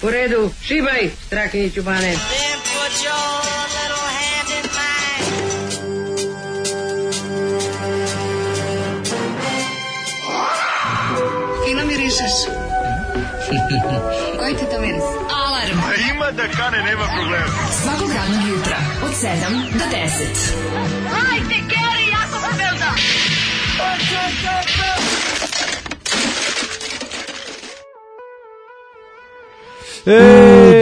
U redu, šibaj, Strakiniću Bane. Fino mirišeš. Koji ti to miris? Alarm. Ima da kane, nema problema. Svakog radnog jutra, od 7 do 10. Hajde, Geri, jako se velda.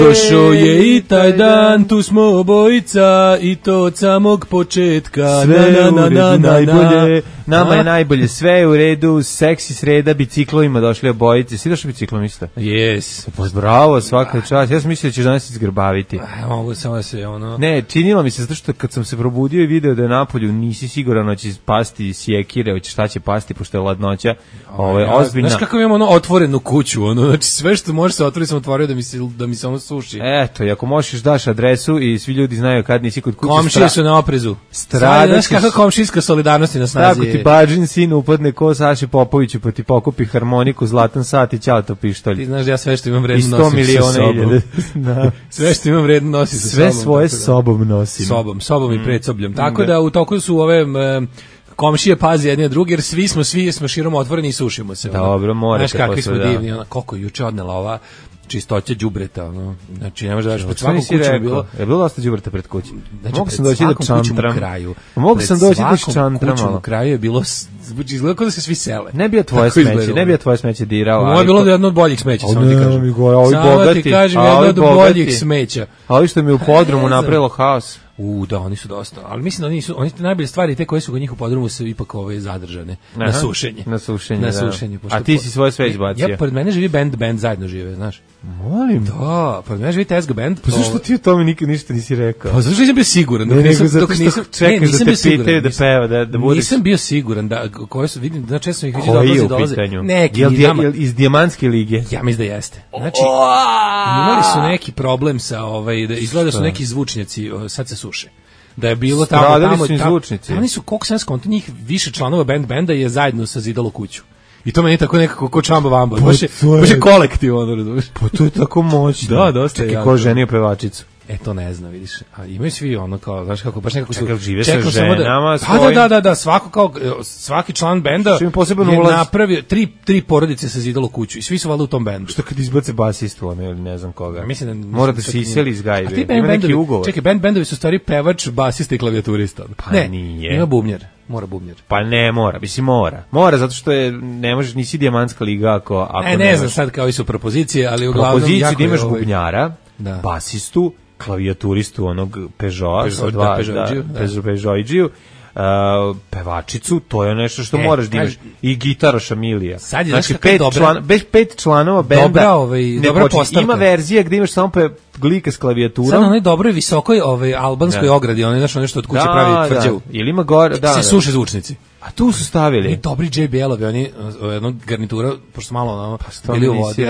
Došao je i taj dan, tu smo obojica i to od samog početka. Sve u redu, najbolje. Nama je najbolje, sve je u redu, seksi sreda, biciklovima došli obojice. Si došao biciklom isto? Yes. Bravo, svaka čast. Ja sam mislio da ćeš danas izgrbaviti. Mogu samo da se ono... Ne, činilo mi se, zato što kad sam se probudio i video da je napolju, nisi siguran da će pasti sjekire, hoće šta će pasti, pošto je ladnoća ozbiljna. Znaš kako imamo ono otvorenu kuću, ono, znači sve što može se otvoriti sam otvorio da mi se ono suši. Eto, i ako možeš daš adresu i svi ljudi znaju kad nisi kod kuće. Komšije su na oprezu. Znaš kakva komšijska solidarnost je na snazi. Tako ti Bađin sin upadne ko Saši Popoviću pa ti pokupi harmoniku, zlatan sat i ćao to pištolj. Ti znaš da ja sve što imam vredno nosim sa sobom. Da. Sve što imam vredno nosim sa sobom. Sve svoje sobom nosim. Sobom i predsobljem. Tako da u toku su ove... komšije pazi jedni na drugi, jer svi smo širom otvoreni i sušimo se. Dobro, morate. Znaš kakvi smo divni, ona, koliko juče odnela ova čistoća đubreta, ono. Znači, ne možeš da daš pred svakom kućom bilo. Je bilo dosta đubreta pred kućom. Znači, mogu sam doći da čantram. Mogu sam doći da čantram. Kućom u kraju je bilo, izgleda kao da se svi sele. Ne bi tvoje smeće dirao. Ovo je bilo jedno od boljih smeća, samo ti kažem. Samo ti kažem, jedno od boljih smeća. A ovi što mi u podrumu napravilo haos. Da, oni su dosta, ali mislim da oni najbolje stvari, te koje su kod njih u podrumu su ipak zadržane. Na sušenje. Na sušenje. A ti si svoje sve izbacio. Ja, pored mene živi band zajedno žive, znaš. Molim. Da, pored mene živi Tezga band. Pa zašto ti o tome nikad ništa nisi rekao? Pa zašto nisam bio siguran? Čekaš da te pitaju da peva, da budeš... Nisam bio siguran, koje su, vidim, da često ih vidim dolaze. Neki, jel iz Dijamantske lige? Ja mislim da jeste. Znači, imali su neki problem sa, izgleda su neki zvučnjaci, sad se suše. Da je bilo tamo su zvučnici. Oni su, koliko sam skonto, njih više članova benda je zajedno sazidalo kuću. I to meni je tako nekako ko čamba vamba. Baš je kolektiv, ono, razumiješ? Pa to je tako moćno. Da, dosta je. Čekaj, ko ženio pevačicu? To ne znam, vidiš. A imaju svi ono kao, znaš kako, baš nekako su... Čekaj, žive sa ženama svojim... Da, svaki član benda je napravio, tri porodice se zidalo kuću i svi su valjda u tom bendu. Što kad izbace basistu, ono, ili ne znam koga? Mislim da... Mora da se iseli iz gajbe, ima neki ugovor. Čekaj, bendovi su stvari pevač, basista i klavijaturista. Pa ne, nije. Ima bubnjar. Mora bubnjar. Pa ne mora, mislim mora. Mora zato što ne možeš, nisi Dijamantska liga ako ne znam sad kao i su propozicije, ali uglavnom propoziciju da imaš bubnjara, basistu, klavijaturistu onog Peugeot, pevačicu, to je nešto što moraš da imaš, i gitaroša Milija. Znači 5 članova benda. Dobra postavka. Ima verzija gde imaš samo glika s klavijaturom. Sad na onoj dobroj visokoj albanskoj ogradi, nešto od kuće pravi tvrđavu. Ili ima gore, se suše zvučnici. A tu su stavili. I dobri JBL-ovi, oni jednog garnitura, pošto malo bili u vodi.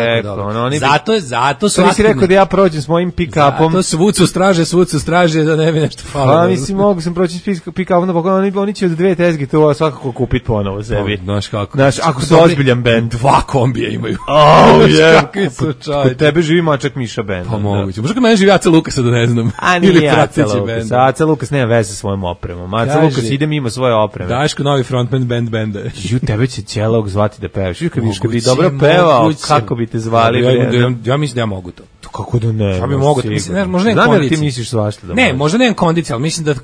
Zato su... To nisi rekao da ja prođem s mojim pick-upom. Zato svud su straže, da ne bi nešto falo. Pa mislim, mogu sam proći s pick-upom, oni će od 2 tezge to svakako kupiti ponovo sebi. Znaš kako. Znaš, ako su ozbiljan band. 2 kombija imaju. Kod tebe živi Mačak Miša band. Pa moguće. Možda kod mene živi Aca Lukasa, da ne znam. A nije Aca Lukas. Aca Lukas nema veze sa svojom opremom. Aca Lukas ide mimo svoje opreme. Daško novi frontman benda. Tebe će cijelog zvati da pevaš. Kad bi dobro pevao, kako bi te zvali? Ja mislim da ja mogu to. Kako da ne? Ja bi mogu to. Možda nemam kondici. Ti misliš svašta da ne, možda nemam kondici, ali mislim da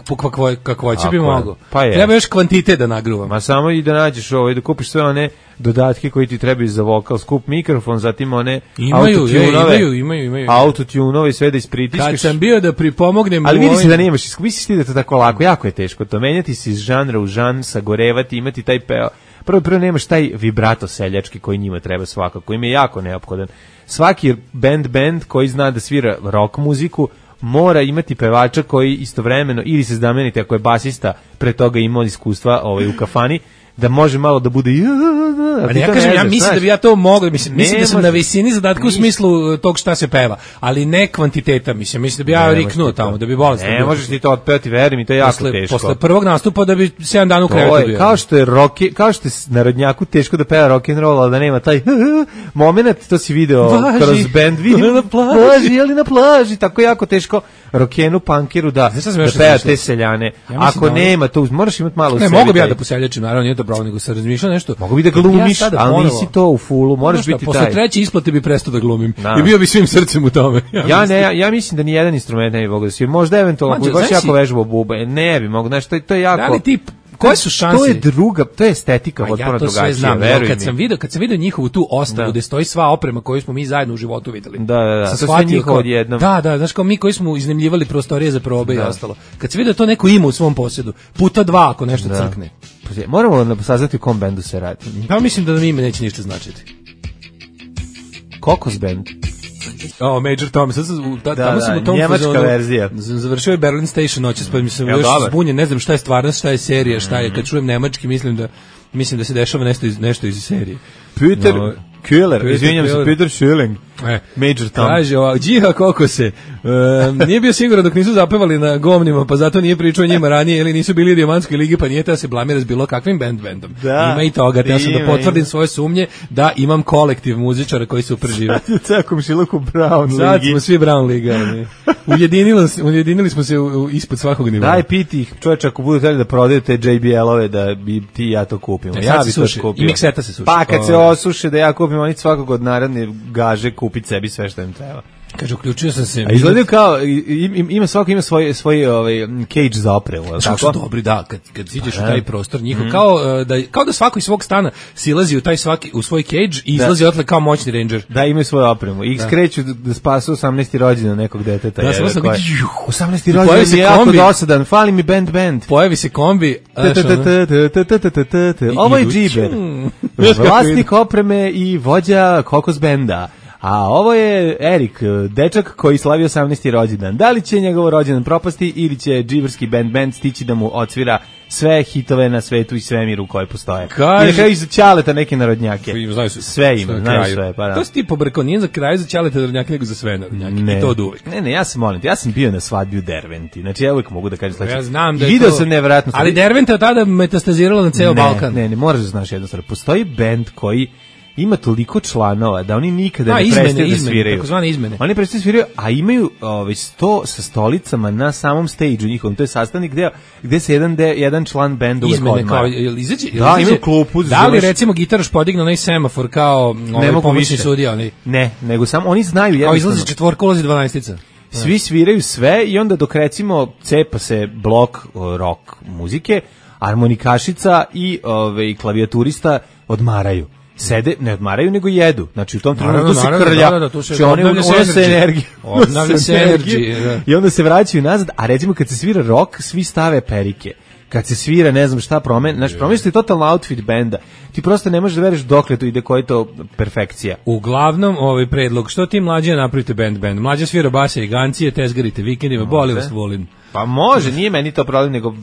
kakvoće bi mogu. Pa treba još kvantitet da nagruvam. Ma samo i da nađeš da kupiš sve one dodatke koji ti trebaju za vokal, skup mikrofon, zatim one imaju autotunove i sve da ispritiskaš. Kad sam bio da pripomognem... Ali vidi se da nemaš, misliš ti da je to tako lako, jako je teško to, menjati se iz žanra u žan, sagorevati, imati taj peo. Prvo nemaš taj vibrato seljački koji njima treba svakako, im je jako neophodan. Svaki band koji zna da svira rock muziku mora imati pevača koji istovremeno, ili se znamenite ako je basista pre toga imao iskustva u kafani, da može malo da bude ali ja kažem, ja mislim da bi ja to mogao, mislim da sam na visini zadatka u smislu tog šta se peva, ali ne kvantiteta, mislim da bi ja riknuo tamo, da bi bolesno. Ne možeš ti to otpevati, veruj mi, to je jako teško. Posle prvog nastupa da bi 7 dana u krevetu bio. Kao što je narodnjaku teško da peva rock and roll, ali da nema taj momenat, to si video kroz band, vidim na plaži, ali na plaži, tako jako teško rockenu, punkeru da peva te seljane. Ako nema to, moraš imati malo u sebi. Ne, mogu bi ja da poseljačim, naravno, nije to pravo, nego sam razmišljao nešto. Mogu bi da glumiš, ali nisi to u fullu, moraš biti taj. Posle treće isplate bi prestao da glumim i bio bi svim srcem u tome. Ja mislim da ni jedan instrument ne bi mogao da svira. Možda eventualno, ako bi baš jako vežbao bube, ne bi mogo, znaš, to je jako... Da li ti... Koje su šanse? To je druga, to je estetika potpuno drugačija, veruj mi. Kad sam video njihovu tu ostavu gde stoji sva oprema koju smo mi zajedno u životu videli. Da, to sve njihovo odjednom. Da, znaš kao mi koji smo iznajmljivali prostorije za probe i ostalo. Kad sam video to neko ima u svom posjedu, puta 2 ako nešto crkne. Moramo saznati u kom bendu se radi. Pa mislim da nam ime neće ništa značiti. Kokos band. Major Tom, tamo sam u tom njemačka verzija. Završio je Berlin Station noćas, pa mislim još zbunjen, ne znam šta je stvarnost, šta je serija, šta je, kad čujem nemački mislim da se dešava nešto iz serije. Peter Killer, izvinjam se, Peter Schilling. Major Tom. Kaže, džiha kokose. Nije bio siguran dok nisu zapevali na govnima, pa zato nije pričao o njima ranije, ili nisu bili u Dijamantskoj ligi, pa nije da se blamira s bilo kakvim bendom. Ima i toga, ja sam da potvrdim svoje sumnje da imam kolektiv muzičara koji su preživali. Sad je cekom šiloku Brown ligi. Sad smo svi Brown liga. Ujedinili smo se ispod svakog nivoa. Daj piti ih, čovječ, ako budu htjeli da prodajete JBL-ove, da bi ti ja to kupimo. Ja bi to kupio. I mikseta se suši. Pa kad se osuše da ja kupim, oni svakog od naredne gaže kupiti sebi sve što im treba. Kaže, uključio sam se. A izgledaju kao, svako ima svoj cage za opremu. Tako dobri, da, kad siđeš u taj prostor njihov, kao da svako iz svog stana silazi u svoj cage i izlazi otle kao moćni ranger. Da, imaju svoju opremu. I skreću da spasu 18. rođendan nekog deteta. Da, samo 18. rođendan je jako dosadan, fali mi band. Pojavi se kombi. Ovo je džiber. Vlasnik opreme i vođa kokos benda. A ovo je Erik, dečak koji slavio 18. rođendan. Da li će njegov rođendan propasti ili će džiberski band stići da mu odsvira sve hitove na svetu i svemiru koje postoje? I neka iz Ćaleta neke narodnjake. Sve ima, znaju sve. Pa da. To si ti pobrkao, nije za kraj za Ćaleta narodnjake, nego za sve narodnjake. I to od uvek. Ne, ja sam bio na svadbi u Derventi. Znači ja uvek mogu da kažem sledeće. Ja znam da je video sam nevjerojatno. Ali Derventa je tada metastazirala na ceo Balkan. Ne, moraš da znaš jednu stvar. Postoji band koji ima toliko članova da oni nikada ne prestaju da sviraju. Takozvane izmene. Oni prestaju da sviraju, a imaju sto sa stolicama na samom stage-u njihovom. To je sastavnik gde se jedan član benda uvek odmara. Da, imaju klupu. Da li recimo gitaraš podigne onaj semafor kao pomoćni sudija? Ne, nego samo oni znaju jednostavno. Kao izlazi četvorka, ulazi 12-ica. Svi sviraju sve i onda dok recimo cepa se blok rock muzike, harmonikašica i klavijaturista odmaraju. Sede, ne odmaraju, nego jedu. Znači, u tom trenutku se krlja. Znači, obnavlja se energiju. I onda se vraćaju nazad, a recimo kad se svira rock, svi stave perike. Kad se svira, ne znam šta znači, promiješ totalno outfit benda. Ti prosto ne možeš da veriš dokle to ide, koja je to perfekcija. Uglavnom, predlog, što ti mlađe napravite band? Mlađe svira basa i gancije, tezgarite vikendima, boli vas, volim. Pa može, nije meni to problem, nego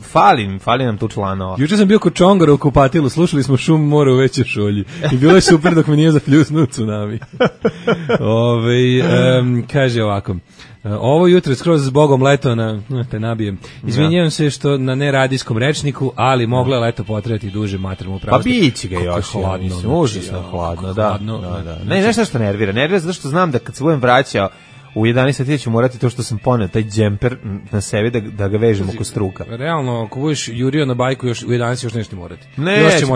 fali nam tu članova. Juče sam bio kod Čongora u kupatilu, slušali smo šum mora u Većoj šolji. I bilo je super dok mi nije zapljusnuo tsunami. Kaže ovako. Ovo jutro skroz s Bogom leto te nabijem. Izvinjavam se što na neradijskom rečniku, ali moglo je leto potrajati duže, materijalno pravo. Pa biće ga još, užasno hladno, da. Ne, nešto što nervira zato što znam da kad se budem vraćao u 11 sati ću morati to što sam poneo, taj džemper na sebi da ga vežem oko struka. Realno, ako budeš jurio na bajku još u 11 još nešto morati. Neće,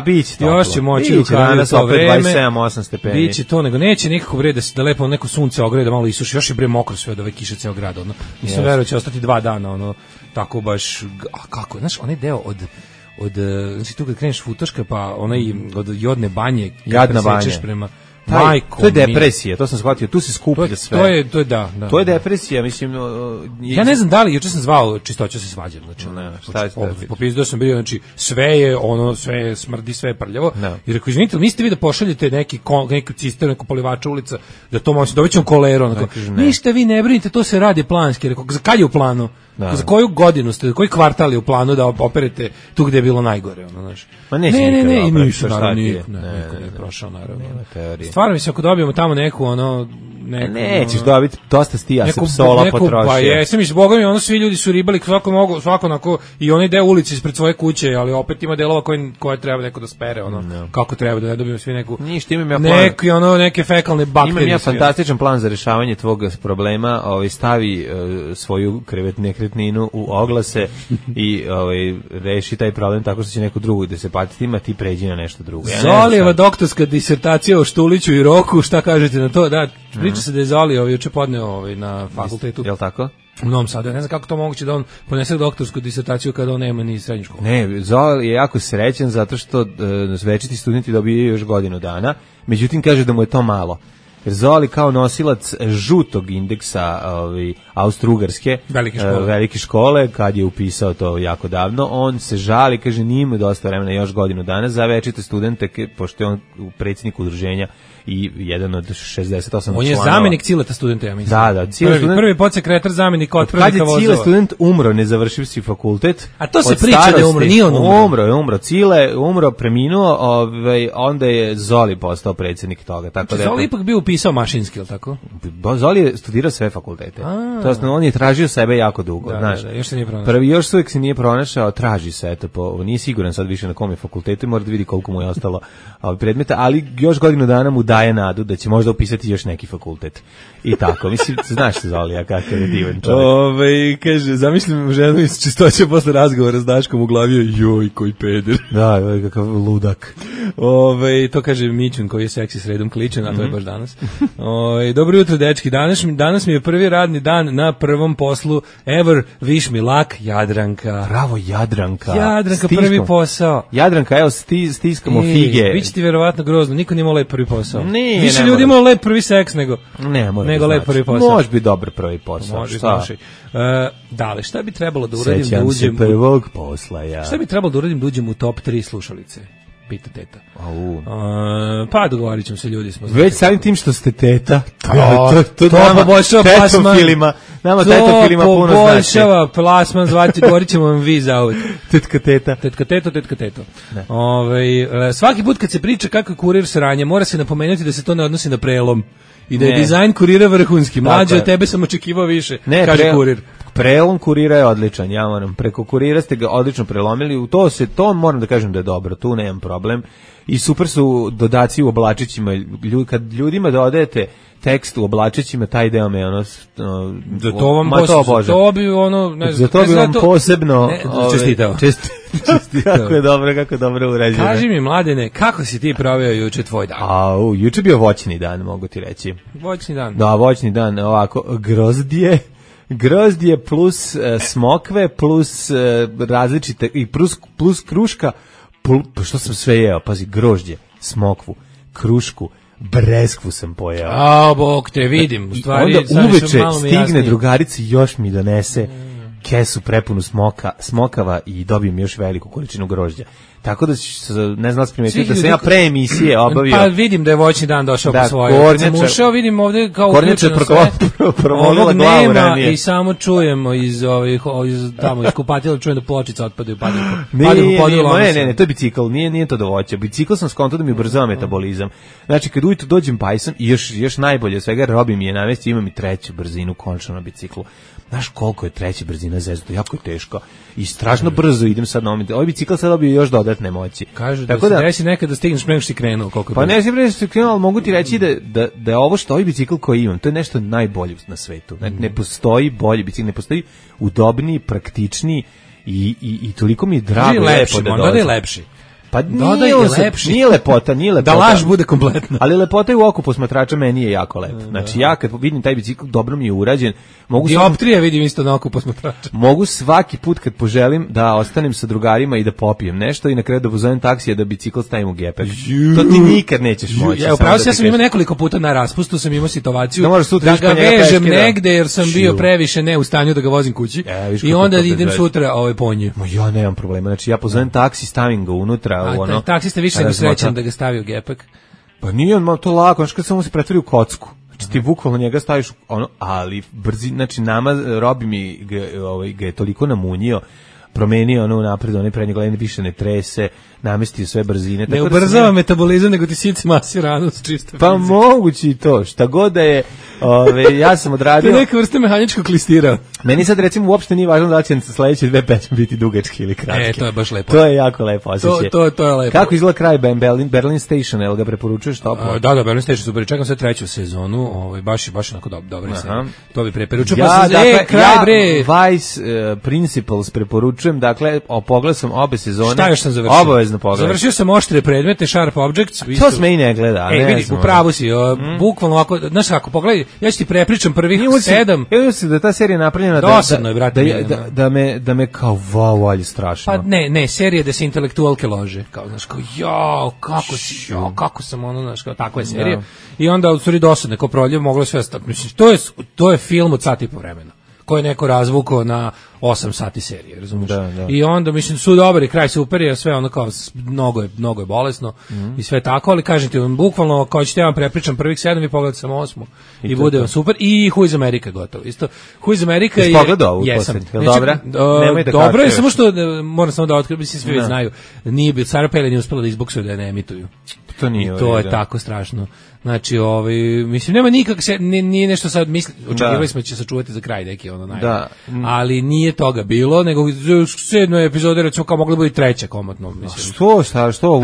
biće to. Još će moći rukaviti to vreme. 27-8 stepeni. Biće to, nego neće nikako bre da lepo neko sunce ograde, da malo isuši. Još je bre mokro sve od ove kiše ceo grad. Nisam verovao će ostati 2 dana, tako baš, kako, znaš, onaj deo znači tu kad kreneš Futoška, pa onaj od Jodne banje, Jadna banja. Majko, to je depresija, to sam shvatio, tu se skuplja sve. To je da. To je depresija, mislim. Ja ne znam da li, juče sam zvao Čistoću se svađam, znači šta je popizdao sam bio, znači sve je smrdi, sve je prljavo. I rekao, izvinite, niste vi da pošaljete neki cisternu, neku polivača ulica, da to možete dovećem koleru, onako. Ništa vi ne brinite, to se radi planski. Rekao, za kad je u planu? Za koju godinu ste, koji kvartal je u planu da operete tu gde je bilo najgore, ono, znači. Ma ne, nisu, naravno, niko nije prošao, naravno. Stvarno, mislim, ako dobijemo tamo neku, nećeš dobiti, dosta stija se psola potrošio. Pa jesam, mislim, boga mi, svi ljudi su ribali, svako onako, i onaj deo ulici ispred svoje kuće, ali opet ima delova koje treba neko da spere, kako treba, da ne dobijemo svi neku, ništa, imam ja plan, neke fekalne bakterije. Imam ja fantastičan plan za rešavanje tvog problema, stavi svoju nekretninu u oglase i reši taj problem tako što će neko drugo da se patiti, ima ti pređi na nešto drugo. Zolijeva doktorska disertacija o Štuliću i Roku, šta kažete na to? Da, priča se da je Zoli juče podneo na fakultetu. Jel tako? U Novom Sadu. Ja ne znam kako to moguće da on ponese doktorsku disertaciju kada on nema ni srednju školu. Ne, Zoli je jako srećan zato što večiti studenti dobiju još godinu dana, međutim kaže da mu je to malo. Jer Zoli kao nosilac žutog indeksa Austro-Ugarske velike škole, kad je upisao to jako davno, on se žali, kaže nije mu dosta vremena, još godinu dana za večite studente, pošto je on predsjednik udruženja i jedan od 68 članova. On je zamenik Cileta studenta, ja mislim. Da, prvi podsekretar, zamenik otpravnika vozova. Kad je Cile student umro, ne završivši fakultet. A to se priča da je umro, nije on umro. Umro. Cile umro, preminuo, onda je Zoli postao predsjednik toga. Tako da Zoli ipak bio upisao mašinski, ili tako? Zoli je studirao sve fakultete. On je tražio sebe jako dugo. Još se nije pronašao. Još uvijek se nije pronašao, traži se, nije siguran sad više na kom je fakultetu, mora da vidi koliko mu je ostalo predmeta, ali još godinu dana mu daje nadu da će možda upisati još neki fakultet. I tako, mislim, znaš se Zolija kakav je divan čovjek. Kaže, zamislim ženu iz Čistoće posle razgovora s Daškom u glavi, joj, koji peder. Da, kakav ludak. To kaže Mićun koji je seksi sredom kličen, a to je baš danas. Dobro jutro, dečki. Danas mi je prvi radni dan na prvom poslu ever. Wish me luck, Jadranka. Bravo, Jadranka. Jadranka, prvi posao. Jadranka, evo, stiskamo fige. Biće ti verovatno grozno, niko nije imao lep prvi posao. Više ljudi imao lep prvi seks nego lep prvi posao. Može biti dobar prvi posao. Može, znači. Dale, šta bi trebalo da uradim da uđem prvog posla, ja. Šta bi trebalo da uradim da uđem u top 3 slušalice? Pita teta. Pa dogovorit ćemo se, ljudi smo. Već samim tim što ste teta, to poboljšava plasman. Nama tetofilima puno znači. To poboljšava plasman, govorit ćemo vam vi za uvijek. Tetka teto. Svaki put kad se priča kako je kurir sranje, mora se napomenuti da se to ne odnosi na prelom. I da je dizajn kurira vrhunski. Mlađe od tebe sam očekivao više, kaže kurir. Prelom kurira je odličan, ja moram, preko kurira ste ga odlično prelomili, to moram da kažem da je dobro, tu nemam problem. I super su dodaci u oblačićima, kad ljudima dodajete tekst u oblačićima, taj deo me to bi ono, ne znam, za to bi vam posebno čestitao. Kako je dobro urađeno. Kaži mi, Mladene, kako si ti proveo juče tvoj dan? Juče bio voćni dan, mogu ti reći. Voćni dan? Da, voćni dan, ovako, grozdje plus smokve plus različite i plus kruška, što sam sve jeo, pazi, grožđe, smokvu, krušku, breskvu sam pojeo. Bog te vidim, u stvari. Onda uveče stigne drugarica i još mi donese kesu prepunu smokava i dobijem još veliku količinu grožđa. Tako da ne znam primetiti da sam ja pre emisije obavio. Pa vidim da je voćni dan došao po svoje. Sam ušao, vidim ovde kao uključeno sve. Ovog nema i samo čujemo iz kupatila, čujem da pločica otpadaju. Ne, to je bicikl, nije to do voća. Bicikl sam skontao da mi ubrzava metabolizam. Znači, kad ujutro dođem pajsan i još najbolje od svega, Robi mi je navesti, imam i treću brzinu končno na biciklu. Znaš koliko je treća brzina zezda, jako je teško. I strašno brzo idem sad na ovaj bicikl sad dobio još dodatne moći. Kažu da se desi nekad da stigneš pre nego što si krenuo. Pa ne si pre nego što si krenuo, ali mogu ti reći da je ovo što ovaj bicikl koji imam, to je nešto najbolje na svetu. Ne postoji bolji bicikl, ne postoji udobniji, praktičniji i toliko mi je drago. Lepši, možda da je lepši. Pa nije lepota. Da laž bude kompletna. Ali lepota je u oku posmatrača, meni je jako lep. Znači ja kad vidim taj bicikl, dobro mi je urađen. Dioptrije vidim isto na oku posmatrača. Mogu svaki put kad poželim da ostanem sa drugarima i da popijem nešto i na kraju da pozovem taksija da bicikl stavim u gepek. To ti nikad nećeš moći. Upravo ja sam imao nekoliko puta na raspustu, sam imao situaciju da ga vežem negde jer sam bio previše ne u stanju da ga vozim kući i onda idem sutra po nje. Ja nemam problema, znači ja pozovem taksi, stavim ga unutra. Taksista više nego srećan da ga stavi u gepek. Pa nije on to lako, znači kad samo se pretvori u kocku. Znači ti bukvalno njega staviš ali brzi, znači nama Robi mi ga je toliko namunio, promenio napred, onaj prednje gledanje više ne trese, namestio sve brzine. Ne ubrzava metabolizam, nego ti sici masi ranu s čiste. Pa mogući i to, šta god da je, ja sam odradio. To je neka vrsta mehaničkog klistira. Meni sad recimo uopšte nije važno da će sledeće 2 pesme biti dugačke ili kratke. To je baš lepo. To je jako lepo osjećaj. To je lepo. Kako izgleda kraj Berlin Station, jel ga preporučuješ toplo? Da, Berlin Station super, čekam sve 3. sezonu, baš onako dobro se. To bi preporučio. Vice Principles preporučujem, dakle, pogledao sam obe sezone. Šta još sam završio? Obavezno pogledaj. Završio sam Oštre predmete, Sharp Objects. To se meni ne gleda. Vidi, u pravu si, bukvalno ovako, znaš kako, pogledaj, ja ću ti prepričam prvih 7. Ja mislim da ta serija napravljena da me kao valje strašno. Pa ne, serija da se intelektualke lože, kao, znaš, kao, kako sam znaš, kao, takva je serija. I onda, u stvari, dosadne, kao proljev, moglo sve stati. Mislim, to je film od sat i po vremena, koji je neko razvukao na 8 sati serije, razumiješ? Da. I onda, mislim, su dobri, kraj super je, sve ono kao, mnogo je bolesno i sve tako, ali kažem ti, bukvalno, kao ćete ja vam prepričam prvih 7, vi pogledate samo 8 i bude vam super. I Who is America gotovo, isto. Who is America je... Pogledao ovu posljednju, je li dobra? Dobro je, samo što, moram samo da otkrijem, mislim, svi već znaju, Sarah Palin nije uspela da izboksuju da je ne emituju. To je tako strašno. Znači, mislim, nema nije nešto sad očekivali smo da će sačuvati za kraj neki ali nije toga bilo, nego u 7. epizode recimo kao mogla biti 3. komotno, mislim. Što?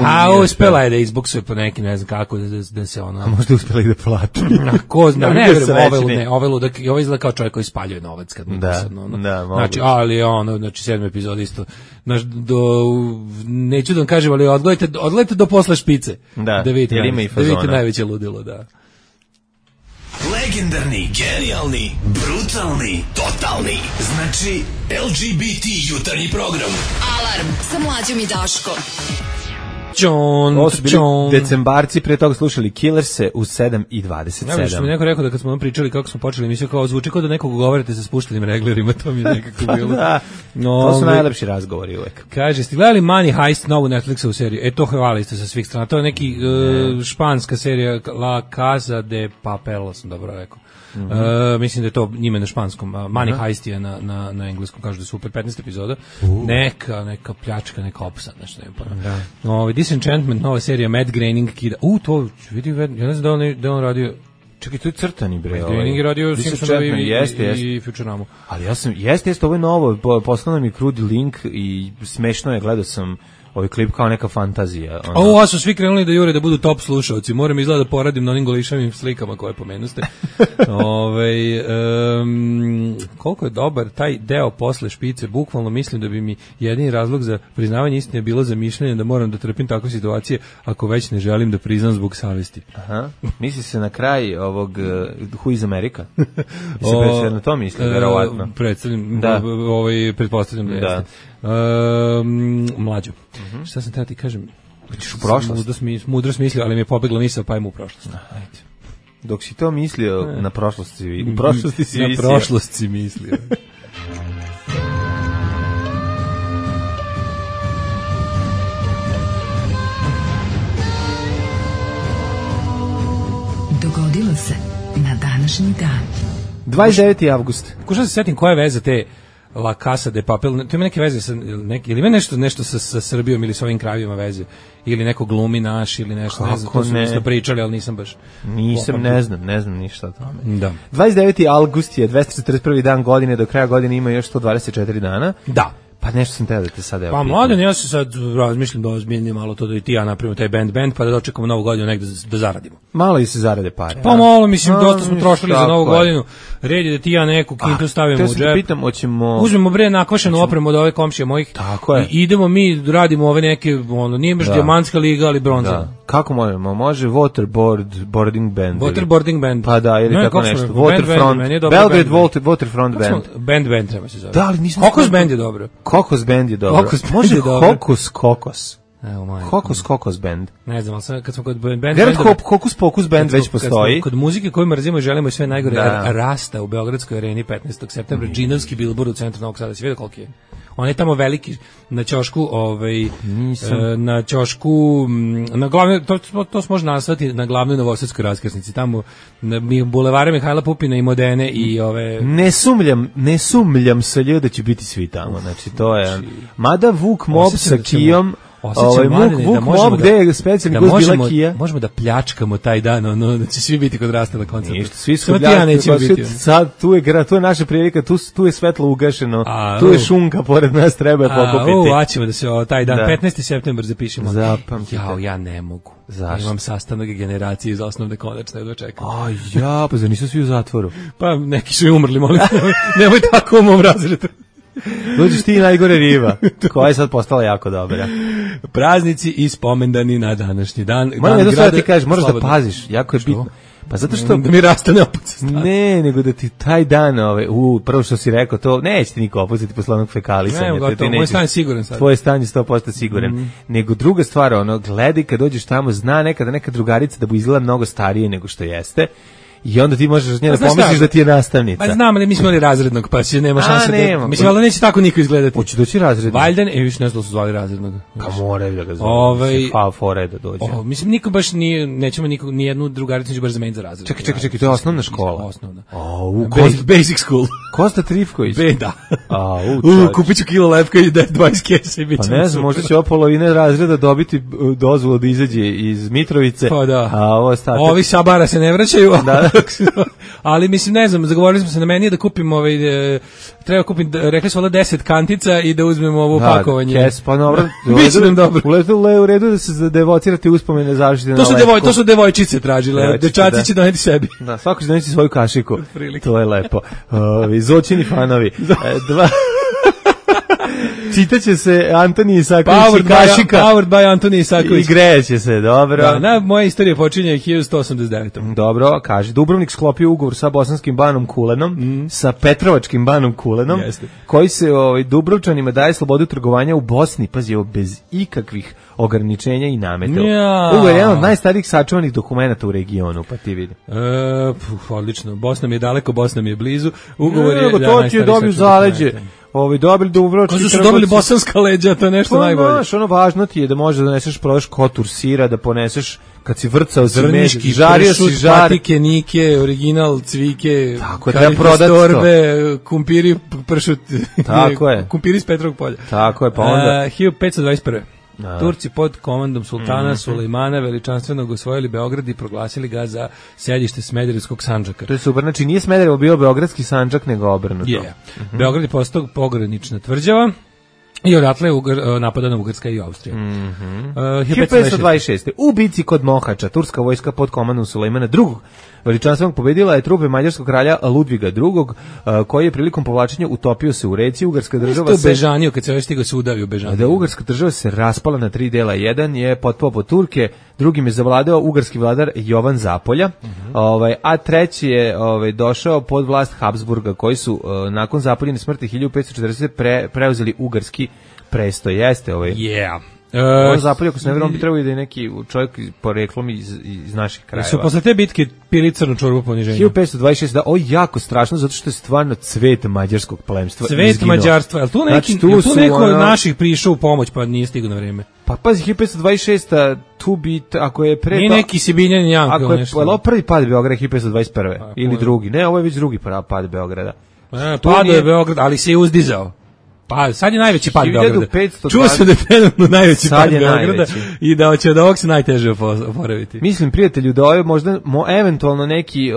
Uspela je da izbuksuje po neki, ne znam kako, da se ona... A možda uspela i da plati. Ko zna, ne verujem, ovo izgleda kao čovjek koji spaljuje novac kad mi znači, ali znači 7. epizode isto, neću da vam kažem, ali odgledajte do posle špice, da vidite najveće ludilo, da. Legendarni, genijalni, brutalni, totalni. Znači, LGBT jutarnji program. Alarm sa Mlađom i Daškom. Ovo su bili decembarci, pre toga slušali Killerse u 7:27. Ja što mi neko rekao da kad smo pričali kako smo počeli emisiju, kao zvuči kao da nekog govorite sa spuštenim reglerima, to mi je nekako bilo. To su najlepši razgovori uvek. Kaže, ste gledali Money Heist, novu Netflixovu seriju? To hvali ste sa svih strana. To je neki španska serija La Casa de Papel, sam dobro rekao. Mislim da je to njime na španskom. Money Heist je na engleskom, kažu da je super, 15 epizoda. Neka pljačka, neka opsad, nešto ne. Disenchantment, nova serija, Matt Groening kida. To vidi, ja ne znam da on radio. Čekaj, to je crtani bre. Matt Groening je radio Simpsonovi i Futurama. Ali ja sam, jeste, ovo je novo, poslao mi krudi link i smešno je, gledao sam ovaj klip kao neka fantazija. Ovo su svi krenuli da jure da budu top slušalci. Moram izgleda da poradim na onim golišavim slikama koje pomenuste. Koliko je dobar taj deo posle špice, bukvalno mislim da bi mi jedini razlog za priznavanje istine bilo zamišljanje da moram da trpim takve situacije ako već ne želim da priznam zbog savesti. Aha. Misli se na kraj ovog Who is America? Se na to misli, verovatno. Pretpostavljam da jeste. Mlađo. Šta sam tada ti kažem? Hoćeš u prošlost? Mudro smislio, ali mi je pobegla misao, pa idem u prošlost. Dok si to mislio, na prošlosti si mislio. Na prošlost si mislio. Dogodilo se na današnji dan. 29. avgust. Kušao se setim koja je veza te La Casa de Papel, to ima neke veze sa ili ima nešto sa Srbijom ili sa ovim krajevima veze, ili neko glumi naš ili nešto, ne znam, to su isto pričali, ali nisam baš. Ne znam ništa o tome. Da. 29. avgust je 241. dan godine, do kraja godine ima još 124 dana. Da. Pa Pa nešto sam teo da te sad evo. Pa mladen, ja se sad razmišljam da ozbiljnim malo to da i ti ja napravimo taj band, pa da dočekamo novu godinu negde da zaradimo. Malo i se zarade pare. Pa malo, mislim, dosta smo trošili za novu godinu. Red je da ti ja neku kintu stavimo u džep. Te pitam, uzmemo bre nakvašenu opremu od ove komšije mojih. Tako je. I idemo mi, radimo ove neke, nije baš dijamantska liga, ali bronza. Da. Kako možemo? Može waterboarding band. Waterboarding band. Pa da, ili tako nešto. Waterfront. Belgrade Waterfront band. Band treba se zove. Da, ali nisam. Kokos band je dobro. Kokos band je dobro. Može Kokos. Evo moj. Kokos band. Ne znam, ali kad smo kod band. Hokus Pokus band već postoji. Kod muzike koju mrzimo i želimo sve najgore, Rasta u Beogradskoj areni 15. septembra, džinovski bilbord u centru Novog Sada. Si vidio koliki je? On je tamo veliki na ćošku, na ćošku, na glavnoj, to se može nazvati na glavnoj novosadskoj raskrsnici, tamo na bulevare Mihajla Pupina i Modene i ove... Ne sumljam sa ljud da će biti svi tamo, znači to je... Mada Vuk Mob sa Kijom, Vuk Mob gde je specijalni gost bila Kija. Možemo da pljačkamo taj dan, da će svi biti kod Rasta na koncertu. Ništa, svi su pljačkali, sad tu je naša prilika, tu je svetlo ugašeno, tu je šunka pored nas, treba je pokupiti. Hoćemo da se taj dan, 15. septembar zapišemo. Zapamtite. Ja ne mogu. Zašto? Imam sastanak generacije iz osnovne konačne, da čekam. Pa zar nisu svi u zatvoru? Pa neki su i umrli, molim, nemoj tako u mom razredu. Dođeš ti najgore riba, koja je sad postala jako dobra. Praznici i spomendani na današnji dan. Moram da ti kažeš, moraš da paziš, jako je bitno. Pa zato što... Da mi rastane opet. Ne, nego da ti taj dan, prvo što si rekao, to neće ti niko opustiti posle onog fekalisanja. Ne, gotovo, moj stan je siguran sad. Tvoj stan je 100% siguran. Nego druga stvar, gledaj kad dođeš tamo, zna nekada neka drugarica da bu izgleda mnogo starije nego što jeste. I onda ti možeš njena pomisliš da ti je nastavnica. Pa znam, ali mi smo imali razrednog, pa si nema šanse da... Mislim, ali neće tako niko izgledati. Hoće doći razrednog. Valjda, više ne znam da su zvali razrednog. Pa moraju da ga zvali. Fore da dođe. Mislim, niko baš nije, nećemo nijednu drugaricu neće baš zameniti za razred. Čekaj, to je osnovna škola. Osnovna. Basic school. Kosta Trifković. Da. Kupit ću kilo lepka i 20 kesa i bit će. Pa ne znam, možda će ova polovina razreda dobiti dozvolu da izađe iz Mitrovice. Pa da. A ovo ostatak. Ovi sa bara se ne vraćaju. Da. Ali mislim, ne znam, zagovorili smo se na meni da kupim treba kupiti, rekli smo 10 kantica i da uzmemo ovo pakovanje. Kes, pa dobro. Biće nam dobro. U redu da se devocirate uspomene zaštite na lepku. To su devojčice tražile, dečaci će doneti sebi. Da, svako će doneti svoju kašiku. To je lepo. Zoćini fanovi. Čitaće se Antoni Isaković i kašika. Powered by Antoni Isaković. I greće se, dobro. Da, moja istorija počinje 1189. Dobro, kaže, Dubrovnik sklopio ugovor sa bosanskim banom Kulenom, sa petrovačkim banom Kulenom, koji se Dubrovčanima daje slobodu trgovanja u Bosni, pazi, bez ikakvih ograničenja i nameta. Ugovor je jedan od najstarijih sačuvanih dokumenata u regionu, pa ti vidi. Odlično, Bosna mi je daleko, Bosna mi je blizu. Ugovor je to ti je dobio zaleđe. Dobili Dubrovački. Ko su dobili bosanska leđa, to je nešto najbolje. Znaš, važno ti je da možeš da doneseš, prodaš kotur sira, da poneseš kad si vrcao zrniški, žario si žar, patike, nike, original, cvike, tako treba prodati torbe, kumpiri, pršut, tako je. Kumpiri iz Petrovog polja. Tako je, pa onda 1521. Turci pod komandom sultana Sulejmana veličanstvenog osvojili Beograd i proglasili ga za sedište Smederevskog sandžaka. To je super, znači nije Smederevo bio beogradski sandžak, nego obrnuto. Beograd je postao pogranična tvrđava i odatle je napadana Ugarska i Austrija. 1526. U bici kod Mohača, turska vojska pod komandom Sulejmana II. Veličanstvenog pobedila je trupe mađarskog kralja Ludviga II, koji je prilikom povlačenja utopio se u reci. Ugarska država se bežanio kad se već stigao se udavio bežanio. Da ugarska država se raspala na 3 dela. Jedan je potpao pod Turke, drugim je zavladao ugarski vladar Jovan Zapolja, a treći je došao pod vlast Habsburga, koji su nakon Zapoljine smrti 1540 preuzeli ugarski prestoj. Jeste on Zapolje, ako se ne vjerujem, bi trebao da je neki čovjek poreklom iz naših krajeva. Su posle te bitke pili crnu čorbu poniženja. 1526, da, ovo je jako strašno, zato što je stvarno cvet mađarskog plemstva izginuo. Cvet mađarstva, ali tu neko od naših prišao u pomoć, pa nije stigao na vreme. Pa pazi, 1526, tu bi, ako je pre... Nije neki Sibinjan Janko, ako je prvi pad Beograda 1521. Ili drugi, ne, ovo je već drugi pad Beograda. Pado je Beograd, ali se je uzdizao. Pa sad je najveći pad 1520. Beograda. Čuo sam da je trenutno najveći Sad pad je Beograda najveći. i da će od ovog se najteže oporaviti. Mislim, prijatelju, da ovo je možda eventualno neki,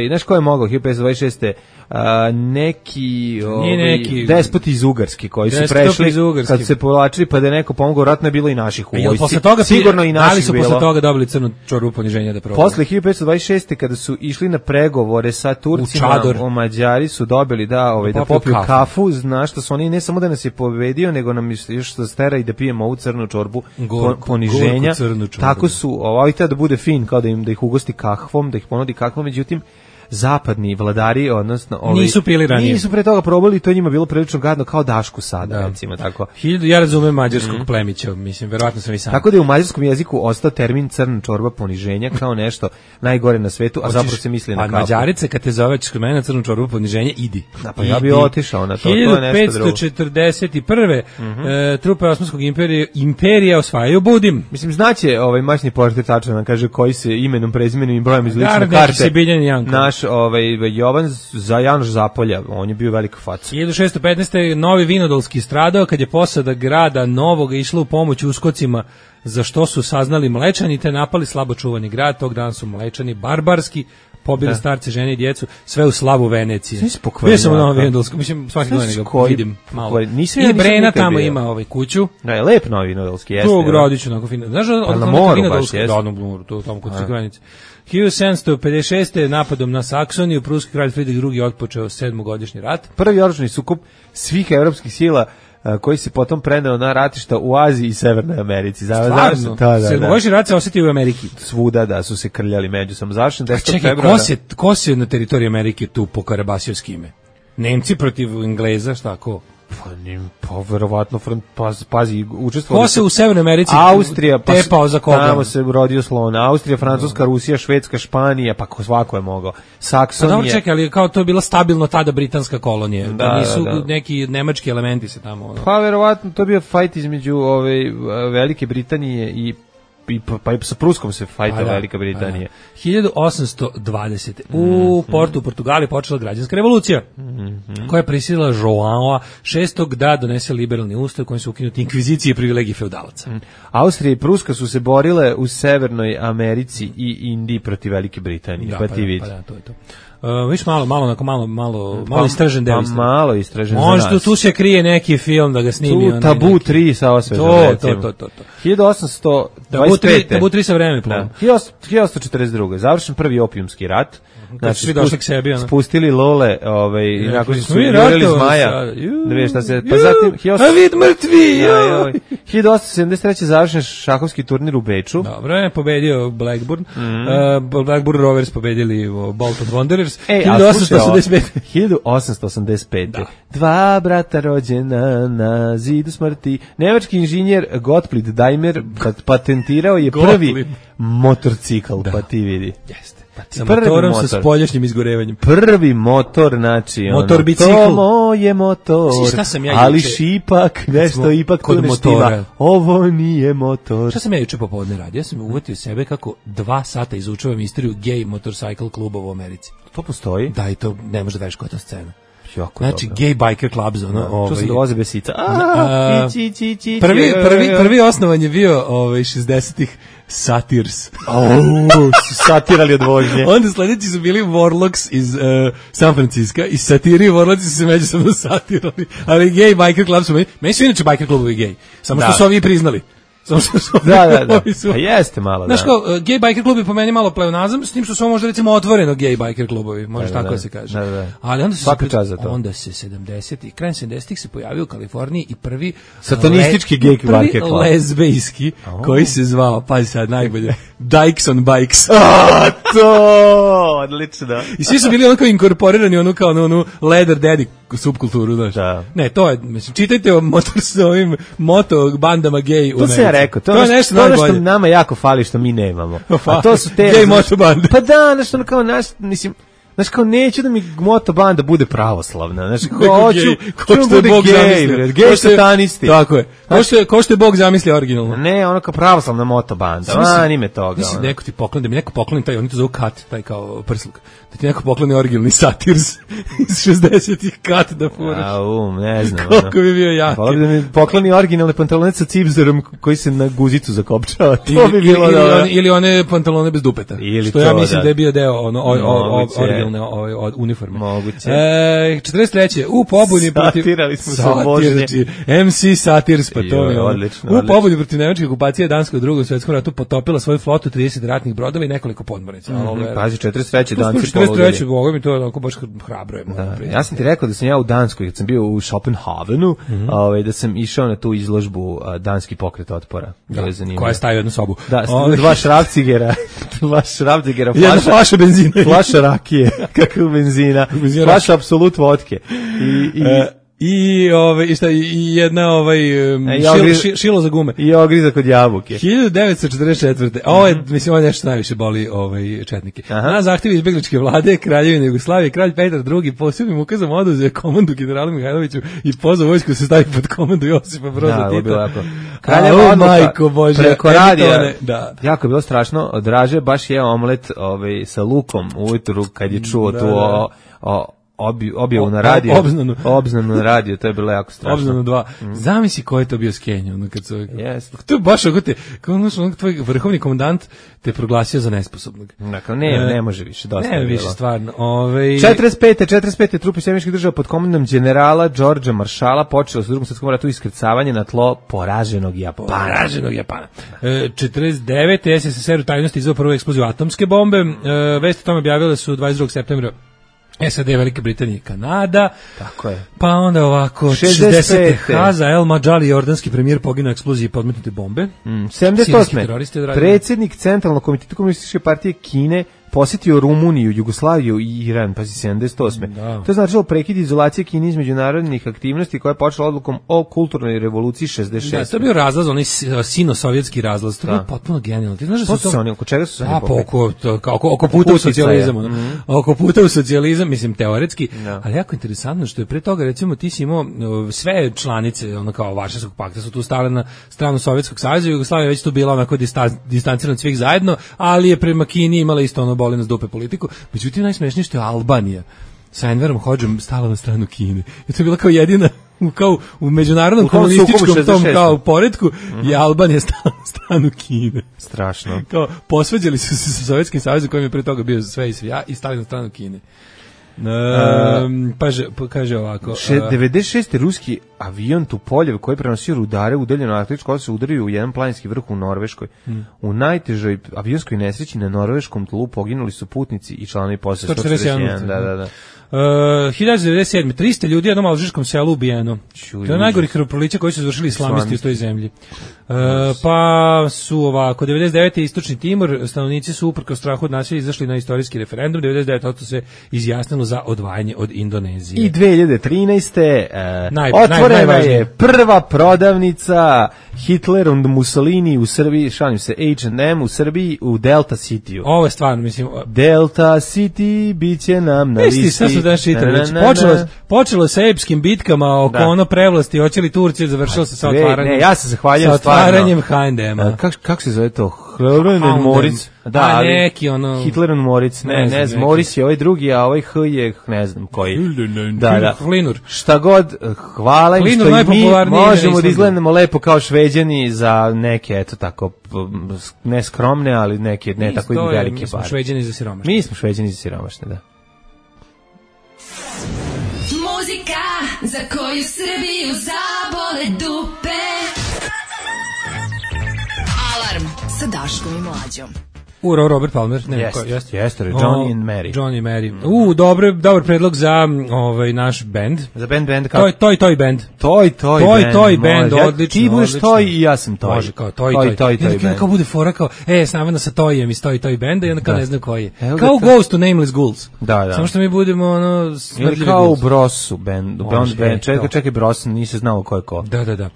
znaš ko je mogao 1526. Neki despoti iz Ugarske koji su prešli kad se povlačili, pa da je neko pomogao, vratno je bilo i naših u vojsci. Sigurno i naših su bilo. Posle toga dobili crnu čorbu poniženja da probaju. Posle 1526. kada su išli na pregovore sa Turcima, o Mađari su dobili da popiju kafu, znaš što su oni ne samo da nas je pobedio, nego nam još da stera i da pijemo ovu crnu čorbu poniženja. Tako su, ovaj da bude fin, kao da ih ugosti kahvom, da ih ponudi kahvom, međutim zapadni vladari, odnosno nisu pili ranije. Nisu pre toga probali i to njima bilo prilično gadno kao Dašku sada, recimo tako. Ja razumem mađarskog plemića, mislim, verovatno sam i sam. Tako da je u mađarskom jeziku ostao termin crna čorba poniženja kao nešto najgore na svetu, a zapravo se misli na kafu. A Mađarice kad te zoveš kod mene na crnu čorbu poniženja, idi. Da, pa ja bih otišao na to, to je nešto drugo. 1541. Trupe Osmanskog imperija osvajaju Budim. Mislim, znaće maćni portir tačno nam kaže koji se imenom, prezimenom i brojem iz lične karte. Naš Janoš Zapolja, on je bio velika faca. 1615. Novi Vinodolski stradao kad je posada grada Novoga išla u pomoć uskocima, za što su saznali Mlečani te napali slabo čuvani grad. Tog dana su Mlečani barbarski pobili starce, žene i djecu, sve u slavu Venecije. Bio sam u Novom Vinodolskom, mislim, svaki dan ga vidim malo. I Brena tamo ima kuću. Da, je lep Novi Vinodolski, jeste. Tu u Gradiću, onako fino. Znaš, na moru baš, jeste. Da, na moru, to tamo kod Crkvenice. 1756. napadom na Saksoniju pruski kralj Friedrich II otpočeo 7-godišnji rat. Prvi oružani sukob svih evropskih sila koji se potom preneo na ratišta u Aziji i Severnoj Americi. Stvarno? Sedmogodišnji rat se osjetio u Ameriki. Svuda da su se krljali međusobno. Završen 10. Čekaj, februara. ko se na teritoriji Amerike tu pokarabasio s kime? Nemci protiv Engleza, šta ko? Pa verovatno pazi, učestvovali. Ko se u Severnoj Americi Austrija, tepao za koga? Tamo se rodio slon. Austrija, Francuska, Rusija, Švedska, Španija, pa svako je mogao. Saksonija. Pa dobro, čekaj, ali kao to je bila stabilno tada britanska kolonija. Nisu neki nemački elementi se tamo. Pa verovatno to je bio fajt između Velike Britanije pa i sa Pruskom se fajta Velika Britanija. 1820. U Portu, u Portugali počela građanska revolucija, koja je prisilila Joao VI da donese liberalni ustav kojim su ukinuti inkvizicije i privilegije feudalaca. Austrija i Pruska su se borile u Severnoj Americi i Indiji protiv Velike Britanije. Pa ti vidi. To je to. Viš malo istražen deo. Malo istražen za nas. Možda tu se krije neki film da ga snimi. Tu Tabu 3 sa osvetom. To. 1825. Tabu 3 sa vremeplom. 1842. Završen prvi opijumski rat. Znači, svi došli k sebi. Spustili lole, nakon što su jurili zmaja. Da vidiš šta se... Pa zatim... A vid mrtvi! 1873. završen šahovski turnir u Beču. Dobro je, pobedio Blackburn. Blackburn Rovers pobedili Bolton Wanderers. 1885. Dva brata rođena na zidu smrti. Nemački inženjer Gottlieb Daimler patentirao je prvi motorcikl, pa ti vidi. Jeste. Sa motorom sa spoljašnjim izgorevanjem. Prvi motor, znači motor bicikl. To moje motor, ali šipak, nešto ipak tu ne štima. Ovo nije motor. Šta sam ja juče popodne radio? Ja sam uvatio sebe kako 2 sata izučavam istoriju gay motorcycle klubova u Americi. To postoji? Da, i to ne može da veš koja je to scena. Jako znači dobro. Gay biker clubs što se dovoze bez sica. Prvi osnovan je bio 60-ih Satirs. Satirali od vožnje. Onda sledeći su bili Warlocks iz San Francisco i Satiri i Warlocks su se međusobno satirali. Ali gay biker club su meni su inače biker klubovi gay. Samo što su ovi priznali. Da. A jeste malo, znaš kao, gay biker klubi po meni malo pleonazam, s tim što su možda recimo otvoreno gay biker klubovi, može tako da se kaže. Da. Ali onda se 70-ih, krajem 70-ih se pojavio u Kaliforniji i prvi satanistički gay biker klub. Lezbejski, koji se zvao, pazi sad najbolje, Dykes on Bikes. To, odlično. I svi su bili onako inkorporirani onu leather daddy subkulturu, znaš. Da. Ne, to je, mislim, čitajte o moto bandama gay u to se ja rekao, to je nešto što nama jako fali što mi nemamo. A to su te gay moto bande. Pa da, nešto kao naš, mislim, Znaš, kao neću da mi moto banda bude pravoslavna. Znaš, hoću da bude gej, gej satanisti. Tako je. Ko što je Bog zamislio originalno. Ne, ono kao pravoslavna moto banda. Anime toga. Mislim, neko ti pokloni, da mi neko pokloni taj, oni to zovu kat, taj kao prsluk. Da ti neko pokloni originalni Satirs iz 60-ih kat da furaš. Ne znam. Koliko bi bio jak. Hvala bi da mi pokloni originalne pantalone sa cipzerom koji se na guzicu zakopčava. To bi bilo ili one pantalone bez dupeta. Ili što to, ja mislim da je bio deo originalne uniforme. Moguće. 43. U pobuni protiv... Satirali smo se obožnje. MC Satirs, pa to je odlično. U pobuni protiv nemačke okupacije Danska u Drugom svetskom ratu potopila svoju flotu 30 ratnih brodova i nekoliko podmornica. Pazi, 43. Danci 43. Boga mi to onako baš hrabro je. Ja sam ti rekao da sam ja u Danskoj, kad sam bio u Schopenhavenu, da sam išao na tu izložbu Danski pokret otpora. Koja je stavio jednu sobu. Da, dva šrafcigera, jedna flaša benzina. Flaša rakije, kakva benzina, flaša apsolut vodke. I jedna šilo za gume. I ogrizak od jabuke. 1944. Ovo je, mislim, ovo nešto najviše boli četnike. Na zahtjev izbegličke vlade Kraljevine Jugoslavije, kralj Petar II posebnim ukazom oduzeo komandu generalu Mihajloviću i pozvao vojsku se stavi pod komandu Josipa Broza Tita. Kraljeva majko Bože. Preko radija. Jako je bilo strašno. Draže baš je omlet sa lukom ujutru kad je čuo tu objavu na radio. Obznanu na radio, to je bilo jako strašno. Obznanu 2. Zamisli ko je to bio skenja, kad su... To je baš ako tvoj vrhovni komandant te proglasio za nesposobnog. Dakle, ne može više, dosta je bilo. Ne više, stvarno. 45. trupe Sjedinjenih država pod komandom generala Đorđa Maršala počelo sa Drugom svetskom ratu iskrcavanje na tlo poraženog Japana. 49. SSSR u tajnosti izveo prvu eksploziju atomske bombe. Vesti o tome objavile su 22. septembra SAD, Velike Britanije i Kanada. Tako je. Pa onda ovako, 60. Haza El Madžali, jordanski premijer, poginuo u eksploziji podmetnute bombe. 78. Predsjednik Centralnog komiteta Komunističke partije Kine posjetio Rumuniju, Jugoslaviju i Iran, pazi 78. Da. To je značilo prekid izolacije Kine iz međunarodnih aktivnosti koja je počela odlukom o kulturnoj revoluciji 66. Da, to je bio razlaz, onaj sino-sovjetski razlaz, to je bio potpuno genijalno. Ti znaš da su to... Oko čega su se oni oko puta u socijalizam. Oko puta u socijalizam, mislim, teoretski, ali jako interesantno što je pre toga, recimo, ti si imao sve članice, ono kao Varšavskog pakta su tu stale na stranu Sovjetskog saveza, Jugoslavija već tu bila onako distancirana od svih zajedno, ali je prema Kini imala isto ono boli nas dupe politiku. Međutim, najsmešnije što je Albanija sa Enverom Hodžom stala na stranu Kine. I to je bila kao jedina, kao u međunarodnom komunističkom tom kao poretku, je Albanija stala na stranu Kine. Strašno. Kao posvađali su se sa Sovjetskim savezom kojim je pre toga bio sve i svija i stali na stranu Kine. Kaže ovako. 96. ruski avion Tupoljev koji prenosio rudare udaljeno Arktičko ostrvo udario u jedan planinski vrh u Norveškoj. U najtežoj avionskoj nesreći na norveškom tlu poginuli su putnici i članovi posade 141. Da. 1997. 300 ljudi u jednom alžirskom selu ubijeno. To je najgori krvoproliće koji su izvršili islamisti u toj zemlji. Pa su ovako, 99. Istočni Timor, stanovnici su uprkos strahu od nasilja izašli na istorijski referendum, 99% se izjasnilo za odvajanje od Indonezije. I 2013. Otvorena je prva prodavnica Hitler und Mussolini u Srbiji, šalim se, H&M u Srbiji u Delta City-u. Ovo je stvarno, mislim... Delta City biće nam na listi. Sad su danas čitali, počelo sa epskim bitkama oko ono prevlasti, hoće li Turci, završilo se sa otvaranjem. Ne, ja se zahvaljujem otvaranjem H&M-a. Kako se zove to? Hitler and Moritz. Da, neki ono... Hitler and Moritz. Ne znam, Moritz je ovaj drugi, a ovaj H je ne znam koji. Da. Hlinur. Šta god, hvala im što i mi možemo da izgledamo lepo kao Šveđani za neke, eto tako, ne skromne, ali neke ne tako i velike pare. Mi smo Šveđani za siromašne. Mi smo Šveđani za siromašne, da. Muzika za koju Srbiju zabole dupe. Alarm sa Daškom i Mlađom. Robert Palmer, jeste, Johnny and Mary. Johnny and Mary. Dobar predlog za naš bend. Za band kako? Toy band. Toy band, odlično. Ti budeš Toy i ja sam Toy. Može, kao Toy band. Kao bude fora kao, snavena sa Toyem iz Toy benda i onda kao ne znam koji je. Kao Ghost to Nameless Ghouls. Da. Samo što mi budemo ili kao u Brosu band. Čekaj Bros, nisi znao ko je ko. Da.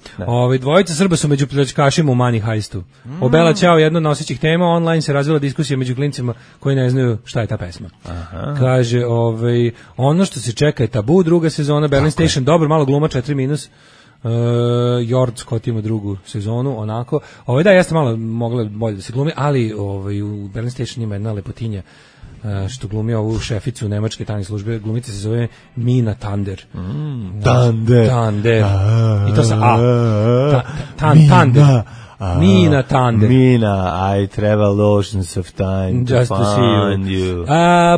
Dvojica Srba su među pljačkašima u Money Heistu. Obela Ćao, jedno od nosećih tema, online se razvila izazvala diskusija među klincima koji ne znaju šta je ta pesma. Aha. Kaže, ono što se čeka je Tabu, druga sezona, Berlin Station, dobro, malo gluma, 4-. Jord Scott ima drugu sezonu, onako. Da, jeste malo mogla bolje da se glumi, ali u Berlin Station ima jedna lepotinja što glumi ovu šeficu nemačke tajne službe, glumica se zove Mina Thunder. Thunder. I to sa Thunder. Mina Thunder. Mina, I travel oceans of time just to find you.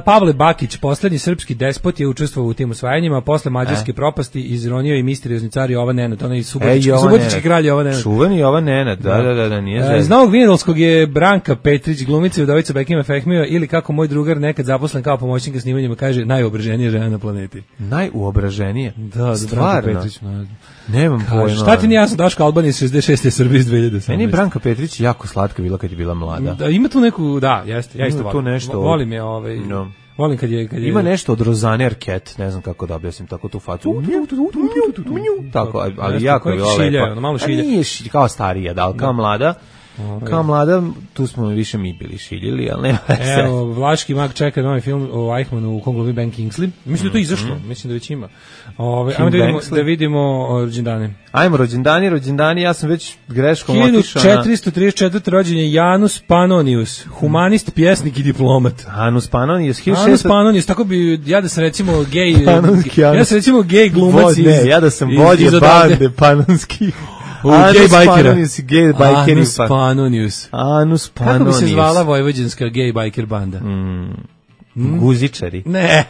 Pavle Bakić, poslednji srpski despot, je učestvovao u tim osvajanjima, posle mađarske propasti izronio i misterijozni car Jovan Nenad, onaj subotički kralj Jovan Nenad. Čuveni Jovan Nenad, da, nije zezno. Iz Novog Vinodolskog je Branka Petrić, glumica i udovica Bekima Fehmija, ili kako moj drugar nekad zaposlen kao pomoćnik na snimanjima kaže, najobraženija žena na planeti. Najuobraženija? Da, Branka Petrić. Nemam pojma. Šta ti nije jasno, Daško Albanija iz 66. Srbije iz 2018. Meni je Branka Petrić jako slatka bila kad je bila mlada. Da, ima tu neku, da, jeste, ja isto volim. Nešto volim je, volim kad je... Ima nešto od Rozane Arquette, ne znam kako da objasnim, tako tu facu. Tako, ali jako je malo šilja. Nije kao starija, da, ali kao mlada. Kao mlada, tu smo više mi bili šiljili, ali nema veze. Evo, Vlaški mag čeka novi film o Eichmannu u kom glumi Ben Kingsley. Mislim da to izašlo, mislim da već ima. Ajmo da vidimo rođendane. Ajmo, rođendani, ja sam već greškom otišao na... 1434. rođen je Janus Pannonius, humanist, pjesnik i diplomat. Janus Pannonius, tako bi, ja da sam recimo gej glumac iz... Ne, ja da sam vođe bande Pannonski. Anus Pannonius. Kako bi se zvala vojvođanska gay biker banda? Guzičari. Ne.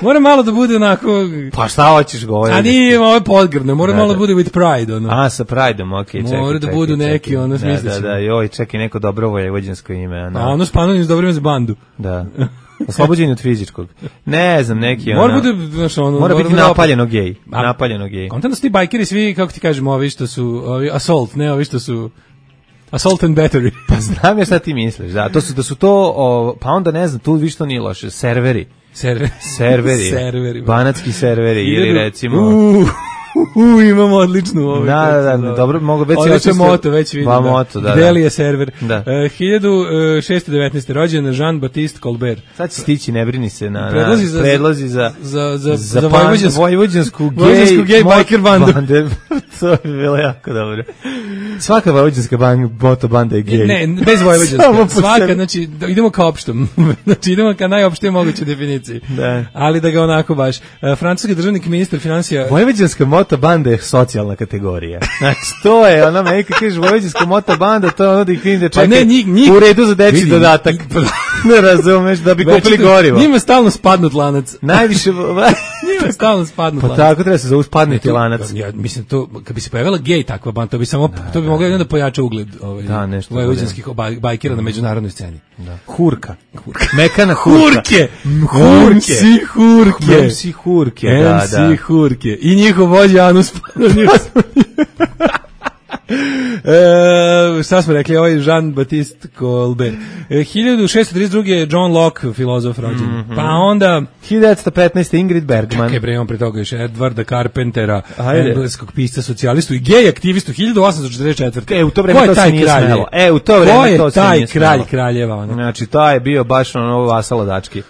Mora malo da bude onako... Pa šta hoćeš govoriti? A nije, ovo je podgrdno, mora malo da bude with pride, ono. A, sa prideom, okej, čekaj. Mora da budu neki, ono, smisliš. Da, joj, čekaj, neko dobro vojvođansko ime. Anus Pannonius, dobro ime za bandu. Da. Oslobođenje od fizičkog. Ne znam, neki ono... Mora biti napaljeno gej. Napaljeno gej. Kontent da su ti bajkeri svi, kako ti kažemo, ovi što su... assault, ne ovi što su... Assault and battery. Pa znam ja šta ti misliš, da. To su pa onda ne znam, tu više to nije loše. Serveri. Banatski serveri ili recimo... Imamo odličnu Da, dobro, mogu već je moto, već vidim. Pa moto, da. Gdje li je server? 1619. rođen Jean-Baptiste Colbert. Sad će stići, ne brini se na predlozi za vojvođansku gay biker bandu. To je bilo jako dobro. Svaka vojvođanska moto banda je gay. Ne, bez vojvođanska. Svaka, znači, idemo ka opštom. Znači, idemo ka najopštije mogućoj definiciji. Ali da ga onako baš. Francuski državnik, ministar financija. Vojvođanska moto banda je socijalna kategorija. Znači, to je, ona me kad kažeš vojvođanska moto banda, to je ono da ih vidim da čekaj u redu za dečji dodatak. Ne razumeš, da bi kupili gorivo. Njima stalno spadnut lanac. Najviše... Njima stalno spadnut lanac. Pa tako treba se zove spadnuti lanac. Ja mislim, kad bi se pojavila gej takva banda, to bi moglo jedno da pojača ugled vojvođanskih bajkera na međunarodnoj sceni. Hurka. Mekana hurka. MC Hurke. I njihov vođa Anus Pannonius. Šta smo rekli, ovaj Jean-Baptiste Colbert. 1632. je John Locke, filozof rođen. Pa onda 1915. Ingrid Bergman. Čekaj bre, on pre toga još Edwarda Carpentera, engleskog pisca socijalistu i gej aktivistu 1844. U to vreme to se nije smelo. U to vreme to se nije smelo. Ko je taj kralj kraljeva? Znači, taj je bio baš ono vasalo dački.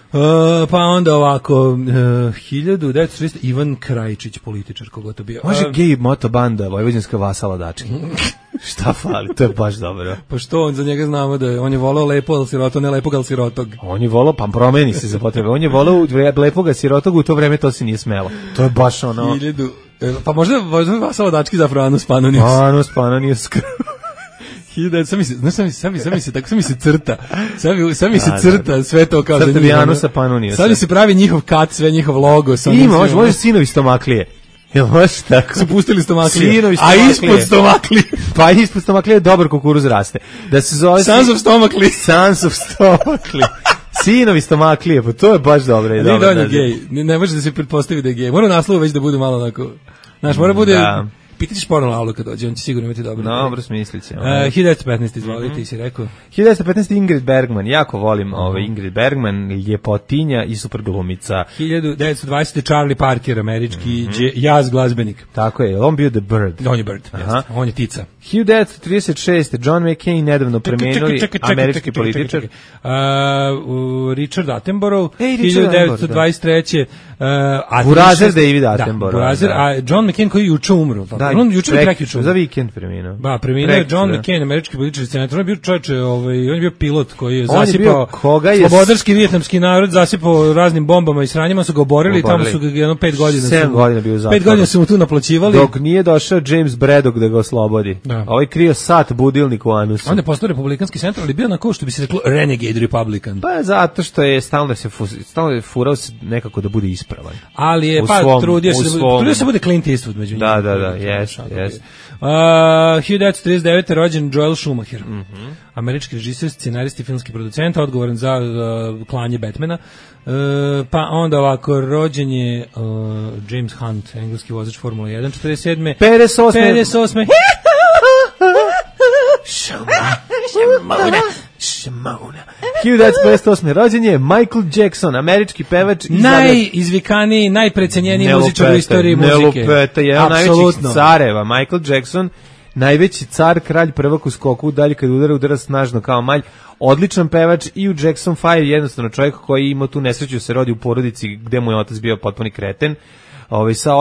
Pa onda ovako 1930. Ivan Krajičić, političar, koga to bio. Može gej motobanda, vojvođanska vasala dački. Šta fali, to je baš dobro. Pa što, on za njega znamo da on je volao lepo, ali siroto, ne lepog, ali sirotog. On je volao, pa promeni se za potrebe. On je volao lepog, sirotog, u to vreme to se nije smelo. To je baš ono... Pa možda vasalo dački zapravo Anus Pannonius. Anus Pannonius. Sam mi se crta. Sam mi se crta sve to kao za njih. Anusa Pannoniusa. Sad mi se pravi njihov kat, sve njihov logo. Može sinovi stomaklije. Jel može tako? Su pustili stomaklije. A ispod stomaklije. Pa ispod stomaklije dobar kukuruz raste. Da se zove... Sons of stomaklije. Sinovi stomaklije, pa to je baš dobro. Nije da on je gej. Ne može da se pretpostavi da je gej. Mora naslov već da bude malo onako... Znaš, mora bude... Pitaćeš porno Laulu kad dođe, on će sigurno imati dobro. Dobro, smislit će. 1915, izvoli, ti si rekao. 1915 Ingrid Bergman, jako volim Ingrid Bergman, ljepotinja i super glumica. 1920 Charlie Parker, američki jazz glazbenik. Tako je, on bio The Bird. On je Bird, on je Tica. 1936 John McCain nedavno premenuli, američki političar. Richard Attenborough, Richard 1923. Burazer David Attenborough. Burazer, a John McCain koji je juče umro. On juče prekjuče. Za vikend preminuo. Ba, preminuo je John McCain, američki političar i senator. On je bio čovječe, on je bio pilot koji je zasipao slobodarski vijetnamski narod, zasipao raznim bombama i sranjima, su ga oborili i tamo su ga 5 godina. 7 godina bio u zatvoru. 5 godina su mu tu naplaćivali. Dok nije došao James Braddock da ga oslobodi. Ovaj krio sat budilnik u anusu. On je postao republikanski centar, ali bio na što bi se reklo renegade republican. Pa zato što je stalno furao se nekako da bude ispravan. Ali je trudio se bude Clint Eastwood među njima. Da, yes. 1939. rođen Joel Schumacher. Američki režiser, scenarist i filmski producent, odgovoran za klanje Batmana. Pa onda ovako, rođen je James Hunt, engleski vozač Formula 1, 47. 58. Šamona. 1958. rođen je Michael Jackson, američki pevač i najizvikaniji, najprecenjeniji muzičar u istoriji muzike. Nelupeta, jedan najvećih careva. Michael Jackson, najveći car, kralj, prvak u skoku, dalje kad udara snažno kao malj. Odličan pevač i u Jackson 5, jednostavno čovjek koji ima tu nesreću se rodi u porodici gde mu je otac bio potpuni kreten. Sa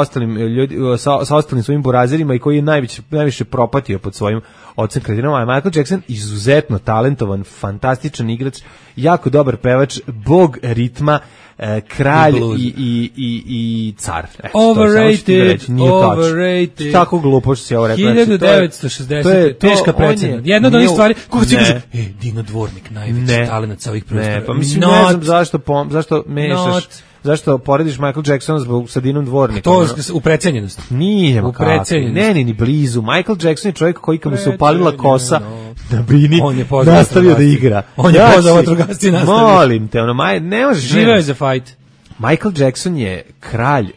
ostalim svojim burazerima i koji je najviše propatio pod svojim ocem kredinom, a Michael Jackson izuzetno talentovan, fantastičan igrač, jako dobar pevač, bog ritma, kralj i car. Overrated. Tako glupo što si ovo rekao. 1960. Teška precena. Jedna od onih stvari, kako ti kaže, Dino Dvornik, najveći talent sa ovih prostora. Ne, pa mislim, ne znam zašto mešaš. Zašto porediš Michael Jacksona sa Dinom Dvornikom? To u precenjenosti. Nije, ne, ni blizu. Michael Jackson je čovjek koji kad mu se upalila kosa na bini, nastavio da igra. On je pozvao vatrogasci nastavio. Molim te, ne možeš. Živeo je za fight. Michael Jackson je kralj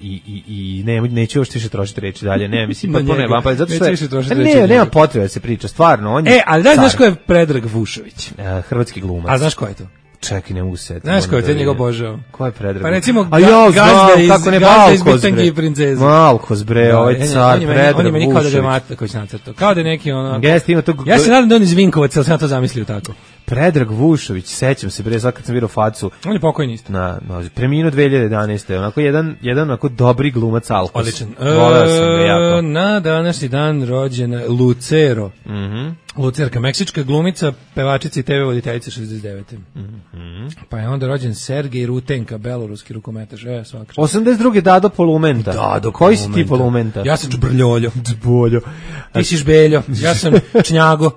i neću još više trošiti reći dalje, ne, mislim, potpuno je vampa, zato što nema potrebe da se priča, stvarno, on je ali znaš ko je Predrag Vušović? Hrvatski glumac. A znaš ko je to? Čekaj, ne mogu se. Znaš ko je te njega obožao? Ko je Predrag? Pa recimo Gazda iz Bitangi i princeze. Malkoz, bre, ovaj car, Predrag On je meni kao da ga mata koji se nacrtao. Kao da je neki ono... Ja se nadam da on iz Vinkovaca, ali sam ja to zamislio tako. Predrag Vušović, sećam se, bre, sad kad sam vidio facu. On je pokojni isto. Preminuo 2011. Onako jedan onako dobri glumac Alkos. Odličan. Voleo sam ga jako. Na današnji dan rođena Lucero. Lucerka, meksička glumica, pevačica i TV voditeljica 69. Pa je onda rođen Sergej Rutenka, beloruski rukometaš. Svakako. 82. Dado Polumenta. Dado koji si ti Polumenta? Ja sam Čbrljoljo. Čboljo. Ti si Žbeljo. Ja sam Čnjago.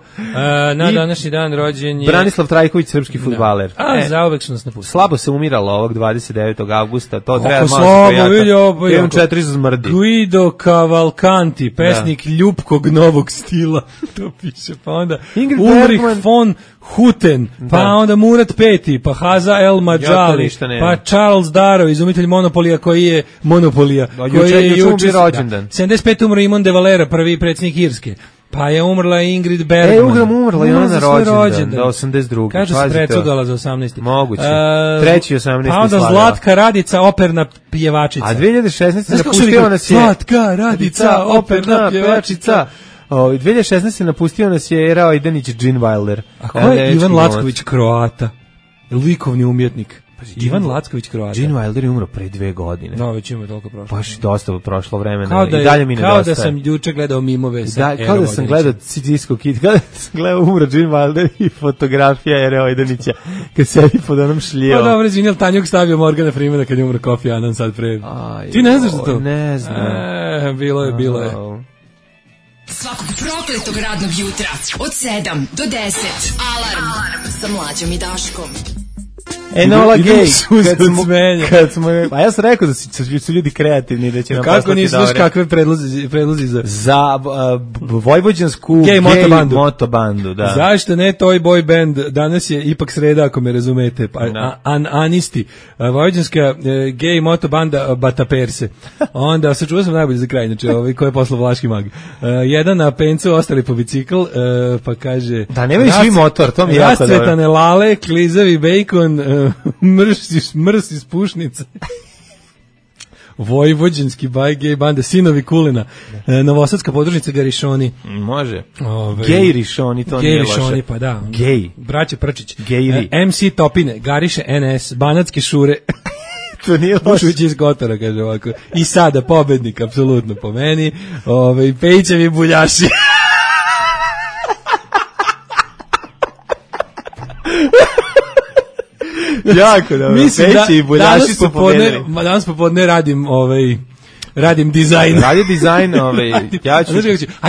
Na današnji dan rođen je Branislav Trajković, srpski fudbaler. Zauvek su nas napustili. Slabo se umiralo ovog 29. avgusta. To treba malo slabo, imam 4 zmrdi. Guido Cavalcanti, pesnik ljubkog novog stila. To piše. Pa onda Ulrich von Hutten, pa onda Murat V, pa Haza El Madžali, pa Charles Darrow, izumitelj Monopolija koji je Monopolija. Koji je juče rođendan. 75 umro Imon de Valera, prvi predsjednik Irske. Pa je umrla Ingrid Bergman. Umrla i ona na rođendan, da 82. Kaže se precugala za 18. Moguće. Treći 18. Pa onda Zlatka Radica, operna pjevačica. A 2016. napustio nas je... Zlatka Radica, operna pjevačica. 2016. napustio nas je Era Ojdanić, Gene Wilder. A ko je Ivan Lacković, Kroata? Likovni umjetnik. Ivan Lacković, Kroata. Gene Wilder je umro pre 2 godine. No, već ima toliko prošlo. Baš dosta prošlo vremena. I dalje mi nedostaje. Kao da sam juče gledao mimove sa Era Kao da sam gledao Disco Kid, kao da sam gledao umro Gene Wilder i fotografija Era Ojdanića kad sedi pod onom šljivom. Pa dobro, izvinjel, Tanjuk stavio Morgana Freemana kad je umro Kofi Annan sad pre. Ti ne znaš za to? Ne znam. Bilo je. Svakog prokletog radnog jutra od 7 do 10. Alarm sa Mlađom i Daškom. Enola Gay. Kad smo, a ja sam rekao da su ljudi kreativni, da će nam poslati dobre. Kako nisu kakve predlozi za vojvođansku gay motobandu, da. Zašto ne Toy Boy Band? Danas je ipak sreda, ako me razumete. Anisti. Vojvođanska gay motobanda Bataperse. Onda sačuvao sam najbolje za kraj, znači koji je poslao Vlaški mag. Jedan na pencu, ostali po bicikl, pa kaže... Da, nemaju svi motor, to mi je jako dobro. Rascvetane lale, klizavi bejkon, mrs iz pušnice. Vojvođanski gej banda, sinovi Kulina, novosadska podružnica Garišoni. Može. Gej Rišoni, to nije loše. Gej Rišoni, pa da. Gej. Braće Prčić. Gejri. MC Topine, Gariše NS, Banatske šure. To nije loše. Bušović iz Kotora, kaže ovako. I sada pobednik, apsolutno po meni. Pejićevi buljaši. Jako dobro. Mislim Peći i buljaši su pobedili. Danas popodne radim dizajn. Radio dizajn,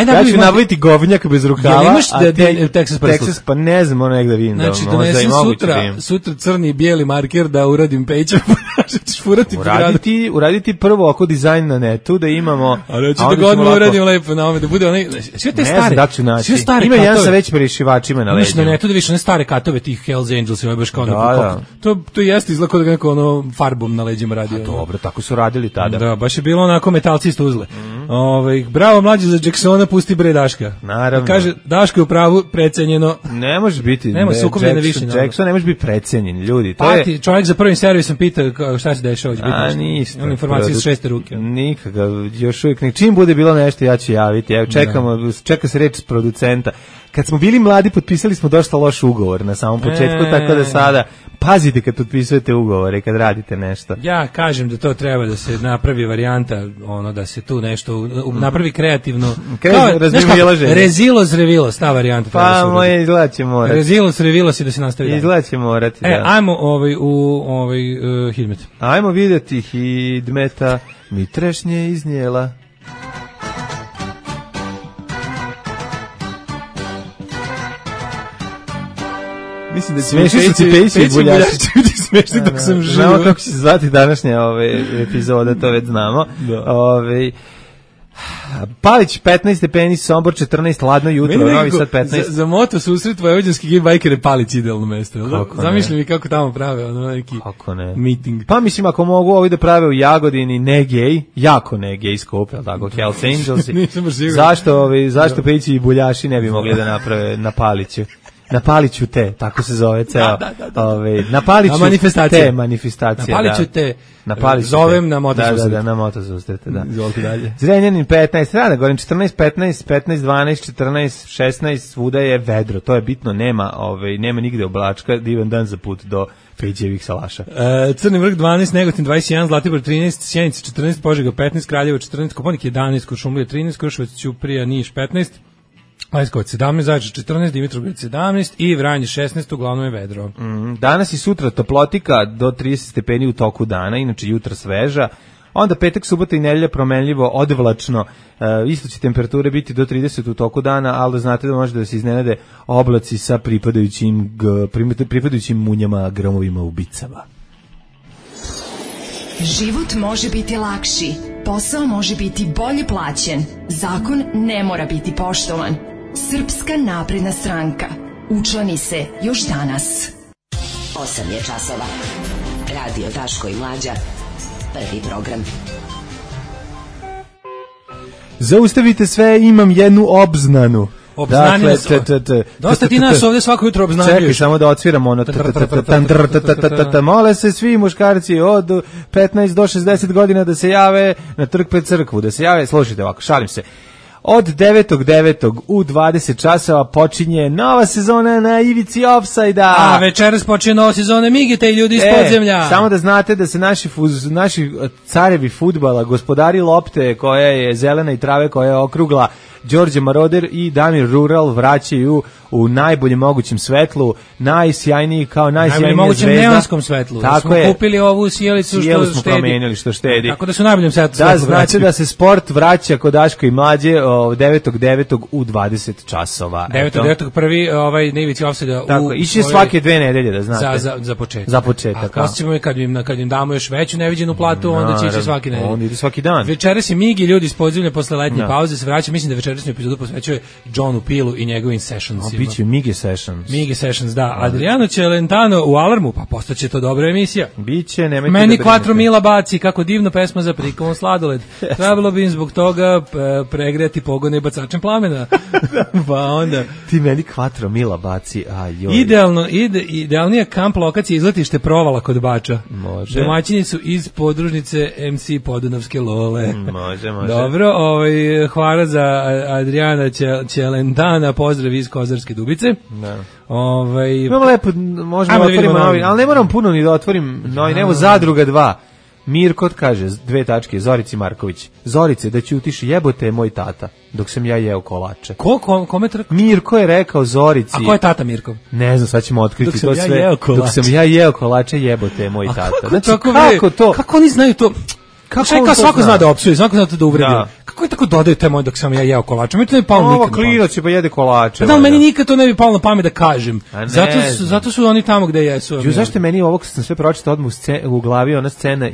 ja ću nabaviti govnjak bez rukava. Ja nemaš Texas prsluk? Texas, pa ne znam, negde vidim. Znači, donesem sutra crni i bijeli marker da uradim Pejića. Uraditi prvo oko dizajn na netu, da imamo... Ali hoću da godinu uradim lepo na ome, da bude onaj... Sve te stare... Sve stare ima jedan sa već prešivačima na leđima. Na netu da viš one stare katove tih Hells Angels, ima baš kao na... To jeste izlako da neko farbom na leđima radi. Dobro, tako su radili tada. Da, baš je bilo onako metalcista uzle. Bravo mlađe za Jacksona, pusti bre Daška. Naravno. Kaže, Daško je u pravu, precenjeno. Ne može biti. Nema sukobljene više. Jackson ne može biti precenjen, ljudi. Pati, čovjek za prvim servisom pita šta se dešava. Ništa. Imam informacije iz šeste ruke. Nikakav, još uvijek. Čim bude bilo nešto, ja ću javiti. Evo, čeka se reč s producenta. Kad smo bili mladi, potpisali smo dosta loš ugovor na samom početku, tako da sada pazite kad potpisujete ugovore, kad radite nešto. Ja kažem da to treba da se napravi varijanta, da se tu nešto napravi kreativno. Rezilos revilos, ta varijanta. Pa moje izgleda će morati. Rezilos revilos i da se nastavi. Izgleda će morati, da. Ajmo u Hidmet. Ajmo vidjeti Hidmeta, mi trešnje iznijela. Mislim da smešni su ti Pejići i buljaši. Smešni dok sam živo. Znamo kako će se zvati današnja epizoda, to već znamo. Palić 15 stepeni, Sombor 14, hladno jutro, Novi Sad 15. Za moto susret vojvođanski gej bajkere Palić idealno mesto. Zamišljam mi kako tamo prave neki meeting. Pa mislim ako mogu ovi da prave u Jagodini ne gej, jako ne gej skup, tako Hells Angels. Zašto Pejići i buljaši ne bi mogli da naprave na Paliću? Na Paliću te, tako se zove ceo. Na Paliću te manifestacija. Na Paliću te zovem na motosusret. Da, na motosusrete, da. Izvolite dalje. Zrenjanin 15, rada govorim 14, 15, 15, 12, 14, 16, svuda je vedro. To je bitno, nema nigde oblačka, divan dan za put do Pejićevih salaša. Crni vrh 12, Negotin 21, Zlatibor 13, Sjenica 14, Požega 15, Kraljevo 14, Kopaonik 11, Kuršumlija 13, Kruševac, Ćuprija, Niš 15, Leskovac 17, Zaječar 14, Dimitrovgrad 17 i Vranje 16, uglavnom je vedro. Danas i sutra toplotika do 30 stepeni u toku dana, inače jutra sveža. Onda petak, subota i nedelja promenljivo, odvlačno, isto će temperature biti do 30 u toku dana, ali da znate da može da se iznenade oblaci sa pripadajućim munjama, gromovima, ubicama. Život može biti lakši, posao može biti bolje plaćen, zakon ne mora biti poštovan. Srpska napredna stranka. Učlani se još danas. 8 je časova. Radio Daško i Mlađa. Prvi program. Zaustavite sve, imam jednu obznanu. Obznanio se. Dosta ti nas ovdje svako jutro obznanjuješ. Čekaj, samo da odsviramo ono. Mole se svi muškarci od 15 do 60 godina da se jave na trg pred crkvu, da se jave, slušajte ovako, šalim se. Od 9.9. u 20 časova počinje nova sezona na ivici ofsajda. A večeras počinje nova sezona Migite i ljudi iz podzemlja. Samo da znate da se naši carevi fudbala, gospodari lopte koja je zelena i trave koja je okrugla, Đorđe Maroder i Damir Rural vraćaju u najboljem mogućem svetlu, najsjajniji kao najsjajnija najboljem mogućem zvezda. neonskom svetlu. Tako smo je. kupili ovu sjelicu Sjelu što smo štedi. promenili što štedi. Tako da su u najboljem svetlu. Da, znači da se sport vraća kod Daško i Mlađe 9.9. u 20 časova. 9.9. prvi na ivici ofsajda. Tako, ići svake 2 nedelje, da znate. Za početak. Za početak. A posle ćemo kad im damo još veću neviđenu platu, onda će ići svaki nedelje. Onda ide svaki dan. Večeras je Migi, ljudi iz podzemlja posle letnje pauze se vraća. Mislim da večerašnju epizodu posvećuje Johnu Pilu i njegovim sessionsima. Biće Migi Sessions. Migi Sessions, da. Adriano Celentano u Alarmu, pa postaće to dobra emisija. Biće, nemojte Meni da Quattro Mila baci, kako divna pesma za prikovom sladoled. Trebalo bi im zbog toga pregreti pogone bacačem plamena. Pa onda... Ti meni Quattro Mila baci, ajoj. Idealnija kamp lokacija izletište Provala kod Bača. Može. Domaćini su iz podružnice MC Podunavske Lole. Može. Dobro, hvala za Adriana Celentana, pozdrav iz Kozarske Dubice. Da. Imamo lepo, možemo otvoriti novi, ali ne moram puno ni da otvorim novi, evo Zadruga 2. Mirko kaže, 2 tačke, Zorici Marković. Zorice, da ćutiš, jebote je moj tata, dok sam ja jeo kolače. Kome trk? Mirko je rekao Zorici. A ko je tata Mirkov? Ne znam, sad ćemo otkriti dok to sve. Dok sam ja jeo kolače, jebote je moj tata. Znači, kako to? Kako oni znaju to? Svako zna da opsuje, svako zna da uvredi. Kako je tako dodaju te moje dok sam ja jeo kolače? Mi to ne bi palo nikad. Ovo klinac je pa jede kolače. Da, meni nikad to ne bi palo na pamet da kažem. Zato su oni tamo gde jesu. Zašto meni ovo kad sam sve pročitao odmah u glavi ona scena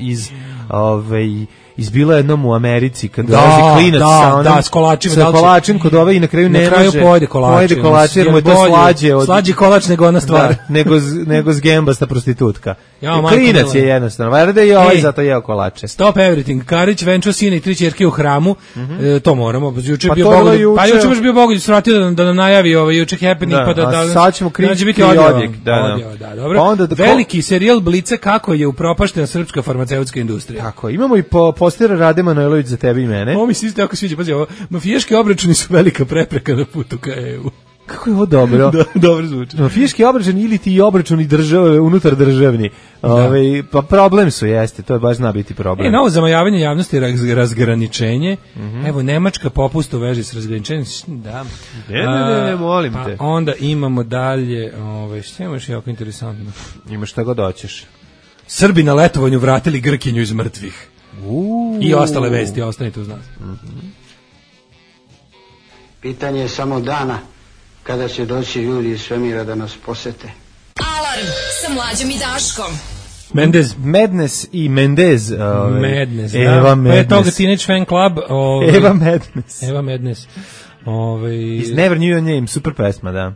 izbila jednom u Americi kad dolazi klinac s kolačima, sa kolačem kod ove i na kraju ne može pojede kolače jer mu je to slađi kolač nego ona stvar nego zgembasta prostitutka. Klinac je jednostavno, valjda je ovaj zato jeo kolače. Stop everything. Karić venčao sina i 3 ćerke u hramu, to moramo. Juče je bio Bogoljub, juče baš bio Bogoljub svratio da nam najavi juče happening, pa da sad ćemo kričiti biti odjek. Da, dobro. Veliki serijal Blica kako je upropaštena srpska farmaceutska industrija. Tako, imamo i postera Rade Manojlović za tebe i mene. Ovo mi se isto jako sviđa, pazi, ovo mafijaški obračuni su velika prepreka na putu ka EU. Kako je ovo dobro? Dobro zvuči. Mafijaški obračun ili ti obračuni države unutar državni. Pa problem su, jeste, to je baš zna biti problem. Novo zamajavanje javnosti, razgraničenje. Evo, Nemačka popust u veži s razgraničenjem. Da. Ne, molim te. Pa onda imamo dalje, što imaš jako interesantno? Imaš šta god hoćeš. Srbi na letovanju vratili Grkinju iz mrtvih. I ostale vesti, ostanite uz nas. Pitanje je samo dana kada će doći ljudi iz svemira da nas posete. Alarm sa Mlađom i Daškom. Madness i Mendez. Madness, Eva Madness. Pa je toga Teenage Fan Club. Eva Madness. Is Never Knew Your Name, super pesma, da.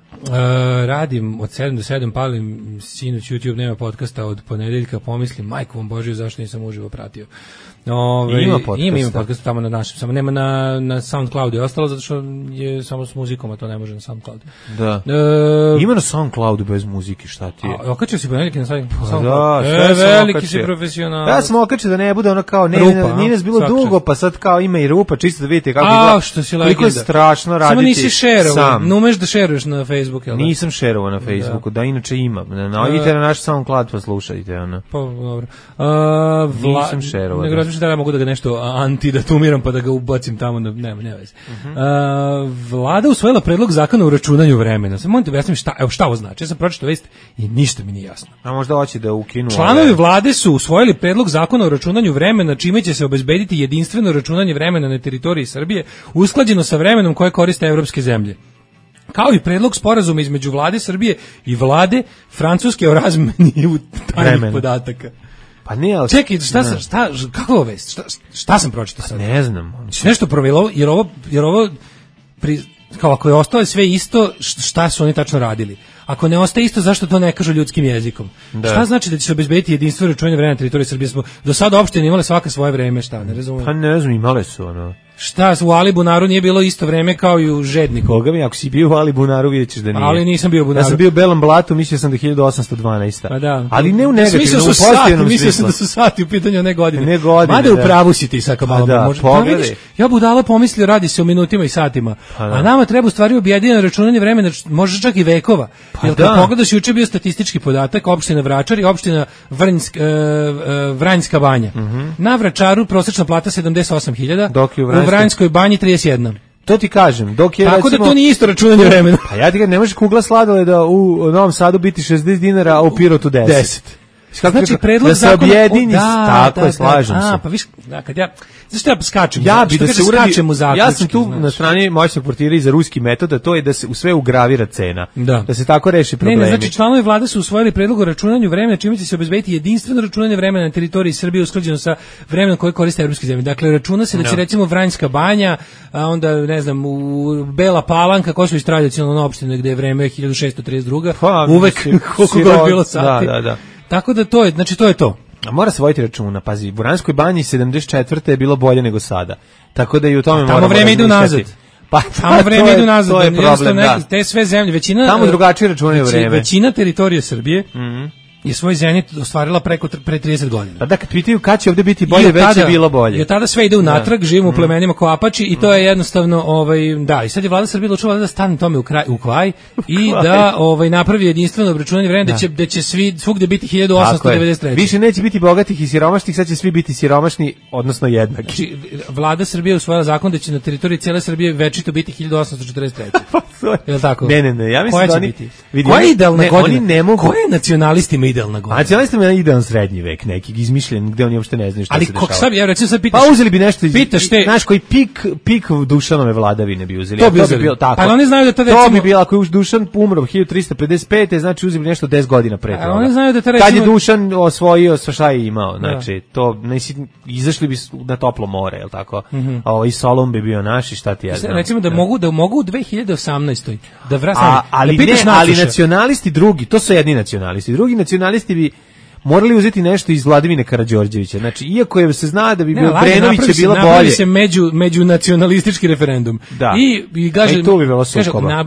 Radim od 7 do 7, palim sinoć YouTube, nema podcasta od ponedeljka, pomislim, majku vam Božiju, zašto nisam uživo pratio. Ima podcasta. Ima podcast tamo na našem, samo nema na SoundCloudu i ostalo, zato što je samo s muzikom, a to ne može na SoundCloudu. Da. Ima na SoundCloudu bez muzike, šta ti je? Okačio si ponedeljke na SoundCloudu? Da, veliki si profesional. Ja sam okačio da ne bude ono kao, nije nas bilo dugo, pa sad kao ima i rupa, čisto da vidite kako izgleda. Što si legenda. Koliko je strašno raditi. Samo nisi šerovao, ne umeš da šeruješ na Facebooku, jel da? Nisam šerovao na Facebooku, da inače imam. Idite na naš SoundCloud pa slušajte. Pa dobro. Nisam šerovao. Nego razmišljam da mogu da ga nešto antidatumiram pa da ga ubacim tamo, nema veze. Vlada usvojila predlog zakona o računanju vremena. Samo molim te objasnim šta ovo znači. Ja sam pročitao vest i ništa mi nije jasno. A možda hoće da ukinu. Članovi vlade su usvojili predlog zakona o računanju vremena, čime će se obezbediti jedinstveno računanje vremena na teritoriji Srbije, usklađeno sa vremenom koje koriste evropske zemlje. Kao i predlog sporazuma između vlade Srbije i vlade Francuske o razmeni tajnih podataka. Pa ne, ali... Čekaj, kako vest? Šta sam pročitao sad? Ne znam. Nešto provelo, jer ovo kao ako je ostalo sve isto, šta su oni tačno radili? Ako ne ostaje isto, zašto to ne kažu ljudskim jezikom? Da. Šta znači da će se obezbediti jedinstveno računanje vremena na teritoriji Srbije? Smo do sada opštine imale svaka svoje vreme, šta, ne razumijem. Pa ne znam, imale su ono. Šta, u Alibunaru nije bilo isto vreme kao i u Žedniku? Boga mi, ako si bio u Alibunaru, vidjet ćeš da nije. Ali nisam bio u Bunaru. Ja sam bio u Belom Blatu, mislio sam da 1812. Pa da. Ali ne u negativnom, u pozitivnom smislu. Mislio sam da su sati u pitanju, ne godine. Ne godine, mada u pravu si ti sad, malo može. Pa vidiš, ja budala pomislio, radi se o minutima i satima. A nama treba u stvari objedinjeno računanje vremena, može čak i vekova. Jer kad pogledaš, juče bio statistički podatak, opština Vračar i opština Vranjska banja. Na Vračaru prosečna plata 78.000, u Vranjskoj banji 31. To ti kažem, dok je tako recimo, da to nije isto računanje vremena. Pa ja ti kažem, ne možeš kugla sladoleda u Novom Sadu biti 60 dinara, a u Pirotu 10. Znači predlog da se objedini, tako je, slažem se. Pa viš, da, kad ja, zašto ja skačem? Ja bi da se uradi, ja sam tu znači. na strani moćnog portira i za ruski metod, a to je da se u sve ugravira cena. Da se tako reši problemi. Ne, znači članovi vlade su usvojili predlog o računanju vremena, čime će se obezbediti jedinstveno računanje vremena na teritoriji Srbije usklađeno sa vremenom koje koriste evropske zemlje. Dakle, računa se da će recimo Vranjska banja, a onda ne znam, u Bela Palanka, Kosovo je tradicionalna opština gde je vreme 1632. Pa, uvek koliko god bilo sati. Da. Tako da to je, znači to je to. A mora se voditi računa, pazi, u Vranjskoj banji 74. je bilo bolje nego sada. Tako da i u tome moramo tamo vreme ide nazad. Pa tamo vreme ide nazad. To je problem, da. Te sve zemlje, većina tamo drugačije računaju vreme. Većina teritorije Srbije je svoj zenit ostvarila pre 30 godina. Pa da, kad pitaju kad će ovdje biti bolje, već je bilo bolje. I tada sve ide unatrag, živimo u plemenima kao Apači i to je jednostavno, da, i sad je vlada Srbije odlučila da stane tome u kvaj i da napravi jedinstveno obračunanje vremena, da će svugde biti 1893. Više neće biti bogatih i siromašnih, sad će svi biti siromašni, odnosno jednaki. Znači, vlada Srbije usvojila zakon da će na teritoriji cijele Srbije večito biti 1843. Je li tako? Ne, ja mislim da oni... Koja je idealna godina? Koja je nacionalistima idealna godina? Nacionalistima je idealan srednji vek, neki izmišljen, gde oni uopšte ne znaju šta se dešava. Ali ja recimo sad pitaš... Pa uzeli bi nešto, znaš, koji pik Dušanove vladavine bi uzeli. To bi uzeli. Pa oni znaju da to recimo... To bi bilo, ako je Dušan umro 1355. Znači uzeli nešto 10 godina pre toga. Oni znaju da to recimo... Kad je Dušan osvojio, šta je imao, znači, to, izašli bi na toplo more, je li tako? I Solon bi bio naš i šta ti ja znam. Recimo da mogu u 2018. da ali nacionalisti drugi, to su jedni nacionalisti. Drugi nacionalisti bi morali uzeti nešto iz Vladimira Karađorđevića. Znači, iako je se zna da bi bio Brenović je bilo bolje. Napravi se međunacionalistički referendum. Da. I kaže, to bi bilo sukoba.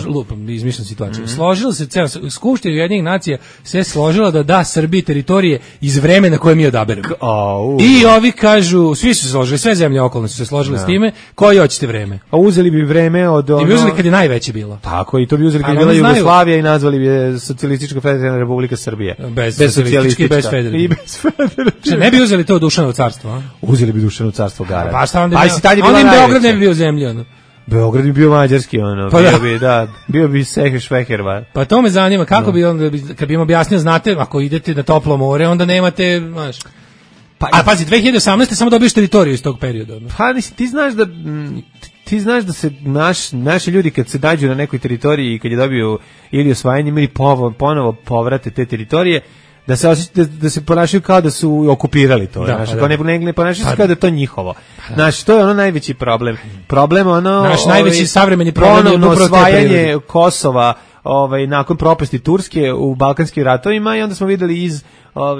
Lupam, izmišljam situaciju. Složila se, Skupština Ujedinjenih nacija se složila da da Srbiji teritorije iz vremena koje mi odaberemo. I ovi kažu, svi su se složili, sve zemlje okolne su se složile s time, koji hoćete vreme? A uzeli bi vreme od... I bi uzeli kad je najveće bilo. Tako, i to bi uzeli kad je bila Jugoslavija i nazvali bi je Socijalistička federalna republika Srbije. Bez federativne. Ne bi uzeli to Dušanovo carstvo, a? Uzeli bi Dušanovo carstvo gara. Pa šta onda? Onda im Beograd ne bi bio zemlja, ono. Beograd bi bio mađarski, ono. Bio bi Švehervar. Pa to me zanima, kako bi onda, kad bi im objasnio, znate, ako idete na toplo more, onda nemate, znaš. A pazi, 2018. samo dobiješ teritoriju iz tog perioda. Pa ti znaš da se naši ljudi kad se nađu na nekoj teritoriji i kad je dobiju ili osvajanje ili ponovo povrate te teritorije, da se ponašaju kao da su okupirali to, kao ne ponašaju se kao da je to njihovo. Znači, to je ono najveći problem. Problem naš najveći savremeni problem je osvajanje Kosova nakon propasti Turske u Balkanskim ratovima i onda smo videli iz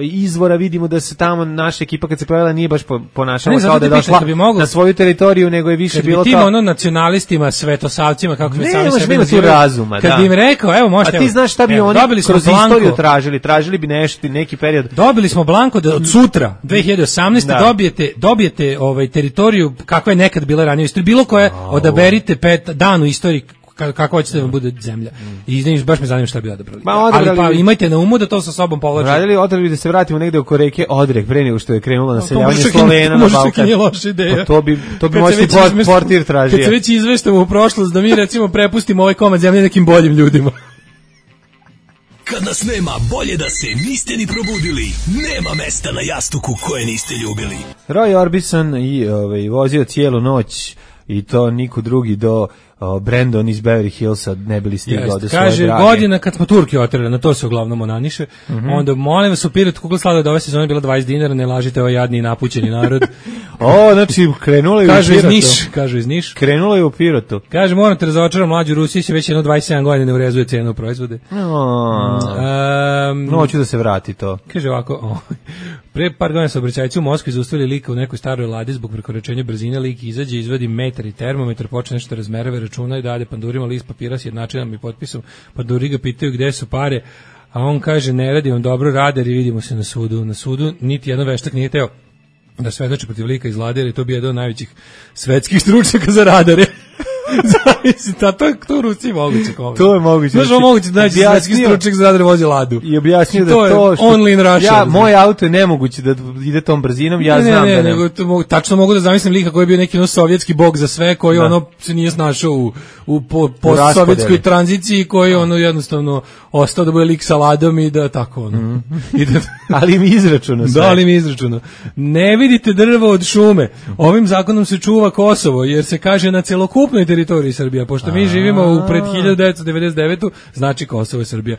izvora vidimo da se tamo naša ekipa kad se pojavila nije baš ponašala kao da je došla na svoju teritoriju, nego je više bilo kao... Tim nacionalistima, svetosavcima, kako mi sami sebi nazivaju, kad bi im rekao, evo možete... A ti znaš šta bi oni kroz istoriju tražili bi neki period. Dobili smo blanko da od sutra, 2018. dobijete teritoriju kakva je nekad bila ranije u istoriji, bilo koje, odaberite dan u istoriji kako hoćete da vam bude zemlja. I baš me zanima šta bi odabrali. Ali pa imajte na umu da to sa sobom povlači. Odabrali da se vratimo negde oko reke Odrek, pre nego što je krenulo naseljavanje Slovena na Balkan. To nije loša ideja. To bi moćni portir tražio. Kad se već izveštamo u prošlost, da mi recimo prepustimo ovaj komad zemlje nekim boljim ljudima. Kad nas nema, bolje da se niste ni probudili. Nema mesta na jastuku koje niste ljubili. Roy Orbison i vozio cijelu noć i to niko drugi do Brandon iz Beverly Hillsa ne bili stigao do svoje kaže, drage. godina kad smo Turki oterali, na to se uglavnom onaniše, onda molim vas u Pirotu kugla sladoleda ove sezone bila 20 dinara, ne lažite ovaj jadni i napućeni narod. Znači krenulo je u Pirotu. Kažu iz Niš. Krenulo je u Pirotu. Kaže, moram te razočaram, mlađu Rusiji će već jedno 27 godina ne urezuje cenu proizvode. Hoću da se vrati to. Kaže ovako, pre par godina saobraćajci u Moskvi zaustavili lika u nekoj staroj ladi zbog prekoračenja brzine, lik izađe, izvadi metar i termometar, počne nešto razmerava, računa i dade pandurima list papira s jednačinom i potpisom, panduri ga pitaju gde su pare, a on kaže ne radi, on dobro radar i vidimo se na sudu. Na sudu niti jedan veštak nije teo da svedoči protiv lika iz Lade, jer je to bio jedan od najvećih svetskih stručnjaka za radare. Zavisi, to u Rusiji moguće. To je moguće. Znaš, moguće da naći svetski stručnjak za da vozi Ladu. I objasnio da to što... Only in Russia. Moj auto je nemoguće da ide tom brzinom, znam da ne. Nego, tačno mogu da zamislim lika koji je bio neki sovjetski bog za sve, koji se nije snašao u postsovjetskoj tranziciji, koji jednostavno ostao da bude lik sa Ladom i da tako Ali mi izračuno sve. Da, ali mi izračuno. Ne vidite drvo od šume. Ovim zakonom se čuva Kosovo, jer se kaže na celokupnoj teritoriji Srbija. Pošto mi živimo pred 1999. znači Kosovo je Srbija.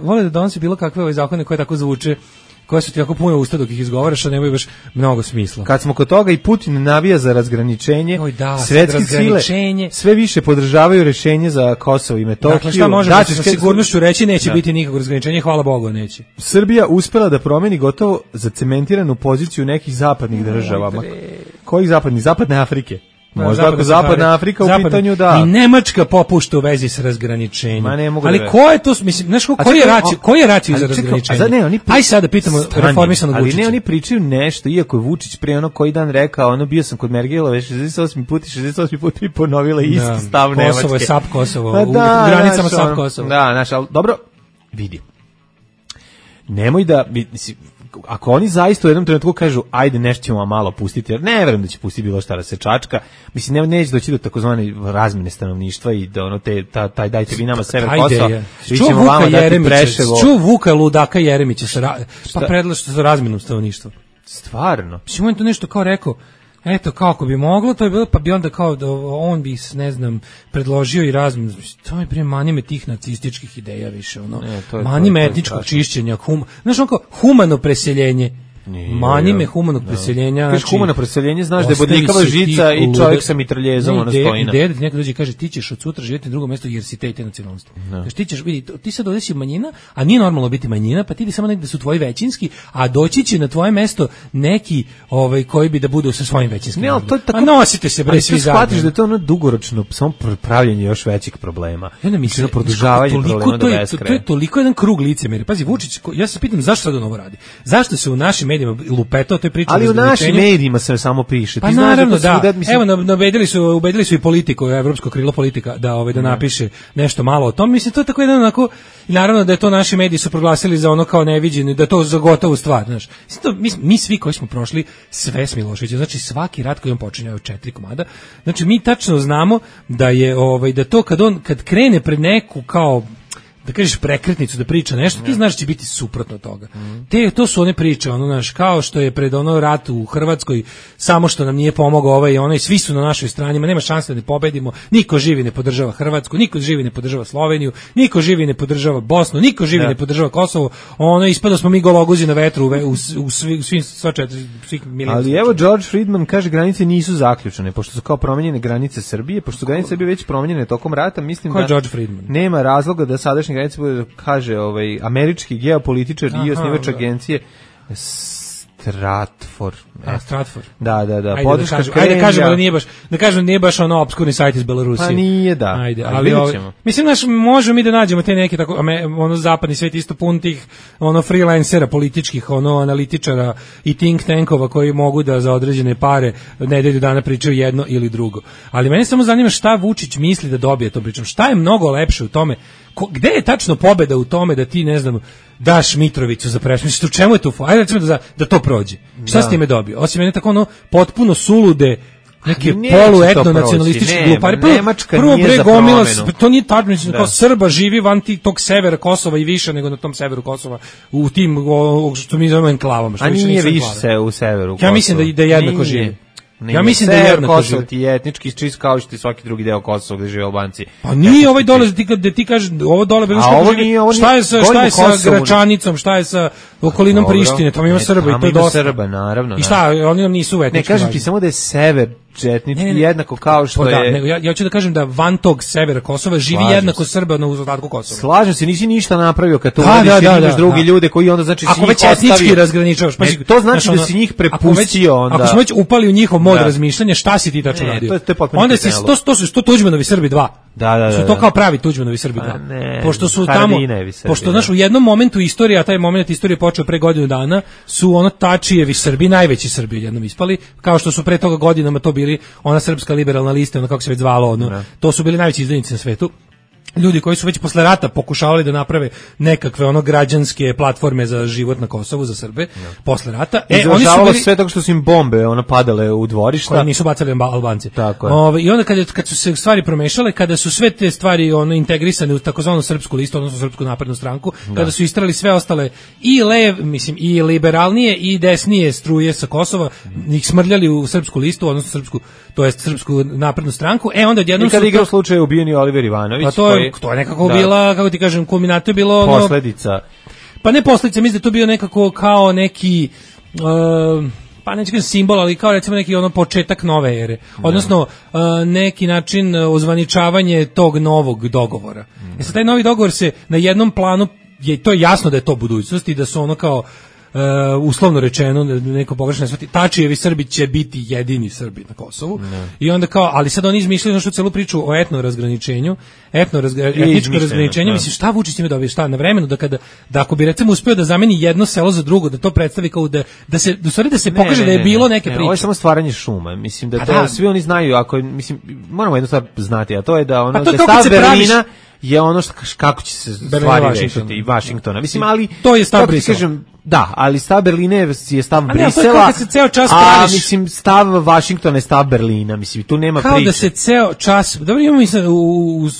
Vole da donosi bilo kakve zakone koje tako zvuče, koje su ti jako puno usta dok ih izgovaraš, a nemaju baš mnogo smisla. Kad smo kod toga i Putin navija za razgraničenje, svetske sile sve više podržavaju rešenje za Kosovo i Metohiju. Dakle, šta možemo sa sigurnošću reći, neće biti nikakvog razgraničenja, hvala Bogu, neće. Srbija uspela da promeni gotovo zacementiranu poziciju nekih zapadnih država. Kojih zapadnih? Zapadne Afrike. Možda ako Zapadna Afrika u pitanju, da. I Nemačka popušta u vezi s razgraničenjem. Ali ko je to, mislim, znaš koji je racio za razgraničenje? Aj sad da pitamo reformisanog Vučića. Ali ne, oni pričaju nešto, iako je Vučić pre koji dan rekao, bio sam kod Mergelove 68 puta i ponovila isti stav Nemačke. Kosovo je SAP Kosovo, u granicama SAP Kosovo. Da, ali dobro, vidi. Nemoj da, ako oni zaista u jednom trenutku kažu ajde nešto ćemo malo pustiti, jer ne verujem da će pustiti bilo šta da se čačka, mislim neće doći do takozvane razmene stanovništva i da taj dajte vi nama sever Kosova, vi ćemo vama dati Preševo. Čuo Vuka ludaka Jeremića pa predlaže za razmenu stanovništva. Stvarno? Mislim, on to nešto kao rekao, eto, kako bi moglo, to je bilo, pa bi onda kao da on bi, ne znam, predložio i razmenu. To je manime tih nacističkih ideja više, manime etničkog čišćenja, znaš, ono kao humano preseljenje. Manime humanog preseljenja. Kažeš humano preseljenje, znaš da je bodljikava žica i čovjek sa mitraljezom, ono stoji na. Ideja da ti neko dođe i kaže ti ćeš od sutra živjeti na drugo mesto jer si te nacionalnosti. Znači ti ćeš vidjeti, ti sad ovdje si manjina, a nije normalno biti manjina, pa ti bi samo negde su tvoji većinski, a doći će na tvoje mesto neki koji bi da budu sa svojim većinskim. Ne, ali to je tako. A nosite se bre svi zajedno. Shvatiš da je to ono dugoročno samo pravljenje još većih problema. Ja ne mislim produžavanje problema do beskraja. To je toliko jedan krug licemerja. Pazi, Vučić, ja se pitam zašto sad on ovo radi? Zašto se u našim medijima lupetao te priče? Ali u našim medijima se samo piše. Pa naravno da. Evo, ubedili su i politiku, evropsko krilo politika, da napiše nešto malo o tom. Mislim, to je tako jedan onako, naravno da je to naši mediji su proglasili za ono kao neviđeno, da je to za gotovu stvar, znaš. Mi svi koji smo prošli sve s Miloševićem, znači svaki rat koji on počinje od 4 komada, znači mi tačno znamo da je, da to kad krene pred neku kao da kažeš prekretnicu da priča nešto, ti znaš da će biti suprotno toga. To su one priče, kao što je pred rat u Hrvatskoj, samo što nam nije pomogao ovaj i onaj, svi su na našoj strani, nema šanse da ne pobedimo, niko živi ne podržava Hrvatsku, niko živi ne podržava Sloveniju, niko živi ne podržava Bosnu, niko živi ne podržava Kosovo, ispada smo mi gologuzi na vetru u svih miliona. Ali evo George Friedman kaže granice nisu zaključene, pošto su kao promenjene granice Srbije, pošto su granice Srbije već promenjene tokom rata, mislim da George Friedman? Nema razloga da sadašnje granice bude, kaže američki geopolitičar i osnivač agencije Stratford. Da. Ajde kažemo da kažemo da nije baš ono obskurni sajt iz Belorusije. Pa nije, da. Ajde, ali mislim možemo mi da nađemo te neke tako zapadni svet isto pun tih freelancera političkih, analitičara i think tankova koji mogu da za određene pare nedelju dana pričaju jedno ili drugo. Ali mene samo zanima šta Vučić misli da dobije to pričom. Šta je mnogo lepše u tome? Gde je tačno pobeda u tome da ti, ne znam, daš Mitrovicu za prešmiš? U čemu je tu? Ajde recimo da to prođe. Šta s time dobio? Osim mene tako potpuno sulude neke poluetno nacionalističke glupari. Prvo bre gomila, to nije tačno, kao Srba živi van tog severa Kosova i više nego na tom severu Kosova, u tim što mi zovemo enklavama. A nije više u severu Kosova. Ja mislim da jednako živi. Ja mislim da je jednako Kosovo ti je etnički čist kao što i svaki drugi deo Kosova gde žive Albanci. Pa nije ovaj dole da ti kažeš ovo dole šta je sa Gračanicom, šta je sa okolinom Prištine, tamo ima Srba i to je dosta. Srba, naravno. I šta, oni nam nisu etnički. Ne kažem ti samo da je sever etnički jednako kao što je. Ja hoću da kažem da van tog severa Kosova živi jednako Srba na ostatku Kosova. Slažem se, nisi ništa napravio kad to uradiš drugi ljude koji onda znači ako već etnički razgraničavaš, to znači da si njih prepustio onda. Ako smo već upali u njihov mod razmišljanja, šta si ti tačno radio? Onda si to Tuđmanovi Srbi 2. Su to kao pravi Tuđmanovi Srbi. Pošto su tamo, pošto znaš, u jednom momentu istorije, a taj moment istorije počeo pre godinu dana, su ono Tačijevi Srbi, najveći Srbi jednom ispali, kao što su pre toga godinama to bili ona Srpska liberalna lista, ono kako se već zvalo, ono, to su bili najveći izdajnici na svetu. Ljudi koji su već posle rata pokušavali da naprave nekakve ono građanske platforme za život na Kosovu za Srbe posle rata. Oni su bili sve tako što su im bombe ono padale u dvorišta, koje nisu bacali Albanci. Tako je. I onda kad su se stvari promešale, kada su sve te stvari ono integrisane u takozvanu srpsku listu, odnosno Srpsku naprednu stranku, kada su istrali sve ostale i liberalnije i desnije struje sa Kosova, ih smrljali u srpsku listu, odnosno Srpsku naprednu stranku. Onda odjednom su igrao slučaj ubijeni Oliver Ivanović. To je nekako bila, kako ti kažem, kulminato je bilo posledica. Pa ne posledica, mislim da to bio nekako kao neki pa neću kažem simbol, ali kao recimo neki ono početak nove ere. Odnosno neki način ozvaničavanje tog novog dogovora. Sad taj novi dogovor se na jednom planu, to je jasno da je to budućnost i da su ono kao uslovno rečeno, neko pogrešno shvati, Tačijevi Srbi će biti jedini Srbi na Kosovu. I onda kao, ali sad oni izmišljaju našu celu priču o etničkom razgraničenju, mislim, šta Vučić time dobije, šta na vremenu, da ako bi recimo uspeo da zameni jedno selo za drugo, da to predstavi kao da se pokaže da je bilo neke priče. Ovo je samo stvaranje šuma, mislim da to svi oni znaju, ako, mislim, moramo jednu stvar znati, a to je da ono, da stav Berlina je ono kako će se stvari rešiti i Vašingtona. Mislim, ali to je stav Brisela. Da, ali stav Berlina je stav Brisela, a mislim stav Vašingtona je stav Berlina, mislim tu nema priče. Kao da se ceo čas, dobro imamo mislim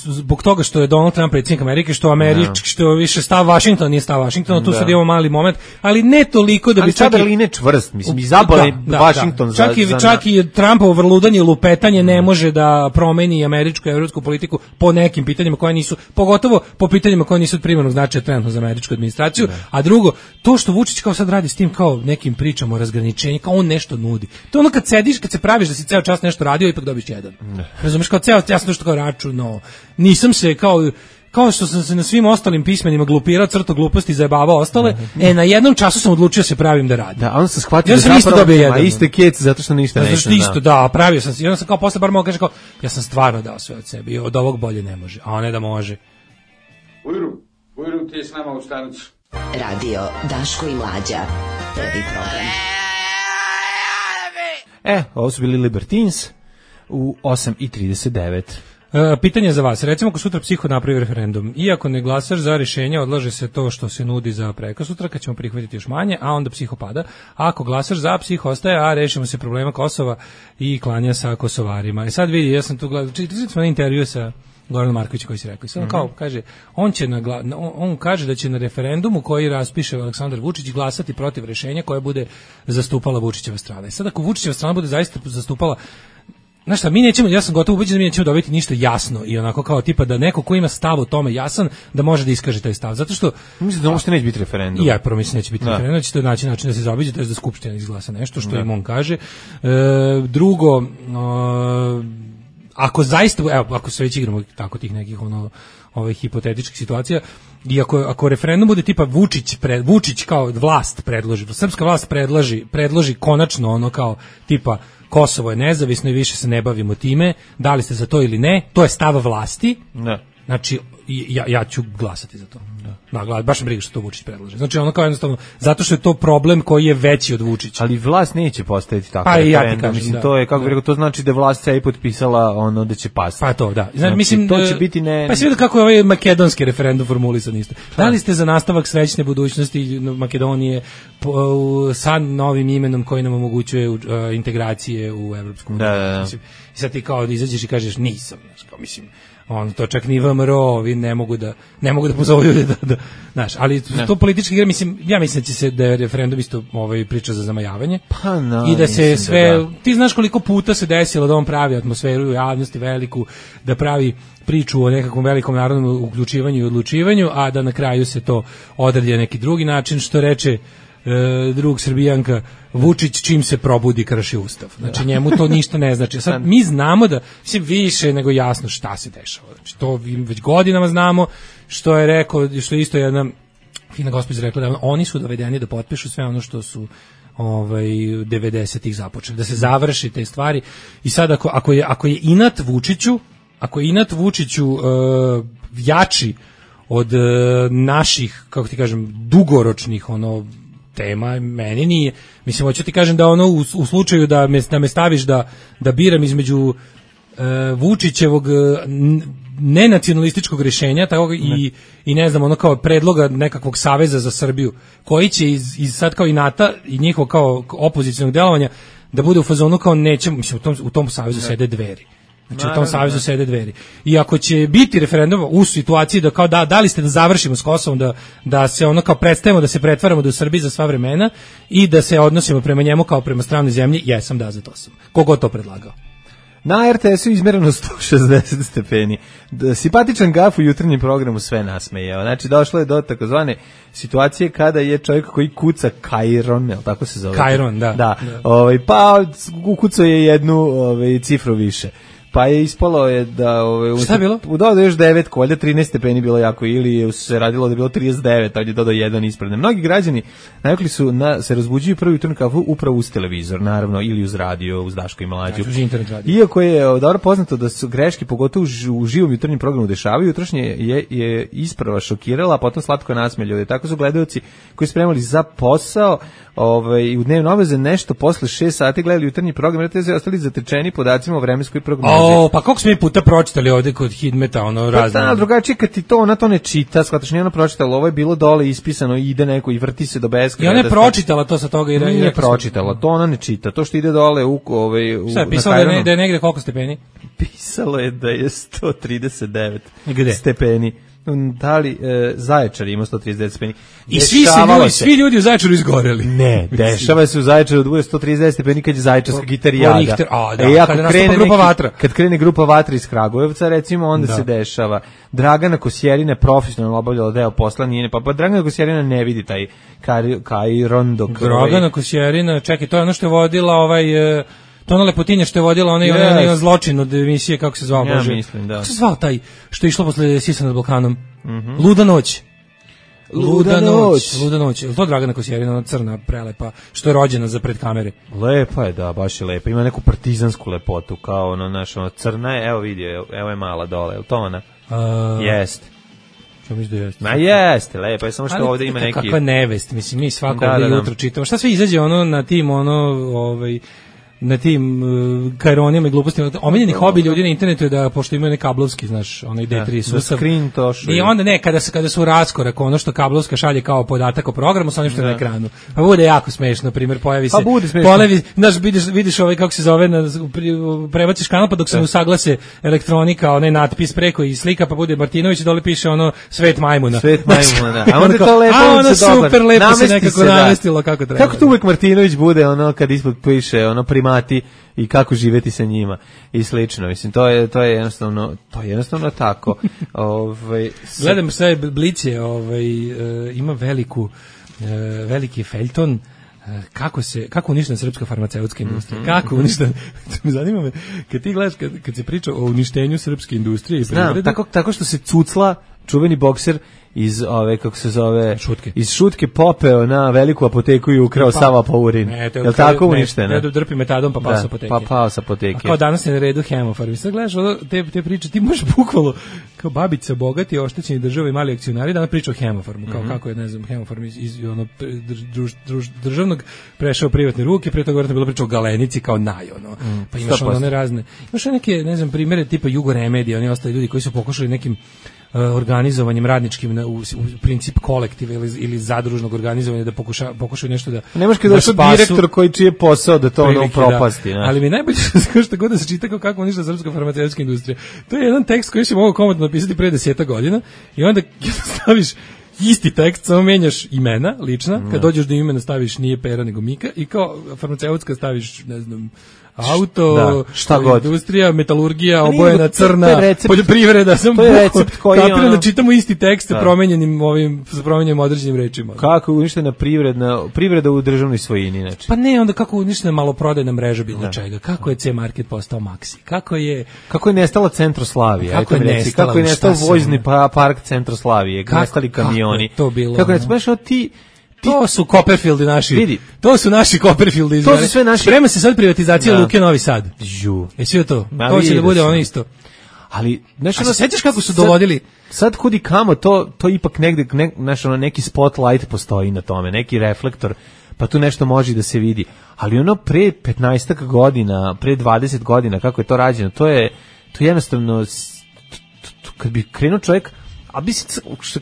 zbog toga što je Donald Trump predsjednik Amerike, što američki, što više stav Vašingtona nije stav Vašingtona, tu sad imamo mali moment, ali ne toliko da bi stav Berlina je čvrst, mislim izaboli Vašington za čak i Trumpovo vrludanje, lupetanje ne može da promeni američku i evropsku politiku po nekim pitanjima koja nisu, pogotovo po pitanjima koja nisu od primarnog značaja trenutno za američku administraciju, a drugo, to što Vučić kao sad radi s tim kao nekim pričama o razgraničenju, kao on nešto nudi. To ono kad sediš, kad se praviš da si ceo čas nešto radio, ipak dobiš jedan. Razumeš, kao ceo čas nešto kao računao. Nisam se kao što sam se na svim ostalim pismenima glupirao, crto gluposti, zajebavao ostale, na jednom času sam odlučio se pravim da radim. Da, on se shvatio da zapravo ima iste kec zato što ništa ne zna. Isto, da, pravio sam se. I onda sam kao posle bar mogu kaže kao, ja sam stvarno dao sve od sebe i od ovog bolje ne može, a ne da može. Ujru, ti je s nama u stanicu. Radio Daško i Mlađa. Prvi program. Ovo su bili Libertines u 8:39. Pitanje za vas. Recimo ako sutra psiho napravi referendum, iako ne glasaš za rješenje, odlaže se to što se nudi za prekosutra, kad ćemo prihvatiti još manje, a onda psiho pada. A ako glasaš za, psiho ostaje, a rešimo se problema Kosova i klanja sa Kosovarima. Sad vidi, ja sam tu gledao, čitali smo na intervju sa Goran Marković koji se rekao. I sad kao kaže, on kaže da će na referendumu koji raspiše Aleksandar Vučić glasati protiv rješenja koje bude zastupala Vučićeva strana. I sad ako Vučićeva strana bude zaista zastupala, znaš šta, mi nećemo, ja sam gotovo ubeđen da mi nećemo dobiti ništa jasno i onako kao tipa da neko ko ima stav o tome jasan, da može da iskaže taj stav. Zato što mislim da uopšte neće biti referendum. Ja prvo mislim neće biti referendum, da će to naći način da se zaobiđe, to je da skupština izglasa nešto što im on kaže. Drugo, ako zaista, ako se već igramo tako tih nekih hipotetičkih situacija, i ako referendum bude tipa Vučić kao vlast predloži, srpska vlast predloži konačno ono kao tipa Kosovo je nezavisno i više se ne bavimo time, da li ste za to ili ne, to je stav vlasti. Ne. Znači ja ću glasati za to. Da, baš me briga što to Vučić predlaže. Znači ono kao jednostavno, zato što je to problem koji je veći od Vučića. Ali vlast neće postaviti tako referendum. Mislim, to je, kako bih rekao, to znači da vlast se i potpisala ono da će pasti. Pa to, da. Znači, mislim, to će biti ne... Pa se vidi kako je ovaj makedonski referendum formulisan isto. Da li ste za nastavak srećne budućnosti Makedonije sa novim imenom koji nam omogućuje integracije u Evropsku uniju? Da. Mislim, i sad ti kao izađeš i kažeš nisam, mislim, to čak ni VMRO, ovi ne mogu da pozovu ljudi da znaš, ali to politički igra, mislim, ja mislim da je referendum isto priča za zamajavanje. Pa no, i da se sve, ti znaš koliko puta se desilo da on pravi atmosferu u javnosti veliku, da pravi priču o nekakvom velikom narodnom uključivanju i odlučivanju, a da na kraju se to odradi neki drugi način, što reče drug Srbijanka, Vučić čim se probudi krši ustav. Znači njemu to ništa ne znači. Sad mi znamo da više nego jasno šta se dešava. Znači to već godinama znamo, što je rekao, što je isto jedna fina gospođa rekla, da oni su dovedeni da potpišu sve ono što su 90-ih započeli, da se završi te stvari. I sad ako je inat Vučiću, ako je inat Vučiću jači od naših, kako ti kažem, dugoročnih tema, meni nije. Mislim, hoću ti kažem da u slučaju da me staviš da biram između Vučićevog nenacionalističkog rješenja i ne znam, kao predloga nekakvog saveza za Srbiju, koji će iz sad kao i NATO i njihovog kao opozicionog delovanja da bude u fazonu kao nećemo, mislim, u tom savezu sede Dveri. Znači, u tom savezu sede Dveri. I ako će biti referendum u situaciji da kao da li ste da završimo s Kosovom, da se kao predstavimo, da se pretvaramo da u Srbiji za sva vremena i da se odnosimo prema njemu kao prema stranoj zemlji, jesam za to sam. Kogo to predlagao? Na RTS-u izmereno 160 stepeni. Simpatičan gaf u jutarnjem programu sve nasmejao. Znači, došlo je do takozvane situacije kada je čovjek koji kuca Kajron, je li tako se zove? Kajron, da. Pa ukucao je jednu cifru više. Pa je ispalo je da šta je bilo? Dodao još 9, valjda 13 stepeni bilo jako, ili se radilo da je bilo 39, a on je dodao jedan ispred. Mnogi građani navikli su se razbuđuju prvi jutarnji kafu upravo uz televizor, naravno, ili uz radio, uz Daško i Mlađu. Uz internet radio. Iako je dobro poznato da su greške, pogotovo u živom jutarnjem programu dešavaju, jutrošnje je isprava šokirala, a potom slatko nasmejao. Tako su gledaoci koji spremali za posao u dnevno obveze nešto posle 6 sati gledali jutarnji program, jer te ostali zatečeni podacima o vremenskoj prognozi. Pa koliko smo mi puta pročitali ovde kod Hidmeta, razne. Pa drugačije kad ti ona to ne čita, shvataš, nije ona pročitala, ovo je bilo dole ispisano i ide neko i vrti se do beskraja. I ona je pročitala to sa toga i nije pročitala, to ona ne čita, to što ide dole šta je pisalo da je negde koliko stepeni? Pisalo je da je 139 stepeni. Da li Zaječar ima 139 stepeni. I svi ljudi u Zaječaru izgoreli. Ne, dešava se u Zaječaru da bude 139 stepeni kad je Zaječarska gitarijada. Kad krene grupa Vatra iz Kragujevca, recimo, onda se dešava. Dragana Kosjerina je profesionalno obavljala deo posla, nije, pa Dragana Kosjerina ne vidi taj Kajron dok... Dragana Kosjerina, čekaj, to je ono što je vodila to ona Lepotinja što je vodila onaj zločin od emisije, kako se zvao, Bože? Ja mislim, da. Kako se zvao taj što je išlo posle Sisa nad Balkanom? Luda noć. Luda noć. Je li to Dragana Kosjerina, ona crna, prelepa, što je rođena za pred kamere? Lepa je, da, baš je lepa. Ima neku partizansku lepotu, kao crna je, evo vidi, evo je mala dole, je li to ona? Jeste. Ma jeste, lepo je, samo što ovdje ima neki... Kakva nevest, mislim, mi svako ovdje jutro čitamo. Šta sve izađe na tim, na tim kajronima i glupostima. Omiljeni hobi ljudi na internetu je da, pošto imaju kablovski, znaš, onaj D3 sustav. I onda ne, kada su u raskorak, ono što kablovska šalje kao podatak o programu sa onim što je na ekranu. Pa bude jako smešno, na primjer, pojavi se... znaš, vidiš kako se zove, prebaciš kanal, pa dok se usaglase elektronika, onaj natpis preko i slika, pa bude Martinović i dole piše Svet majmuna. Svet majmuna, da. A onda to lepo super lepo se nekako namestilo kako treba. Kako to uvek Martinović bude, kad ispod piše, primati i kako živeti sa njima i slično. Mislim, to je jednostavno tako. Gledam sve Blicije, ima veliki feljton kako uništena srpska farmaceutska industrija. Kako uništena? Zanima me, kad ti gledaš, kad se priča o uništenju srpske industrije i privrede. Tako što se cucla čuveni bokser iz kako se zove, Šutke. Iz Šutke popeo na veliku apoteku i ukrao sav apaurin. Je li tako uništeno? Ne, drpi metadon pa pao sa apoteke. Pa pao sa apoteke. A kao danas je na redu hemofarm. I sad gledaš te priče, ti možeš bukvalno kao babica bogati, oštećeni država i mali akcionari, danas priča o hemofarmu, kao kako je, ne znam, hemofarm iz državnog prešao privatne ruke, pre toga bilo priča o Galenici kao pa imaš one razne. Imaš neke, ne znam, primere tipa Jugoremedija, oni ostali ljudi koji su pokušali nekim organizovanjem radničkim u princip kolektiva ili zadružnog organizovanja da pokušaju nešto da nemaš kada došao direktor koji čije posao da to propasti. Ali mi najbolje što god da se čita kako uništa srpska farmaceutska industrija. To je jedan tekst koji se mogu komotno napisati pre 10 godina i onda staviš isti tekst, samo menjaš imena lična, kad dođeš do imena staviš nije Pera nego Mika i kao farmaceutska staviš, ne znam, auto, industrija, metalurgija, obojena crna, poljoprivreda, to je recept koji kapiram da čitamo isti tekst sa promenjenim određenim rečima. Kako je uništena privreda u državnoj svojini, znači. Pa ne, onda kako je uništena maloprodajna mreža bilo čega, kako je C-Market postao Maxi, kako je nestala Centroslavija, kako je nestao vozni park Centroslavije, kako nestali kamioni, kako je to su Copperfieldi naši. Vidi. To su naši Copperfieldi. To su sve naši. Sprema se sad privatizacija Luke Novi Sad. Sve to. To će da bude ono isto. Ali znaš, ono, sećaš kako su dovodili sad kudi kamo to ipak negde znaš, ono, neki spotlight postoji na tome, neki reflektor, pa tu nešto može da se vidi. Ali ono pre 15 godina, pre 20 godina kako je to rađeno, to jednostavno kad bi krenuo čovjek, a bi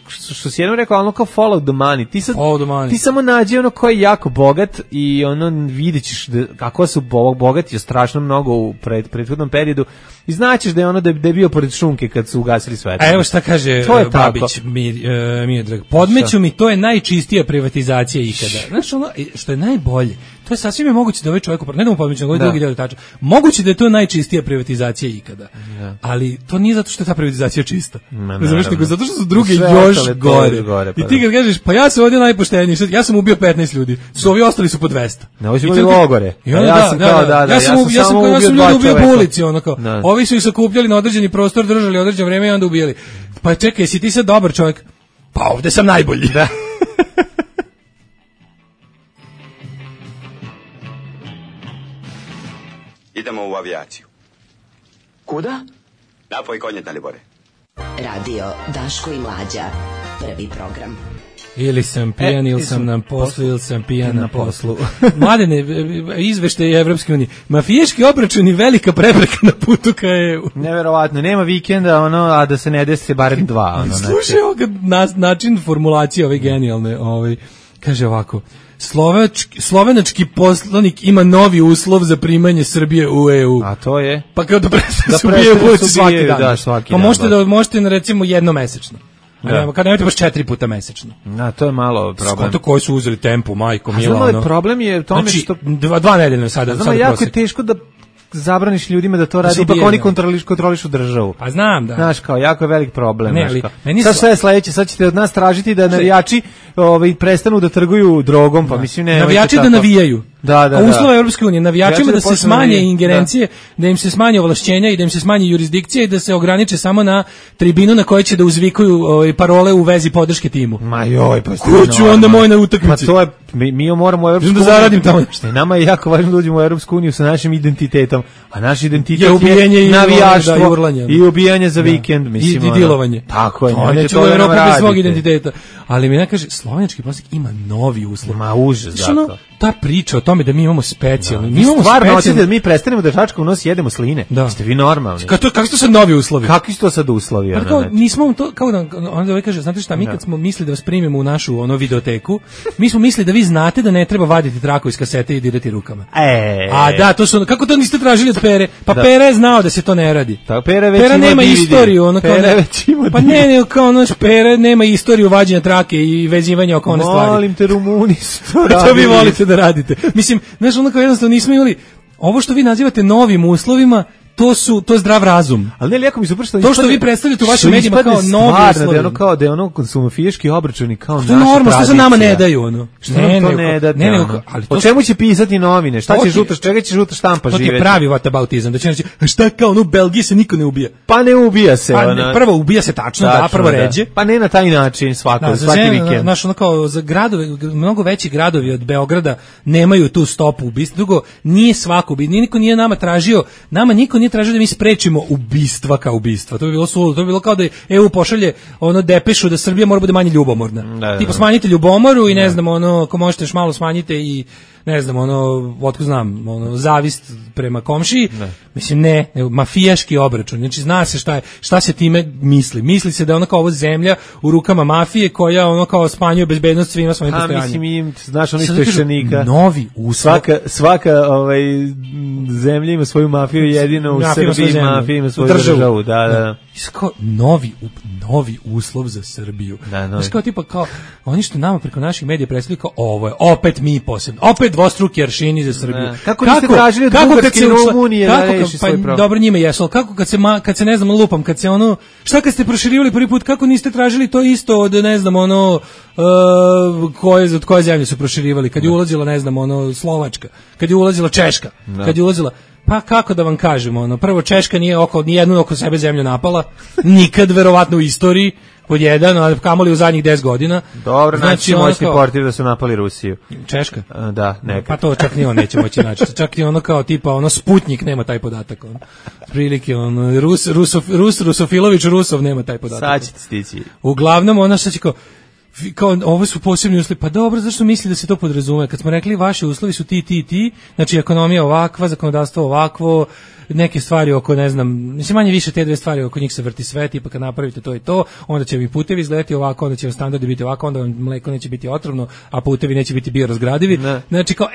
što si jednom rekao, ono kao follow the money, ti samo nađi ono ko je jako bogat i ono vidjet ćeš kako su bogati strašno mnogo u prethodnom periodu i znaćeš da je ono da je bio pored šunke kad su ugasili svetlo. A evo šta kaže Babić Miodrag, podmeću mi, to je najčistija privatizacija ikada. Znaš ono, što je najbolje, to je sasvim moguće da ovaj čovjek, ne da mu podmeću, nego drugi deo tača, moguće da je to najčistija privatizacija ikada, ali to nije zato što je ta privatizacija čista. Znaš, nego zato što su druge još gore. I ti kad kažeš, pa ja sam ovdje najpošteniji, ja sam ubio 15 ljudi, su ovi ostali su po 200. Ne, ovi su bili logore. Ja sam ljudi ubio po ulici, ono kao. Ovi su ih sakupljali na određeni prostor, držali određeno vreme i onda ubijali. Pa čekaj, jesi ti sad dobar čovjek? Pa ovdje sam najbolji. Da. Idemo u avijaciju. Kuda? Napoj konje, Dalibore. Radio Daško i Mlađa. Prvi program. Ili sam pijan, ili sam na poslu, ili sam pijan na poslu. Mladene, izveštaj Evropske unije. Mafijaški obračuni velika prepreka na putu ka EU. Neverovatno, nema vikenda, a da se ne desi barem 2. Slušaj ovoga način formulacije ove genijalne. Kaže ovako, slovenački poslanik ima novi uslov za primanje Srbije u EU. A to je? Pa kao da prestane se ubije buci svaki dan. Da, svaki dan. Pa možete recimo jednomesečno. Kad nemate baš 4 puta mesečno. To je malo problem. Skoto koji su uzeli tempo, majko mila. Znamo, problem je tome znači, što... 2 nedeljno sada. Znamo, jako je teško da zabraniš ljudima da to radi, ipak oni kontrolišu državu. Pa znam, da. Znaš, kao, jako je velik problem. Ne, ali, sad sve je sledeće, sad ćete od nas tražiti da navijači prestanu da trguju drogom, pa mislim ne... Navijači da navijaju. Da. Uslova Evropske unije, navijačima da se smanje ingerencije, da im se smanje ovlašćenja i da im se smanje jurisdikcija i da se ograniče samo na tribinu na kojoj će da uzvikuju parole u vezi podrške timu. Ma joj, pa ko ću onda moj na utakmici? Pa to je, mi moramo u Evropsku uniju. Da zaradim tamo nešto. Nama je jako važno da uđemo u Evropsku uniju sa našim identitetom, a naš identitet je navijaštvo i ubijanje za vikend, mislim. I dilovanje. Tako je. To neće u Evropu bez svog identiteta. Ali mi kaže, slovenački poslanik ima novi uslov. Ma užas, dakle. Ta priča o tome da mi imamo specijalno. Mi imamo stvarno hoćete da mi prestanemo da žačka u nos jedemo sline. Ste vi normalni? Kakvi su to sad novi uslovi? Kakvi su to sad uslovi? Pa kao, nismo to, kao da onda kaže, znate šta, mi kad smo mislili da vas primimo u našu videoteku, mi smo mislili da vi znate da ne treba vaditi traku iz kasete i dirati rukama. A da, to su, kako to niste tražili od Pere? Pa Pera je znao da se to ne radi. Pera nema istoriju, ono kao pa ne, kao naš Pera nema istoriju vađenja trake i vezivanja oko one stvari. Molim te, Rumuni su to radili. To vi volite da radite. Mislim, znaš, onako jednostavno nismo imali, ovo što vi nazivate novim uslovima, to je zdrav razum. Ali ne, lijeko mi super što... To što vi predstavljate u vašim medijima kao novi uslovi. Da je ono kad su mafijaški obračuni kao naša tradicija. To je normalno, što se nama ne daju, Što nam to ne date? O čemu će pisati novine? Šta će žuta, čega će žuta štampa živjeti? To ti je pravi whataboutizam, da će reći, šta kao, u Belgiji se niko ne ubija. Pa ne ubija se. Prvo ubija se tačno, prvo ređe. Pa ne na taj način svaki vikend. Znaš, ono kao, za gradove, mnogo veći gradovi od Beograda nemaju tu stopu ubistva. Drugo, nije svako, niko nije nama tražio da mi sprečimo ubistva kao ubistva. To bi bilo suludo. To bi bilo kao da EU pošalje depešu da Srbija mora bude manje ljubomorna. Tipa smanjite ljubomoru i ne znam, ako možete još malo smanjite i ne znam, otko znam, zavist prema komšiji. Mislim, ne, mafijaški obračun. Znači, zna se šta se time misli. Misli se da je kao ovo zemlja u rukama mafije koja kao smanjuje bezbednost svima svojim postojanjem. Mislim, znaš, ono isto ještenika. Novi uslov. Svaka zemlja ima svoju mafiju, jedino u Srbiji mafija ima svoju državu. Da. Kao novi uslov za Srbiju. Znači, kao tipa, kao, oni što nama preko naših medija predstavljaju kao ovo je, opet mi posebno, opet dvostruki aršini za Srbiju. Kako niste tražili od Bugarske i Rumunije da reši svoj problem? Dobro, njima jesu, ali kako kad se ne znam, lupam, šta kad ste proširivali prvi put, kako niste tražili to isto od, ne znam, od koje zemlje su proširivali, kad je ulazila, ne znam, Slovačka, kad je ulazila Češka, kad je ulazila, pa kako da vam kažemo, prvo Češka nije nijednu oko sebe zemlju napala, nikad verovatno u istoriji, pod jedan, a kamoli u zadnjih 10 godina. Dobro, znači moćni portir da su napali Rusiju. Češka? Da, neka. Pa to čak ni on neće moći naći. Čak i ono kao tipa, ono Sputnik nema taj podatak. On. Prilike, on, Rusofilović Rusov nema taj podatak. Sad ćete stići. Uglavnom, ona što će kao ovo su posebni uslovi, pa dobro, zašto misli da se to podrazume? Kad smo rekli vaši uslovi su ti, znači ekonomija ovakva, zakonodavstvo ovakvo, neke stvari oko, ne znam, mislim manje više te dve stvari oko njih se vrti sve, tipa kad napravite to i to, onda će mi putevi izgledati ovako, onda će vam standardi biti ovako, onda vam mleko neće biti otrovno, a putevi neće biti biorazgradivi. Znači kao,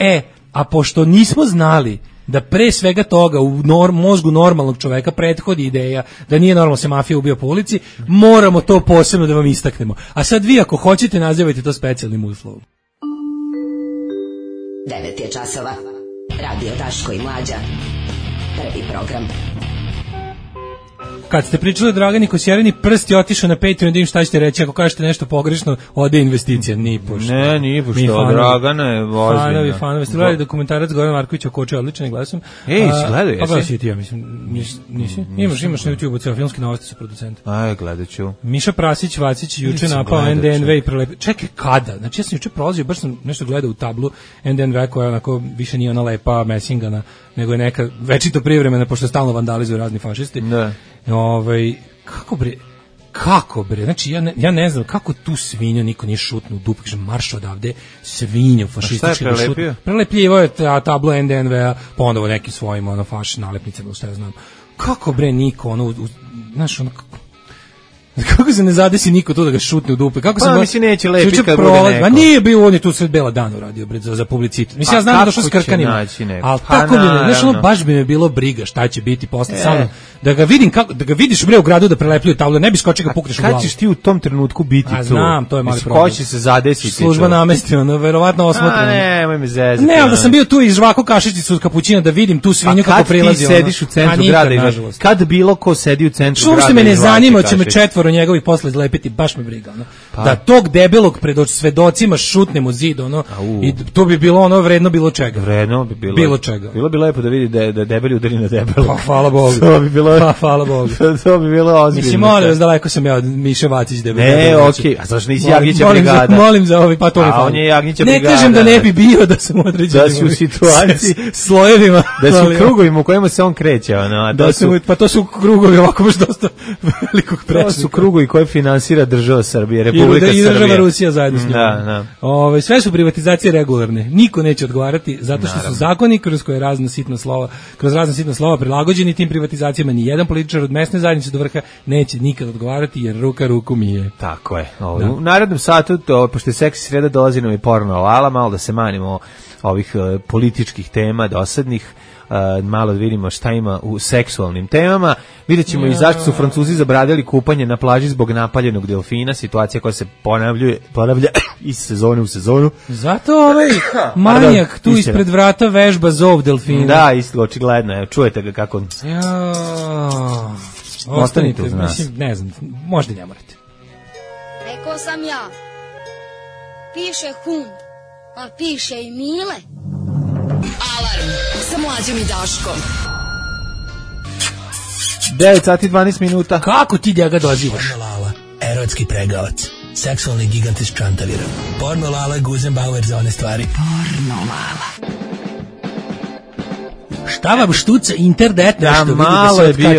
a pošto nismo znali da pre svega toga u mozgu normalnog čoveka prethodi ideja da nije normalno se mafija ubio po ulici, moramo to posebno da vam istaknemo. A sad vi ako hoćete nazivajte to specijalnim uslovom. 9 je časova. Radio Daško i Mlađa. Prvi program. Kad ste pričali o Dragani Kosjereni, prst je otišao na Patreon, da im šta ćete reći, ako kažete nešto pogrešno, ode investicija, ni pošto. Ne, ni pošto, Dragana je ozbiljna. Fanovi, ste gledali dokumentarac Goran Marković o Koče, odličan glasom. Si gledao, jesi? Pa gledao si i ti, ja mislim, nisi? Imaš na YouTube-u, cijelo filmski novosti su producenti. Gledat ću. Miša Prasić, Vacić, juče napao NDNV i prelepio. Čekaj, kada? Znači, ja sam juče prolazio, baš sam nešto gledao u tablu NDNV koja onako više nije ona lepa mesingana, nego je neka večito privremena, pošto stalno vandalizuju razni fašisti. Da. Kako bre, znači ja ne znam kako tu svinju niko nije šutnu u dupu, kaže marš odavde, svinja fašistički da šutnu. Prelepljivao je tablo NDNV-a, pa onda nekim svojim faš nalepnicama, šta ja znam. Kako bre niko, znaš, kako se ne zadesi niko tu da ga šutne u dupe? Kako pa mislim neće lepiti kad bude neko. Ma nije bio, on je tu sred bela dana uradio za publicitet. Mislim, ja znam da došao s krkanima. Ali tako mi ne, znaš, baš bi me bilo briga šta će biti posle sa mnom. Da ga vidim kako, da ga vidiš bre u gradu da prelepljuju tablo, ne bi skočio ga pukneš u glavu. Kad ćeš ti u tom trenutku biti tu? Znam, to je mali problem. Ko će se zadesiti? Služba namesti, verovatno osmotreno. Nemoj me zezati. Ne, ali da sam bio tu iz žvaku kašičicu od kapućina da vidim tu svinju kako prilazi. A kad ti sediš u centru grada i kad bilo ko sedi u centru grada? Što me ne zanima, će me četvoro njegovih posle lepiti, baš me briga, da tog debelog pred svedocima šutnem u zid, i to bi bilo vredno bilo čega. Vredno bi bilo čega. Bilo bi lepo da vidi da debeli udari na debelo. Pa hvala Bogu. Hvala Bogu. To bi bilo ozbiljno. Mislim, molim vas, daleko sam ja od Miše Vacić debeli. Ne, okej, a zašto nisi Jagnjića brigada? Molim za ovi, pa to mi hvala. A on je Jagnjića brigada. Ne kažem da ne bi bio da sam određen. Da si u situaciji slojevima. Da si u krugovima u kojima se on kreće. Pa to su krugovi ovako baš dosta velikog prečnika. To su krugovi koje finansira država Srbije, Republika Srbije. I država Rusija zajedno s njom. Da. Sve su privatizacije regularne. Niko neće odgovarati zato što su zakoni kroz razna sitna slova prilagođeni tim privatizacijama. Ni jedan političar od mesne zajednice do vrha neće nikad odgovarati jer ruka ruku mije. Tako je. U narednom satu, pošto je seksi sreda, dolazi nam i porno ala, malo da se manimo ovih političkih tema dosadnih. Malo da vidimo šta ima u seksualnim temama. Vidjet ćemo i zašto su Francuzi zabranili kupanje na plaži zbog napaljenog delfina, situacija koja se ponavlja iz sezone u sezonu. Zato manijak tu ispred vrata vežba zov delfina. Da, isto, očigledno. Evo, čujete ga kako... Ostanite uz nas. Mislim, ne znam, možda ne morate. Rekao sam ja, piše hum, a piše i Mile. Alarm sa Mlađom i Daškom. 9 sati 12 minuta. Kako ti njega dozivaš? Porno Lala, erotski pregavac, seksualni gigant iz Čantavira. Porno Lala, Guzenbauer za one stvari. Porno Lala. Šta vam štuca internet nešto? Da, malo je bio.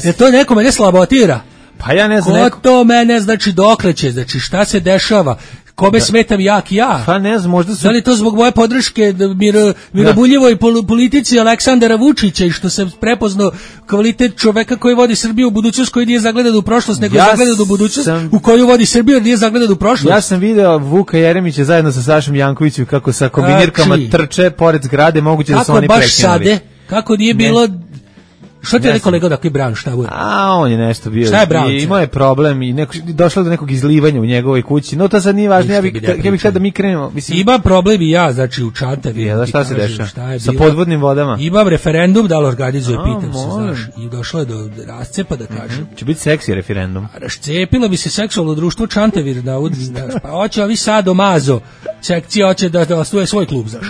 Je to neko mene slabotira? Pa ja ne znam. Ko to mene, znači dokleće, znači šta se dešava? Kome smetam jak ja? Pa ne znam, možda su... Da li to zbog moje podrške mirobuljivoj politici Aleksandara Vučića i što sam prepoznao kvalitet čoveka koji vodi Srbiju u budućnost, koji nije zagledan u prošlost, nego je zagledan u budućnost, u koju vodi Srbiju, jer nije zagledan u prošlost. Ja sam video Vuka Jeremića zajedno sa Sašom Jankovićem kako sa kombinirkama trče pored zgrade, moguće da su oni prekinuli. Kako baš sade? Kako nije bilo... Što ti je rekao kolega da koji Brown, šta bude? A on je nešto bio. Šta je Brown? Imao je problem i došlo do nekog izlivanja u njegovoj kući. No to sad nije važno, ja bih htio da mi krenemo. Mislim, ima problem i ja, znači u Čantavi. Ja, šta se dešava? Sa podvodnim vodama? Imam referendum da li organizuje, pitam se, znaš. I došlo je do rascepa, da kažem. Će biti seksi referendum. Rascepilo bi se seksualno društvo Čantavir, da pa hoće ovi Sado Mazo, sekcija hoće da osnuje svoj klub, znaš.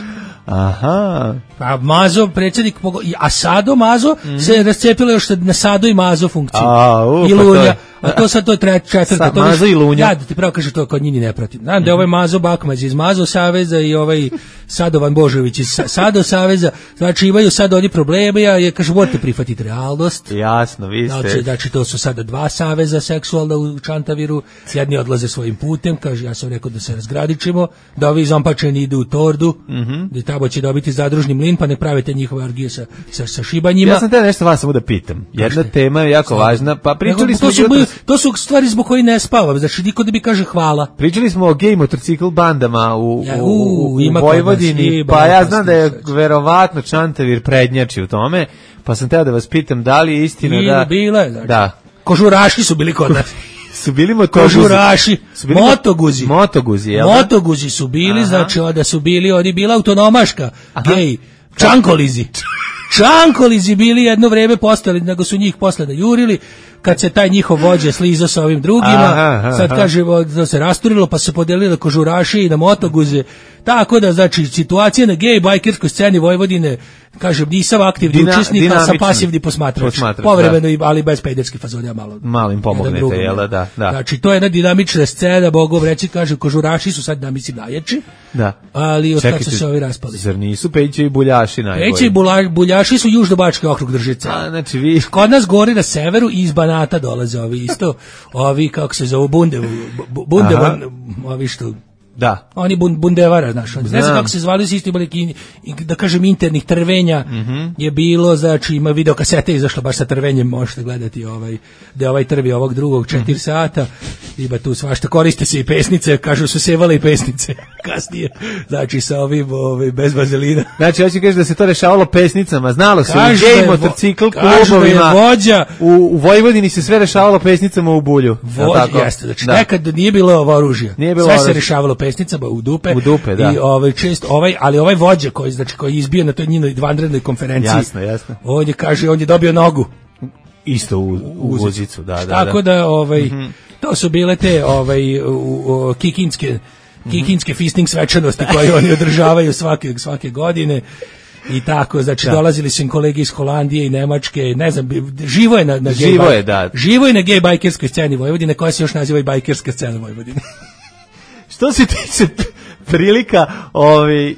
Aha. Pa Mazo, predsjednik, a Sado Mazo se rascepilo još na Sado i Mazo funkciju. I Lunja. A to sad to je četvrta. To Mazo i Lunja. Ja da ti pravo kaže to kod njih ne pratim. Znam da je ovaj Mazo Bakmaz iz Mazo Saveza i ovaj Sadovan Božović iz Sado Saveza, znači imaju sad oni probleme, ja kažem morate prihvatiti realnost. Jasno, vi ste. Znači to su sada dva saveza seksualna u Čantaviru, jedni odlaze svojim putem, kaže ja sam rekao da se razgradičimo, da ovi zompačeni idu u Tordu, da tamo će dobiti zadružni mlin, pa ne pravite njihove orgije sa šibanjima. Ja sam te nešto vas samo da pitam. Jedna tema je jako važna, pa pričali smo to su stvari zbog koji ne spavam, znači niko da mi kaže hvala. Pričali smo o gej motocikl bandama u Vojvodini, pa ja znam da je verovatno Čantavir prednjači u tome, pa sam teo da vas pitam da li je istina da... Bila je, znači. Da. Kožuraši su bili kod nas. Su bili kožuraši, motoguzi. Motoguzi, jel? Motoguzi su bili, znači onda su bili, oni bila autonomaška, gej, čankolizi. Čankolizi bili jedno vreme postali, nego su njih posle najurili, kad se taj njihov vođa slizao sa ovim drugima, sad kaže da se rasturilo, pa se podelili kožuraši i na motoguze, tako da, znači, situacija na gej bajkerskoj sceni Vojvodine, kažem, nisam aktivni učesnik, ali sam pasivni posmatrač, povremeno, ali bez pederskih fazonja malo im pomognete, jel da? Znači, to je jedna dinamična scena, Bogov reći, kaže, kožuraši su sad, da mislim, najjači, ali od kada su se ovi raspali. Zar nisu Pejiće i Buljaši najbolji? Pejiće i Buljaši su Južnobački okrug Držice. Znači, vi... Kod nas gori na severu i iz Banata dolaze ovi isto, ovi, kako se zovu, ovi što... Da. Oni bundevara, znaš, ne znam kako se zvali, su isto imali, da kažem, internih trvenja je bilo, znači ima videokasete izašlo baš sa trvenjem, možete gledati da je ovaj trvi ovog drugog 4 sata, ima tu svašta, koriste se i pesnice, kažu su sevale i pesnice kasnije, znači sa ovim bez vazelina. Znači, hoće kažeš da se to rešavalo pesnicama, znalo se, u gej motocikl klubovima, u Vojvodini se sve rešavalo pesnicama u Bulju. Jeste, znači nekad nije bilo oružja, sve se rešavalo pesnicama u dupe, da. I ali ovaj vođa koji je izbio na toj njinoj vanrednoj konferenciji. Jasno. On je dobio nogu. Isto u vozicu, da. Tako da to su bile te kikinske fisting svečanosti koje oni održavaju svake godine. I tako, znači dolazili su im kolege iz Holandije i Nemačke, ne znam, živo je na gej bajkerskoj sceni Vojvodine, koja se još naziva i bajkerska scena Vojvodine. Što se tiče prilika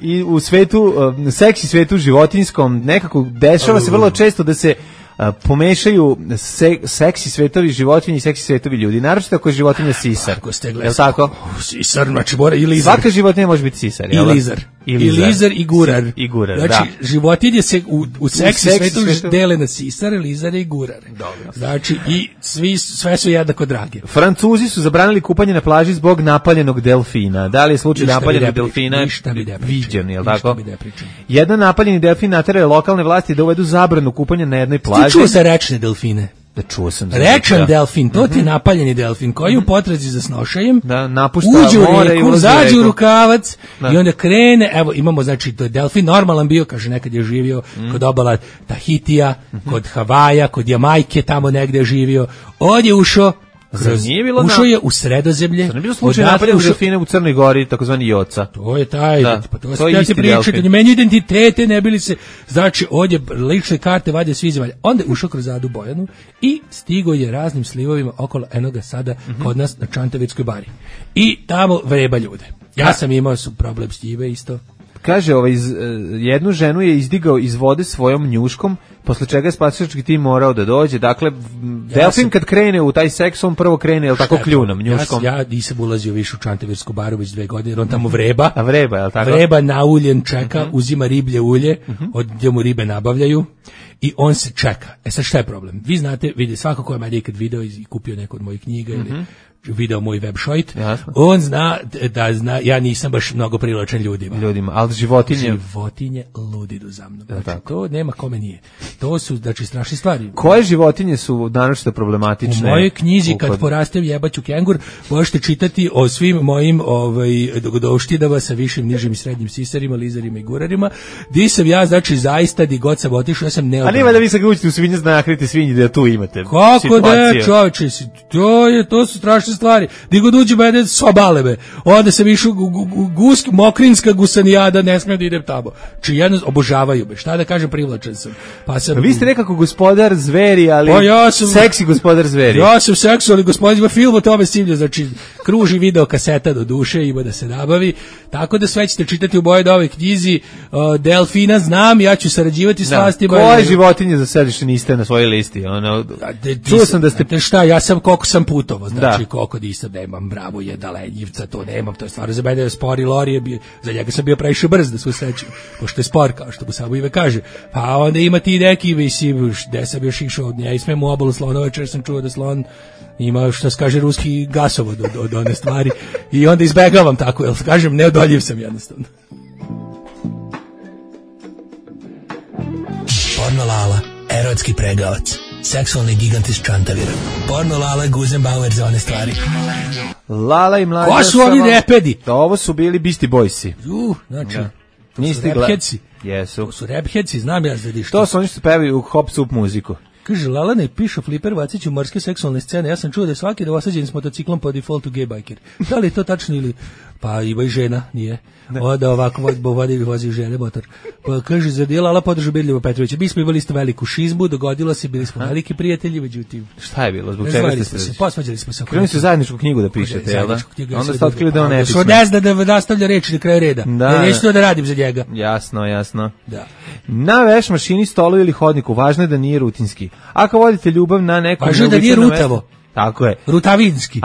i u svetu, seksi svetu životinjskom, nekako dešava se vrlo često da se pomešaju seksi svetovi životinji i seksi svetovi ljudi. Naročito ako je životinja sisar. Je li tako? Sisar, znači mora i lizar. Svaka životinja može biti sisar. I lizar. I lizar i gurar. Znači, životinje se u seksi svetu dele na sisare, lizare i gurare. Dobro. Znači, i sve su jednako drage. Francuzi su zabranili kupanje na plaži zbog napaljenog delfina. Da li je slučaj napaljenog delfina viđen, je li tako? Jedan napaljeni delfin naterao je lokalne vlasti da uvedu zabranu kupanja na jednoj plaži. Ti čuo se rečne delfine? Da, čuo sam. Rečan delfin, to ti je napaljeni delfin koji u potrazi za snošajem napušta more i zađe u rukavac i onda krene, evo imamo, znači to je delfin normalan bio, kaže nekad je živio kod obala Tahitija, kod Havaja, kod Jamajke, tamo negde je živio, ovdje je ušao je u Sredozemlje. To ne bilo slučaj napaljenog delfina u Crnoj Gori, takozvani Joca. To je taj, pa to je isti delfin. On je meni identitete, ne bili se, znači ovdje lične karte vade svi zemalja. Onda je ušao kroz Adu Bojanu i stigo je raznim slivovima okolo enoga sada kod nas na Čantavirskoj bari. I tamo vreba ljude. Ja sam imao problem s njime isto. Kaže, jednu ženu je izdigao iz vode svojom njuškom, posle čega je spasilački tim morao da dođe. Dakle, delfin kad krene u taj seks, on prvo krene, jel tako, kljunom, njuškom? Ja nisam ulazio više u Čantavirsku baru već 2 godine, jer on tamo vreba. A vreba, jel tako? Vreba nauljen čeka, uzima riblje ulje, gdje mu ribe nabavljaju i on se čeka. Sad šta je problem? Vi znate, vidi, svako ko je meni ikad video i kupio neku od mojih knjiga ili video moj website, on zna da ja nisam baš mnogo privlačan ljudima, ali životinje ludidu za mnom. Znači, to nema kome nije. To su, znači, strašne stvari. Koje životinje su naročito problematične? U mojoj knjizi Kad porastem jebaću kengur možete čitati o svim mojim doštinama sa višim, nižim i srednjim sisarima, lizarima i gurarima, di sam ja, znači, zaista di god sam otišao, ja sam neodgovoran. A nema da vi sad ga učite u svinje nakriti svinji da tu imate kako da, čovječe, to su strašne su stvari. Di god uđe mene sobalebe. Onda sam išao mokrinska gusanijada, ne smijem da idem tamo. Či jedno obožavaju me. Šta da kažem, privlačen sam. Pa sam, vi ste nekako gospodar zveri, ali seksi gospodar zveri. Ja sam seksualni gospodar, ima film o tome Simlja, znači kruži video kaseta do duše, ima da se nabavi. Tako da sve ćete čitati u mojoj novoj knjizi. Delfina znam, ja ću sarađivati s vlastima. Koje životinje za sad više niste na svojoj listi? Čuo sam da ste... Šta, ja sam koliko sam putovao, znači koliko nisam, nemam bravo jedna lenjivca, to nemam, to je stvarno za mene spor i lori je bio, za njega sam bio previše brz da se usrećem, pošto je spor, kao što mu samo ime kaže. Pa onda ima ti neki, mislim, gde sam još išao, ja ismem u obalu Slonovača, jer sam čuo da slon ima, što se kaže, ruski gasovod od one stvari i onda izbegavam tako, jer kažem, neodoljiv sam jednostavno. Porno Lala, erotski pregavac, seksualni gigant iz Čantavira. Porno Lala, Guzenbauer za one stvari. Lala i mlađa. Ko su ovi repedi? Ovo su bili Beastie Boysi. Znači, niste repheadsi. Jesu. To su repheadsi, znam ja zadi što. To su oni što pevaju u hop sup muziku. Kaže, Lala ne piše Fliper Vacić u morske seksualne scene. Ja sam čuo da je svaki osađen s motociklom po defaultu gay biker. Da li je to tačno ili... Pa ima i žena, nije. Onda ovako vozi žene motor. Pa kaže, zar je Lala podržao Bedljivo Petrovića? Mi smo imali isto veliku šizmu, dogodilo se, bili smo veliki prijatelji, međutim... Šta je bilo? Zbog čega ste se? Posvađali smo se. Krenuli su zajedničku knjigu da pišete, jel da? Onda ste otkrili da on ne piše. Što ne zna da nastavlja reči na kraju reda. Neću to da radim za njega. Jasno. Da. Na veš mašini, stolu ili hodniku, važno je da nije rutinski. Ako vodite ljubav na nekom... Važno je da nije rutavo. Tako je. Rutavinski.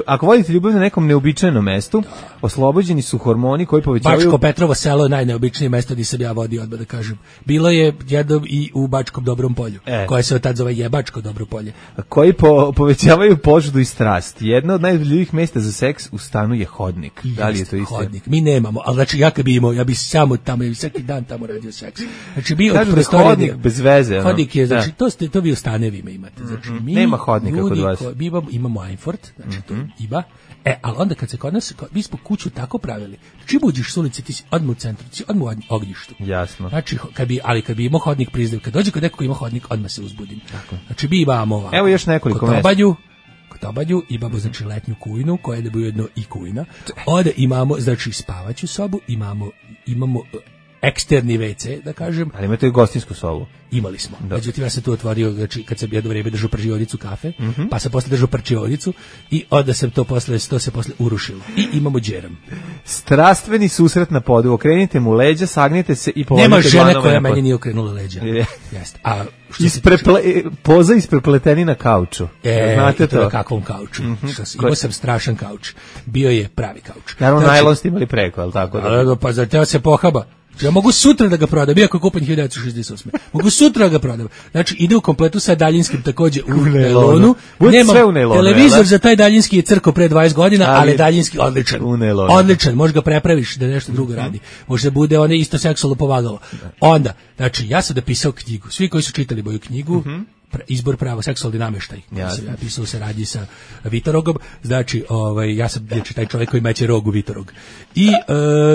Ako vodite ljubav na nekom neobičajnom mestu, oslobođeni su hormoni koji povećavaju... Bačko Petrovo selo je najneobičnije mesto gdje sam ja vodio, odmah da kažem. Bilo je jedno i u Bačkom Dobrom polju, koje se od tad zove Jebačko Dobro polje. Koji povećavaju požudu i strast. Jedno od najljubljivih mesta za seks u stanu je hodnik. Da li je to isto? Hodnik. Mi nemamo, ali znači ja kad bi imao, ja bi samo tamo, ja bi svaki dan tamo radio seks. Znači bio kažu da je hodnik bez veze. Hodnik je, znači to vi u stanevima imate. Znači nema hodnika kod vas. Mi imamo Einfort, znači to ima. Ali onda kad se kod nas, mi smo kuću tako pravili. Čim uđeš s ulice, ti si odmah u centru, ti si odmah u ognjištu. Jasno. Znači, kad bi imao hodnik priznav, kad dođe kod nekog ima hodnik, odmah se uzbudim. Tako. Znači, mi imamo ovako. Evo još nekoliko mesta. Kod Obanju imamo, znači, letnju kujnu, koja je da bi ujedno i kujna. Onda imamo, znači, spavaću sobu, imamo eksterni WC, da kažem. Ali imate i gostinsku sobu. Imali smo. Međutim, ja sam tu otvorio, znači, kad sam jedno vrijeme držao pržionicu kafe, pa sam posle držao prčionicu i onda sam to se posle urušilo. I imamo džeram. Strastveni susret na podu. Okrenite mu leđa, sagnite se i povodite dlanove. Nema žene koja meni nije okrenula leđa. Jeste. A poza isprepleteni na kauču. Znate to? Na kakvom kauču? Imao sam strašan kauč. Bio je pravi kauč. Naravno, najlon ste imali preko, ali tako? Pa za teo se pohaba. Ja mogu sutra da ga prodam, iako je kupan 1968. Mogu sutra da ga prodam. Znači, ide u kompletu sa daljinskim takođe u nailonu. Nema televizor za taj daljinski je crko pre 20 godina, ali daljinski odličan. Odličan, možeš ga prepraviš da nešto drugo radi. Može da bude one isto seksualno povagalo. Onda, znači, ja sam napisao knjigu. Svi koji su čitali moju knjigu, izbor pravo seksualni namještaj. Ja pisao se radi sa Vitorogom, znači ja sam taj čovjek koji meće rog u Vitorog. I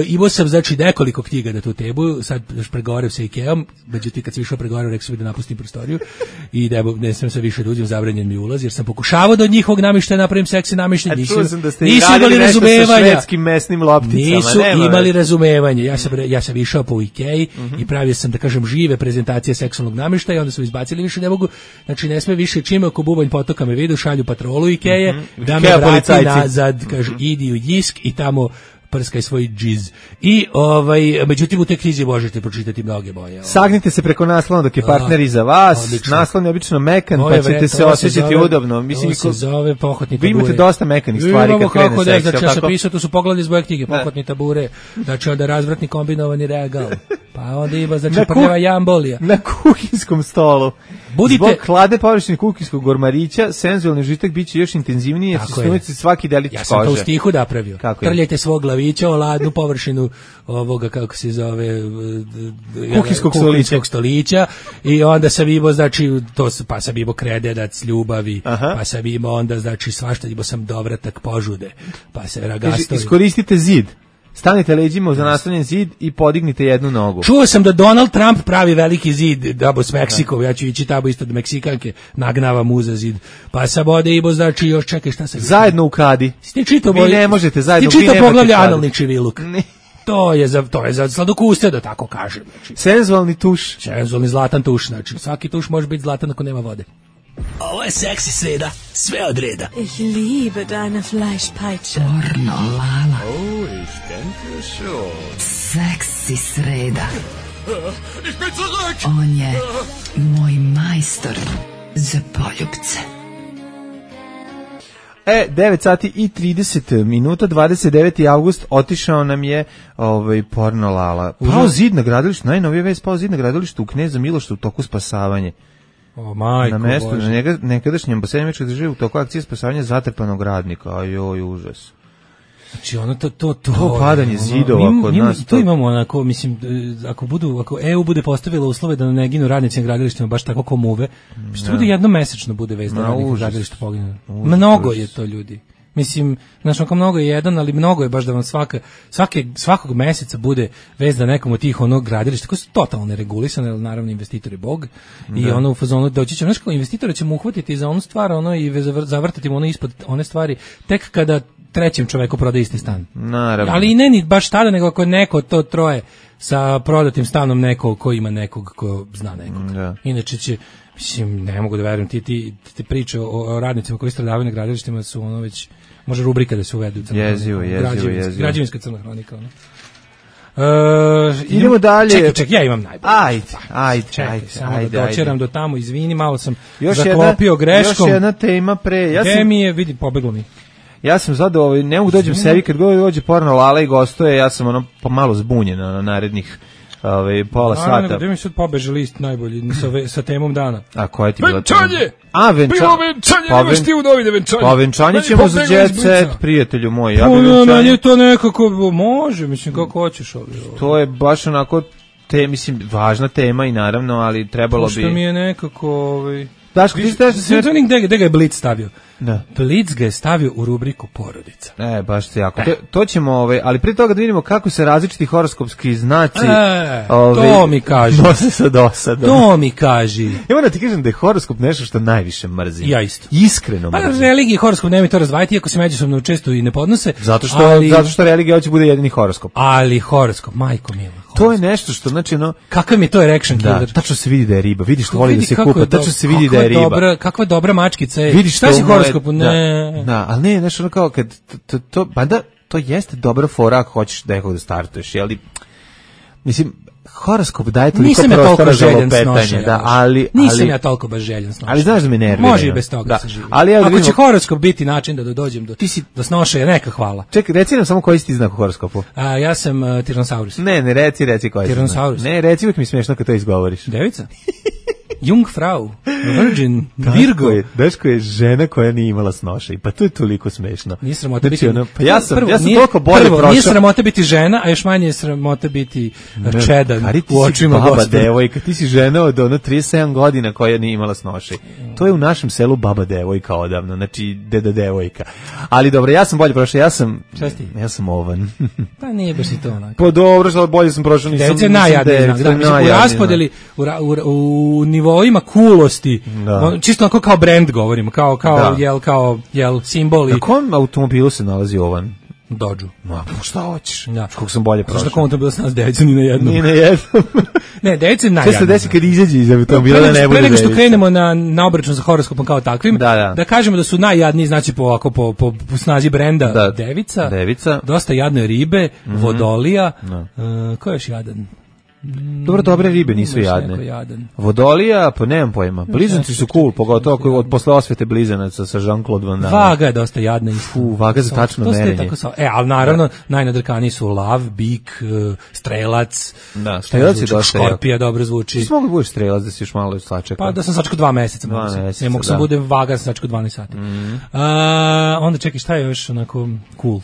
imao sam znači nekoliko knjiga na tu temu, sad pregovaram sa Ikeom, međutim kad sam išao pregovaram rekao sam da napustim prostoriju i da ne smem se više da uđem, zabranjen mi ulaz, jer sam pokušavao da od njihovog namještaja napravim seksi namještaj, nisu imali razumevanja. Nisu imali razumevanja. Ja sam išao po Ikei i pravio sam, da kažem, žive prezentacije seksualnog namještaja, onda su izbacili, više ne mogu. Znači ne sme više čime oko bubanj potoka me vidu, šalju patrolu Ikeje, da me vrati nazad, kaže, idi u Jisk i tamo prskaj svoj džiz. I međutim u toj knjizi možete pročitati mnoge boje. Sagnite se preko naslona dok je partner iza vas. Odlično. Naslon je obično mekan, pa ćete se osjećati udobno. Mislim, se zove pohotni tabure. Vi imate dosta mekanih stvari kad krene seks. Znači ja sam pisao, to su pogledi iz moje knjige, pohotni tabure, znači onda razvratni kombinovani regal. Pa onda ima, znači prljava jambolija. Na kuhinskom stolu. Zbog hlade površine kuhinskog gormarića, senzualni užitak biće još intenzivniji, jer će snimati svaki delić kože. Ja sam to u stihu napravio. Trljajte svog glavića o ladnu površinu ovoga, kako se zove, kuhinskog stolića i onda sam imao, znači, pa sam imao kredenac ljubavi, pa sam imao onda, znači, svašta, imao sam dovratak požude, pa se ragastovi. Iskoristite zid. stanite leđima za nastavljen zid i podignite jednu nogu. Čuo sam da Donald Trump pravi veliki zid dabo s Meksikom, ja ću ići tamo isto do Meksikanke, nagnava mu za zid. Pa sa bode Ibo, znači još čekaj šta se... Zajedno u kadi. Vi ne možete zajedno, vi ne možete poglavlje analni čiviluk. To je za sladokuste, da tako kažem. Znači. Senzualni tuš. Senzualni zlatan tuš, znači svaki tuš može biti zlatan ako nema vode. Ovo je seksi sreda, sve od reda. Ich liebe deine Fleischpeitsche. Pornolala. Oh, ich denke schon. Seksi sreda. Ich bin zurück. On je moj majstor za poljupce. 9 sati i 30 minuta, 29. avgust, otišao nam je Pornolala. Pao zid na gradilištu, najnovija vest, pao zid na gradilištu u Kneza Miloša u toku spasavanje. O, majko na mestu, Bože. Na nekadašnjem basenimičkoj državi u toku akcije spasavanja zatrpanog radnika. Ajoj, užas. Znači ono to padanje zidova kod nas. To imamo onako, mislim, ako EU bude postavila uslove da ne ginu radnici na gradilištima baš tako ko muve, što bude jednomesečno bude vez da radnik na gradilištu poginu. Mnogo je to, ljudi. Mislim, znači onako mnogo je jedan, ali mnogo je baš da vam svakog meseca bude vez da nekom od tih onog gradilišta koji su totalno neregulisane, ali naravno investitor je bog i ono u fazonu doći će, znači investitora ćemo uhvatiti za onu stvar i zavrtati mu ono ispod one stvari tek kada trećem čoveku proda isti stan. Naravno. Ali ne ni baš tada, nego ako je neko to troje sa prodatim stanom neko ko ima nekog ko zna nekog. Da. Inače će, mislim, ne mogu da verujem, ti priče o radnicima koji stradavaju na gradilištima su ono već, može rubrika da se uvedu. Jezivo. Građevinska crna hronika. Ono. Idemo dalje. Čekaj, ja imam najbolje. Ajde. Samo da doćeram do tamo, izvini, malo sam zaklopio greškom. Još jedna tema pre. Gde mi je, vidi, pobeglo mi. Ja sam zadovoljan, ne mogu dođem sebi kad dođe Pornolala i gostuje, ja sam ono pomalo zbunjen na narednih pola sata. Nego, gde mi sad pobeže list najbolji sa temom dana? A koja je ti bila tema? Venčanje! Bilo venčanje, nemaš ti u novine venčanje. Pa venčanje ćemo za Jet Set, prijatelju moj. Meni je to nekako, može, mislim, kako hoćeš ovdje. To je baš onako, mislim, važna tema i naravno, ali trebalo bi... Pošto mi je nekako... Daško, ti ste... Gde ga je Blitz stavio? Da. Blitz ga je stavio u rubriku porodica. Baš se jako. To ćemo, ali prije toga da vidimo kako se različiti horoskopski znaci to mi kaži. Nose sa dosadom. To mi kaži. Evo da ti kažem da je horoskop nešto što najviše mrzim. Ja isto. Iskreno mrzim. Pa religija i horoskop nemoj to razdvajati, iako se međusobno često i ne podnose. Zato što religija hoće bude jedini horoskop. Ali horoskop, majko mila. To je nešto što, znači, kakav mi je to erection killer? Da, tačno se vidi da je riba. Vidiš što voli da se kupa, tačno se vidi da je riba. Kakva dobra mačkica je. Vidiš šta si horoskopu? Ne. Da, ali ne, znači, ono kao kad to jeste dobra fora ako hoćeš nekog da startuješ, ali mislim, horoskop daje toliko prostora za lopetanje, da, ali nisam ja toliko baš željan snošenja. Ali znaš da me nervira. Može i bez toga da se živi. Ali ako će horoskop biti način da dođem do snošaja, neka hvala. Čekaj, reci nam samo koji si ti znak u horoskopu. Ja sam Tyrannosaurus. Ne, reci koji si. Tyrannosaurus. Ne, reci, uvijek mi smiješno kad to izgovoriš. Devica? Jungfrau, Virgin, Virgo. Daško je žena koja nije imala snošaj. Pa to je toliko smešno. Nije sramota biti... Pa ja sam toliko bolje prošao. Nije sramota biti žena, a još manje je sramota biti čedan u očima Gospoda. Devojka, ti si žena od 37 godina koja nije imala snošaj. To je u našem selu baba devojka odavno, znači deda devojka. Ali dobro, ja sam bolje prošao, ja sam ovan. Pa nije baš i to onako. Pa dobro, što bolje sam prošao, nisam... Devica je najjadniji znak. U raspodeli, u nivoima kulosti, čisto onako kao brand govorimo, kao simbol. Na kom automobilu se nalazi ovan? Dodge. Ma, šta hoćeš? Kako sam bolje prošao. Zašto kom automobilu se nalazi Devica ni na jednom? Ni na jednom. Ne, Devica je najjadniji. Sve se desi kad izađe iz automobila da ne bude Devica. Pre nego što krenemo na obračun sa horoskopom kao takvim, da kažemo da su najjadniji, znači po snazi brenda Devica, dosta jadne ribe, Vodolija, ko je još jadan? Dobro, dobre ribe nisu jadne. Vodolija, pa nemam pojma. Blizanci su cool, pogotovo od posle osvete blizanaca sa Jean-Claude Van Damme. Vaga je dosta jadna. Vaga za tačno merenje. Ali naravno, najnadrkaniji su lav, bik, strelac. Da, strelac je dosta jak. Škorpija dobro zvuči. Ti si mogu da budeš strelac da si još malo sačekao? Pa da sam sačekao 2 meseca. Ne mogu sam budem vaga, sam sačekao 12 sati. Onda čekaj, šta je još onako cool?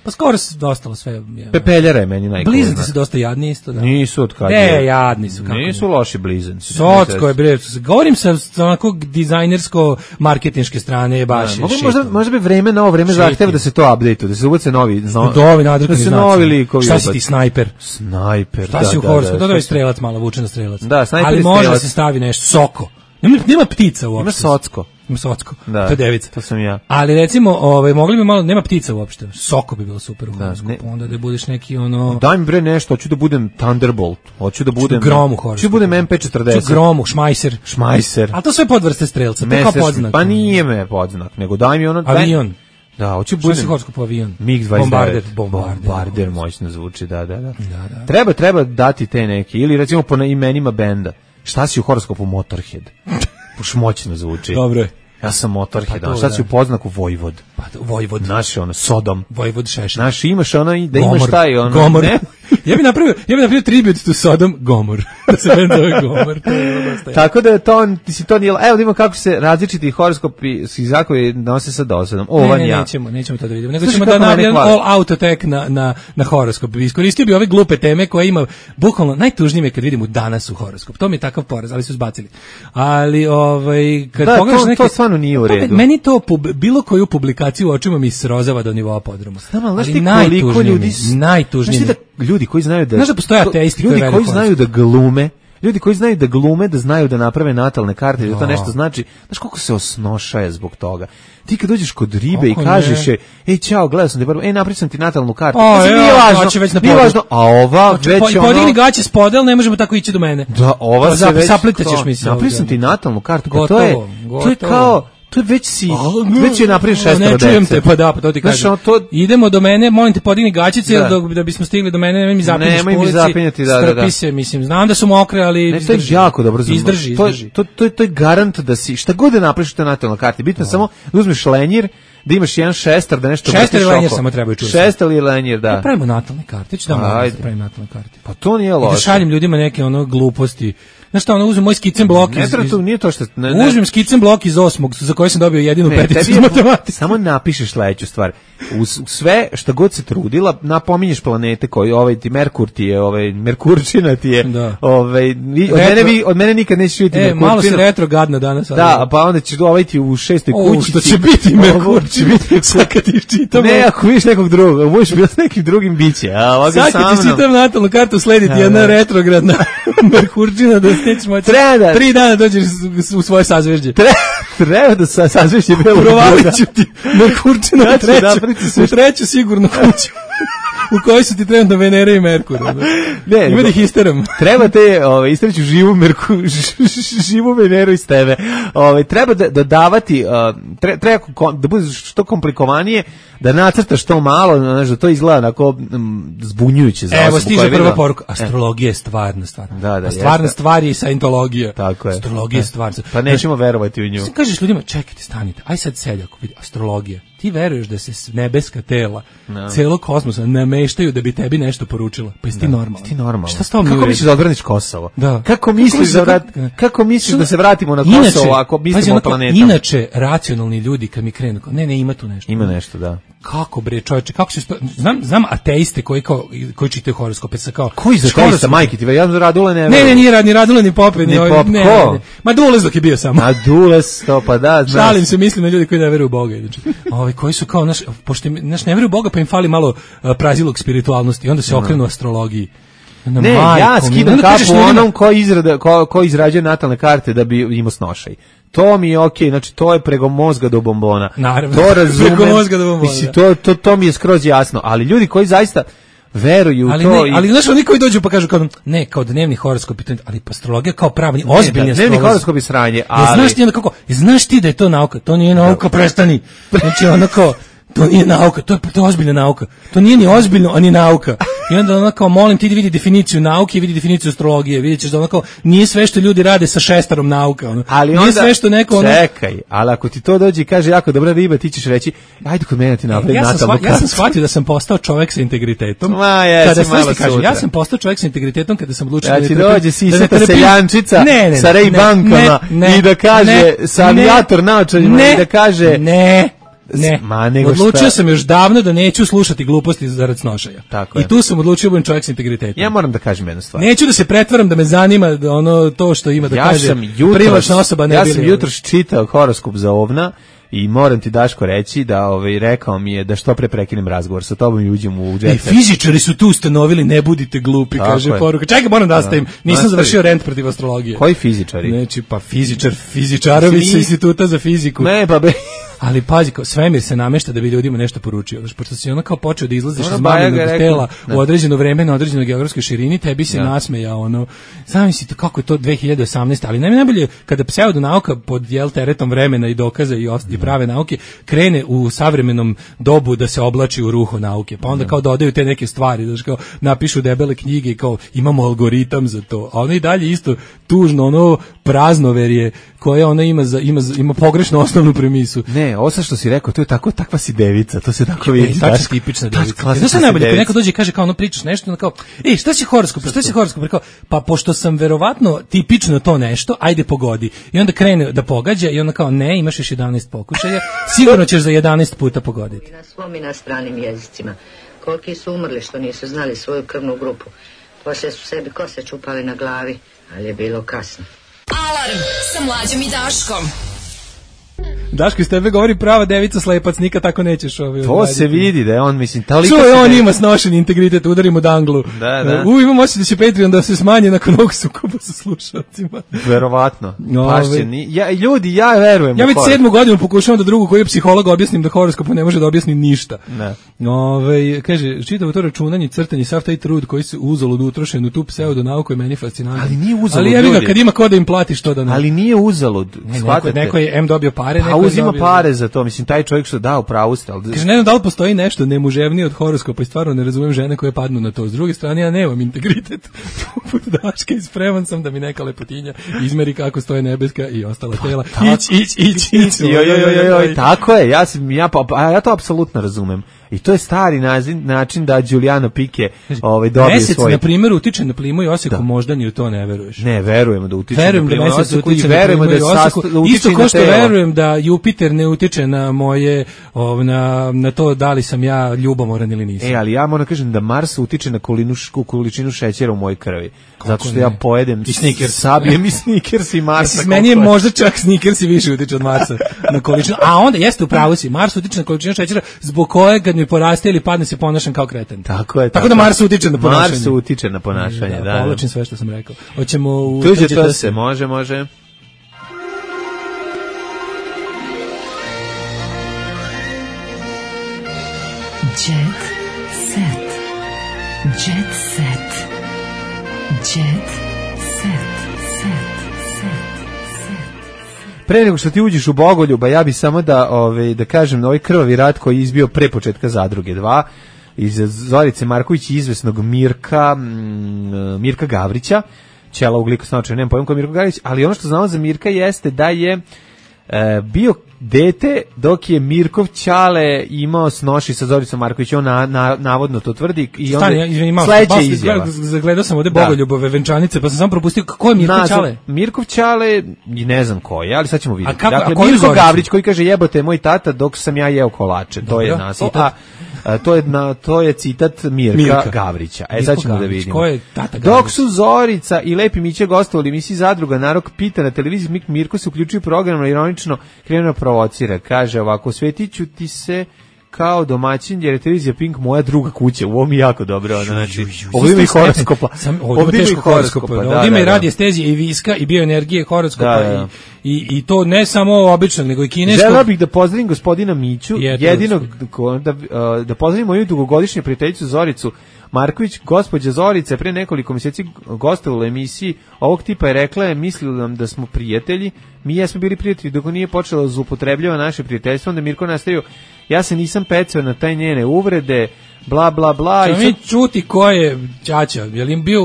Pa skoro se dostalo sve. Pepeljara je meni najgore. Blizanci su dosta jadni isto, da. Nisu od kad je. Jadni su. Kako nisu loši blizanci. Socko je, bre. Govorim sa onako dizajnersko-marketinške strane, baš. Možda bi vreme na ovo vreme zahteva da se to update-u, da se ubace novi nadrkani znaci. Novi likovi. Šta si ti, snajper? Snajper, šta si u horoskopu? To je strelac malo, vučen strelac. Da, snajper ali je može strelac. da se stavi nešto, soko. Nema ptica uopšte. Ima socko. Ima socko. Da, to je devica. To sam ja. Ali recimo, mogli bi malo, nema ptica uopšte. Soko bi bilo super u horoskopu. Onda da budeš neki ono... Daj mi bre nešto, hoću da budem Thunderbolt. Hoću da budem... Grom u horoskopu. Hoću da budem MP40. Gromu, šmajser. A to sve podvrste strelca. To kao podznak. Pa nije me podznak, nego daj mi ono... Avion. Da, hoću budem... Što si horoskopu avion? MiG-29. Bombarder moćno zvuči, da. Treba dati te neke, ili recimo po imenima benda. Šta si u horoskopu? Motorhead. Puš moćno zvuči. Dobro je. Ja sam Motorhead. Pa šta si u poznaku? Vojvod. Pa Vojvod. Naš je ono, Sodom. Vojvod Šešelj. Naš imaš ono, da imaš taj ono... Gomor. Ne? Ja bih napravio tribut to Sodom Gomor. Da se meni zove Gomor. Tako da to nije... Evo da imamo kako se različiti horoskopi zakovi nose sa dosadom. Nećemo to da vidimo. Nego ćemo da napravimo all out attack na horoskop. Iskoristio bi ove glupe teme koje ima, bukvalno najtužnije je kad vidimo danas u horoskop. To mi je takav poraz, ali su zbacili. Ali kad pogledaš neke... To stvarno nije u redu. Meni to bilo koju publikaciju u očima mi srozava do nivoa podruma. Ali najtužnije. Ljudi koji znaju da... Znaš da postoje ateisti ljudi koji znaju da glume, ljudi koji znaju da glume, da znaju da naprave natalne karte, da to nešto znači, znaš koliko se osnošaje zbog toga. Ti kad dođeš kod ribe i kažeš je, ej, čao, gledao sam te, napravio sam ti natalnu kartu. Nije važno, a ova već ono... Podigni gaće s podel, ne možemo tako ići do mene. Da, ova se već... Saplitaćeš mi se. Napravio sam ti natalnu kartu, to je kao... To je već je napravio 6 Ne čujem te, pa to ti kažem. Idemo do mene, molim te podigni gaćice da bismo stigli do mene, nemoj mi zapinješ po ulici, strpi se, mislim, znam da su mokre, ali izdrži. To je jako dobro. Izdrži. To je garant da si, šta god da napraviš te natalne karte, bitno samo da uzmeš lenjir, da imaš jedan šestar, da nešto... Šestar i lenjir samo trebaju čuti. Šestar i lenjir, da. Ja pravimo natalne karte, ću da pravim natalne karte. Pa to nije loše. I da šaljem ljudima neke ono gluposti. Znaš šta, uzmem moj skicen blok nije to što... Uzmem skicen blok iz 8. za koji sam dobio jedinu peticu iz matematike. Samo napišeš sledeću stvar. Sve što god se trudila, napominješ planete koji, ti Merkur ti je, Merkurčina ti je, od mene nikad nećeš vidjeti Merkurčinu. Malo si retrogadna danas. Da, pa onda ćeš ti u 6. kućici. Što će biti Merkurčina, sad kad ti čitam. Ne, ako vidiš nekog drugog, možeš biti s nekim drugim biće. Sad kad ti čitam natalnu kartu, slediti jedna retrogradna Merkurčina da nećeš moći 3 dana dođeš u svoje sazvežđe. Treba da sazvežđe bilo. Provalit ću ti Merkurčina u treću sigurno kuću. U kojoj su ti trenutno Venera i Merkur. Ima da ih isteram. Treba te istreću živu Veneru iz tebe. Treba dodavati, treba da bude što komplikovanije, da nacrtaš to malo, da to izgleda onako zbunjujuće za osobu. Evo stiže prva poruka. Astrologija je stvarna stvar. Da, stvarna stvar je saintologija. Tako je. Astrologija je stvar. Pa nećemo verovati u nju. Kažeš ljudima, čekajte, stanite. Aj sad seljako, vidi, astrologija. Ti veruješ da se nebeska tela celog kosmosa nameštaju da bi tebi nešto poručila? Pa jesi ti normalan? Šta s tom Kako misliš da odbraniš Kosovo? Kako misliš da se vratimo na Kosovo ako mislimo o planetama? Inače, racionalni ljudi kad mi krenu, ne, ima tu nešto. Ima nešto, da. Kako bre, čoveče, kako se znam ateiste koji čitaju horoskope sa kao koji za ateista majke ti, ja Radule ne. Ne, nije ni Radule ni Pope, ni ne. Ma Dules dok je bio samo. A Dules to pa da, znaš. Šalim se, mislim na ljudi koji ne veruju u Boga, znači. Koji su kao pošto ne veruju u Boga, pa im fali malo prazilog spiritualnosti i onda se okrenu astrologiji. Ne, ja skidam kapu onom ko izrađuje natalne karte da bi imao snošaj. To mi je okej, znači to je preko mozga do bombona. Naravno, to razumem. Preko mozga do bombona. Mislim, to mi je skroz jasno, ali ljudi koji zaista veruju ali to. Ali znaš, oni koji dođu pa kažu kao dnevni horoskop, ali astrologija kao pravni, ozbiljni astrolog. Dnevni horoskop je sranje, ali... Znaš ti da je to nauka? To nije nauka, prestani. Znači onako... To nije nauka, to je ozbiljna nauka. To nije ni ozbiljno, a ni nauka. I onda onako, molim ti da vidi definiciju nauke i vidi definiciju astrologije. Vidjet ćeš da onako, nije sve što ljudi rade sa šestarom nauka. Ali nije onda, sve što neko... Čekaj, ali ako ti to dođe i kaže jako dobra riba, ti ćeš reći, ajde kod mene ti napravi natalnu kartu. Ja sam shvatio da sam postao čovjek sa integritetom. Ja sam postao čovjek sa integritetom kada sam odlučio da ti dođe sisata seljančica sa Ray-Bankama i da kaže sa avijator naočarima i da kaže... Ne. Ne, nego odlučio sam još davno da neću slušati gluposti zarad snošaja. Tako I tu sam odlučio da budem čovjek s integritetom. Ja moram da kažem jednu stvar. Neću da se pretvaram da me zanima ono to što ima da kaže privlačna osoba. Ja sam jutros čitao horoskop za ovna i moram ti, Daško, reći da rekao mi je da što pre prekinem razgovor sa tobom i uđem u jet set. Fizičari su tu ustanovili, ne budite glupi, tako kaže poruka. Čekaj, moram da nastavim. Nisam završio rent protiv astrologije. Koji fizičari? Znači, pa fizičarovi sa instituta za fiziku. Ne, pa be... Ali pazi, svemir se namešta da bi ljudima nešto poručio. Znači, pošto si ono kao počeo da izlaziš iz maminog tela u određeno vreme na određenoj geografskoj širini, tebi se nasmejao ono. Zamislite kako je to 2018, ali najbolje kada pseudonauka pod teretom vremena i dokaza i prave nauke krene u savremenom dobu da se oblači u ruho nauke. Pa onda kao dodaju te neke stvari, znači kao napišu debele knjige i kao imamo algoritam za to. A ono i dalje isto tužno ono praznoverje koje ona ima pogrešnu osnovnu premisu. Ne, ovo što si rekao, to je tako, takva si devica, to se tako vidi. Tako je tipična devica. Znaš što najbolje, kad neko dođe i kaže kao ono pričaš nešto, ono kao, šta si horoskop? Rekao, pa pošto sam verovatno tipično to nešto, ajde pogodi. I onda krene da pogađa i onda kao, ne, imaš još 11 pokušaja, sigurno ćeš za 11 puta pogoditi. Na svom i na stranim jezicima. Koliki su umrli što nisu znali svoju krvnu grupu. Poslije su sebi kose čupali na glavi, ali je bilo kasno. Alarm sa Mlađom i Daškom. Daško, iz tebe govori prava devica slepac, nikad tako nećeš to se vidi da je on, mislim, on ima snošen integritet, udarimo danglu. Da. Imam osjećaj da će Patreon da se smanje nakon ovog sukoba sa slušalcima. Verovatno. Ljudi, ja verujem. Ja već 7. godinu pokušavam da drugu koji je psiholog objasnim da horoskopu ne može da objasni ništa. Kaže, čitavo to računanje, crtanje, sav taj trud koji se uzalud utrošen u tu pseudonauku je meni fascinantno. Ali nije uzalud. Ali ja kad ima ko da im platiš to da ne. Ali nije uzalud. Neko je dobio pare, a uzima pare za to, mislim, taj čovjek što dao pravu ste. Kaže, ne znam da li postoji nešto nemuževnije od horoskopa i stvarno ne razumem žene koje padnu na to. S druge strane, ja nemam integritet poput Daške i spreman sam da mi neka lepotinja izmeri kako stoje nebeska i ostala tela. Ić. Tako je, ja to apsolutno razumem. I to je stari način da Giuliano Pike dobije Mesec, svoj... na primjer, utiče na plimu i Osijeku moždani, u to ne veruješ. Ne, verujemo da utiče na plimu i Osijeku i verujemo da isto ko što verujem da Jupiter ne utiče na moje, na to da li sam ja ljubomoran ili nisam. Ali ja moram kažem da Mars utiče na količinu šećera u mojoj krvi. Zato što ja pojedem sabijem i Snickers i Marsa. Meni je možda čak Snickers i više utiče od Marsa na količinu. A onda jeste u pravu si, Mars utiče na količinu šećera zbog kojeg kad mi poraste ili padne se ponašam kao kreten. Tako je. Tako da Mars utiče na ponašanje. Mars utiče na ponašanje, da. Povlačim sve što sam rekao. Hoćemo u tuđe se, može. Jet set. Jet set. Jet set. Pre nego što ti uđeš u Bogoljuba, ja bih samo da kažem na ovaj krvavi rat koji je izbio pre početka Zadruge 2 iz Zorice Marković i izvesnog Mirka Gavrića, ćela ugljikosnočaja, nemam pojma ko je Mirko Gavrić, ali ono što znamo za Mirka jeste da je bio dete dok je Mirkov ćale imao snoši sa Zoricom Marković, on navodno to tvrdi i onda sledeća izjava. Zagledao sam ovde Bogoljubove venčanice, pa sam samo propustio ko je Mirkov ćale. Mirkov ćale, ne znam ko je, ali sad ćemo vidjeti. Dakle, Mirko Gavrić koji kaže jebote moj tata dok sam ja jeo kolače, to je naslov. To je citat Mirka Gavrića. Sad ćemo da vidimo. Ko je tata Gavrić? Dok su Zorica i Lepi Miće gostovali u emisiji Zadruga, narod pita na televiziji, Mirko se uključuje program, ironično krenuo provocira. Kaže ovako, svetiću ti se kao domaćin, jer je televizija Pink moja druga kuća. Ovo mi jako dobro. Znači, ovdje ima i horoskopa. Ovdje ima i horoskopa. Ovdje ima i radiestezije i viska i bioenergije horoskopa. I to ne samo običnog, nego i kineskog. Želeo bih da pozdravim gospodina Miću, da pozdravim moju dugogodišnju prijateljicu Zoricu Marković. Gospođa Zorica pre nekoliko mjeseci gostovala u emisiji ovog tipa i rekla je, mislila nam da smo prijatelji, mi jesmo bili prijatelji dok nije počela da zloupotrebljava naše prijateljstvo, onda Mirko nastavio, ja se nisam pecao na taj njene uvrede, bla bla bla. Čemo mi čuti ko je ćaća,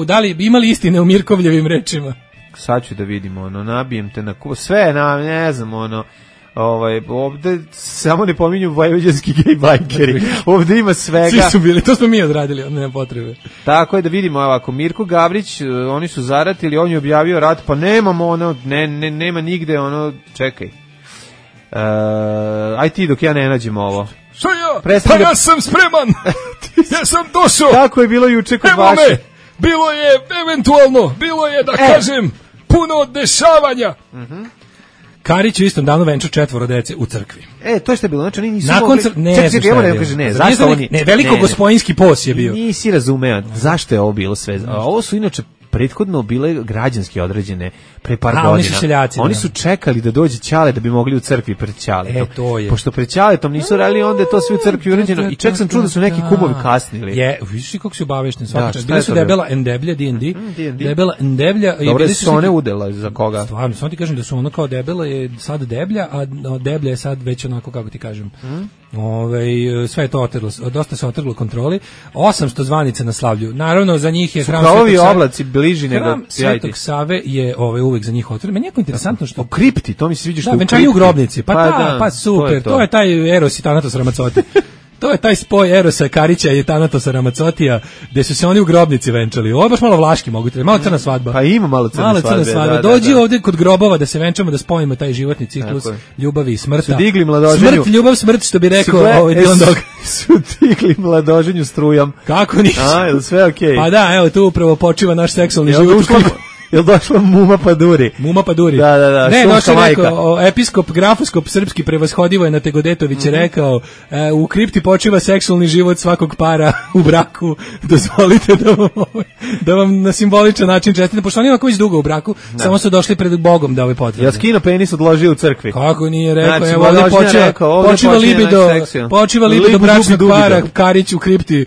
da li imali istine u Mirkovljevim rečima? Sad ću da vidimo, nabijem te na sve, ne znam, ovde samo ne pominju vojvođanski gej bajkeri. Ovde ima svega. Svi su bili, to smo mi odradili, nema potrebe. Tako je, da vidimo ovako, Mirko Gavrić, oni su zaratili, on je objavio rat, pa nemamo nema nigde, čekaj. Aj ti dok ja ne nađem ovo. Šta ja? Pa ja sam spreman. Ja sam došao. Kako je bilo juče kod Evo vaše? Me. Bilo je eventualno, bilo je da kažem puno dešavanja. Karić u istom danu venčao 4 dece u crkvi. To je što je bilo, znači oni nisu nakon mogli... Zašto oni? Ne, veliko gospodinski pos je bio. Nisi razumeo zašto je ovo bilo sve. Ovo su inače prethodno bile građanski određene pre par godina. Oni su seljaci. Oni su čekali da dođe Ćale da bi mogli u crkvi pred Ćaletom. To je. Pošto pred Ćaletom nisu radili, onda je to sve u crkvi uređeno. I čak sam čuo da su neki kumovi kasnili. Vidiš kako su obavešteni svaka. Bili su Debela Endeblja, D&D. Debela Endeblja. Dobro su one udela za koga? Stvarno, samo ti kažem da su ono kao Debela je sad Deblja, a Deblja je sad već onako, kako ti kažem. Sve je to otrglo, dosta se otrglo kontroli. 800 zvanica na slavlju. Naravno, za njih je hram Svetog Save. Oblaci bliži nego hram Svetog Save je uvek za njih otvoren. Meni je jako interesantno što... O kripti, to mi se sviđa što... Da, venčanje u grobnici. Pa super. To je taj Eros i Thanatos Ramazzotti. To je taj spoj Erosa Karića i Thanatosa Ramazzotija, gde su se oni u grobnici venčali. Ovo je baš malo vlaški, mogu te, malo crna svadba. Pa ima malo crna svadba. Dođi ovdje kod grobova da se venčamo, da spojimo taj životni ciklus ljubavi i smrta. Su digli mladoženju. Smrt, ljubav, smrt, što bi rekao Dylan Dog. Su digli mladoženju strujom. Kako nisu? Je sve okej? Pa da, evo tu upravo počiva naš seksualni život. Jel došla Muma Paduri? Muma Paduri. Da. Ne, došao rekao, episkop, grafoskop srpski prevashodivo je na Tegodetović rekao, u kripti počiva seksualni život svakog para u braku, dozvolite da vam na simboličan način čestitam, pošto oni ovako već dugo u braku, samo su došli pred Bogom da potvrde. Ja skino penis odložio u crkvi. Kako nije rekao, evo ovdje počiva libido bračnog para, Karić u kripti.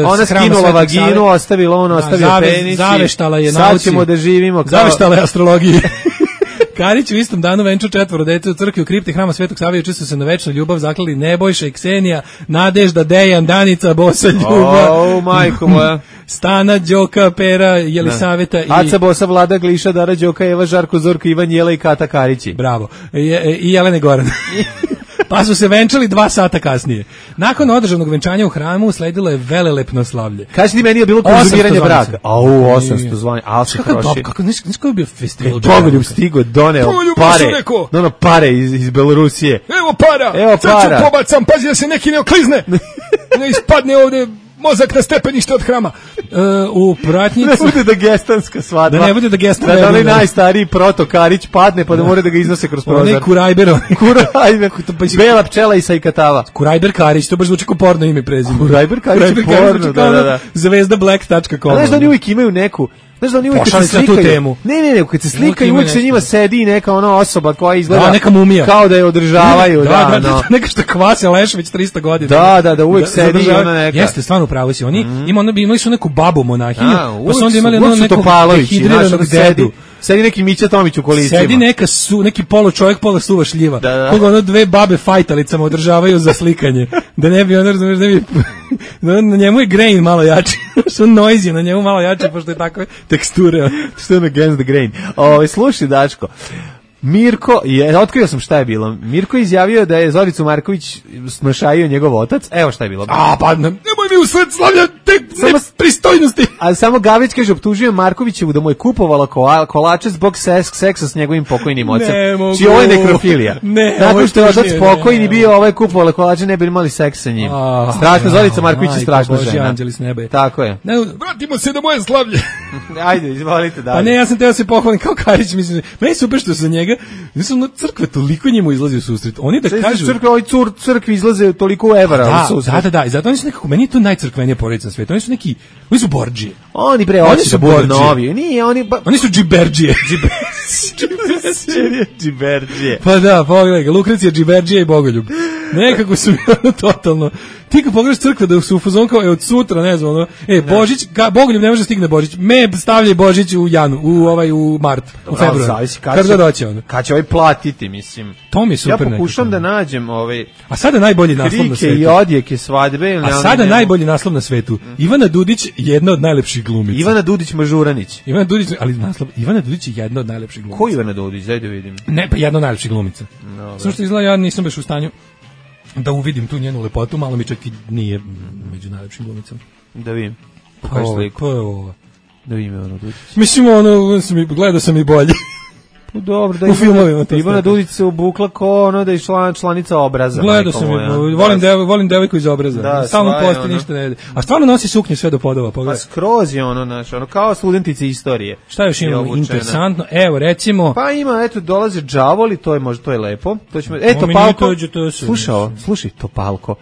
Ona skinula vaginu, ostavila ono, ostavio penis. Zaveštala je ćemo da živimo kao... Zaveštale astrologije. Karić u istom danu venčao 4 dece u crkvi u kripti hrama Svetog Save, juče su se na večnu ljubav zaklali Nebojša i Ksenija, Nadežda, Dejan, Danica, Bosa, Ljuba, majko moja, Stana, Đoka, Pera, Jelisaveta i... Aca, Bosa, Vlada, Gliša, Dara, Đoka, Eva, Žarko, Zorko, Ivan, Jela i Kata Karići. Bravo. I Jelene Goran. Pa su se venčali 2 sata kasnije. Nakon održanog venčanja u hramu sledilo je velelepno slavlje. Kaži ti meni je bilo konzumiranje braka. 800 zvanja. Kako je bio festival? Bogoljub stigo, doneo pare iz Belorusije. Evo para. Sad ću pobacam, pazi da se neki ne oklizne. Ne ispadne ovde mozak na stepenište od hrama. U pratnjici... Ne bude da gestanska svadba. Da ne bude da gestanska. Da onaj najstariji proto Karić padne pa da mora da ga iznose kroz prozor. Onaj Kurajber. Bela pčela i sajkatava. Kurajber Karić, to baš zvuči kao porno ime prezime. Kurajber Karić porno, da. Zvezdablack.com. Znaš da oni uvijek imaju neku... Znaš da oni uvijek kad se slikaju... Ne, kad se slikaju uvijek sa njima sedi neka ona osoba koja izgleda... neka mumija. Kao da je održavaju. Da, neka što kvase Lešević 300 godina. Da, uvijek sedi ona neka... Jeste, stvarno pravo si. Oni imali su neku babu monahinju, pa su onda imali neku dehidriranog dedu. Sedi neki Mića Tomić u kolicima. Sedi neki polo čovjek, pola suva šljiva. Koga ono 2 babe fajtalicama održavaju za slikanje. Da ne bi ono, razumiješ, ne bi... Na njemu je grain malo jači. Što noisy, na njemu malo jači, pošto je takve teksture. Što je against the grain. Slušaj, Dačko, Mirko, otkrio sam šta je bilo. Mirko je izjavio da je Zoricu Marković snošajio njegov otac. Evo šta je bilo. Nemoj mi usred slavlja te pristojnosti. A samo Gavrić kaže, optužio Markovićevu da mu je kupovala kolače zbog seksa s njegovim pokojnim ocem. Či ovo je nekrofilija. Nakon što je otac pokojni bio, ovaj kupovala kolače, ne bi imali seks sa njim. Strašno, Zorica Marković je strašna žena. Tako je. Vratimo se do moje slavlje. Ajde, izvolite dalje. Pa ne, ja sam teo se pohvalim kao Karić, mislim, meni je super što sa njega, mislim, crkve toliko njemu izlazi u susret. Oni da kažu... Crkvi izlaze toliko evra u susret. Da, i zato oni su nekako, meni je to najcrkvenija porodica na svijetu. Oni su borđije. Oni su novi. Oni su džiberđije. Džiberđije. Pa da, pogledaj ga, Lukrecija, džiberđije i Bogoljub. Nekako su mi totalno... Ti kad pogledaš crkve da su u fazonu kao od sutra, ne znam, Božić, Bogoljub ne može stigne Božić. stavljaj Božić u u mart, u februar. Kad će ovaj platiti, mislim. To mi je super. Ja pokušam da nađem A sada najbolji naslov na svetu. Krike i odjeke svadbe. A sada najbolji naslov na svetu. Ivana Dudić, jedna od najlepših glumica. Ivana Dudić Mažuranić. Ivana Dudić je jedna od najlepših glumica. Ko Ivana Dudić? Daj da vidim. Ne, pa jedna od najlepših glumica. Samo što izgleda, ja nisam baš u stanju da uvidim tu njenu lepotu, malo mi čak i nije među najlepšim glumicama. Da vidim. Pokaži sliku. Ko je ovo? Da vidim Ivana Dudić. Mislim, gledao sam i bolje. Dobro, da u filmovima. Ivana Dudić se obukla ko ono da je članica Obraza. Gledao sam je, volim devojku iz Obraza. Da, stalno posti, ništa ne vidi. A stvarno nosi suknju sve do podova, pogledaj. Pa skroz je ono kao studentice istorije. Šta još imamo interesantno? Evo, recimo... Pa ima, eto, dolaze đavoli, to je lepo. To ćemo... Topalko, slušaj, Topalko.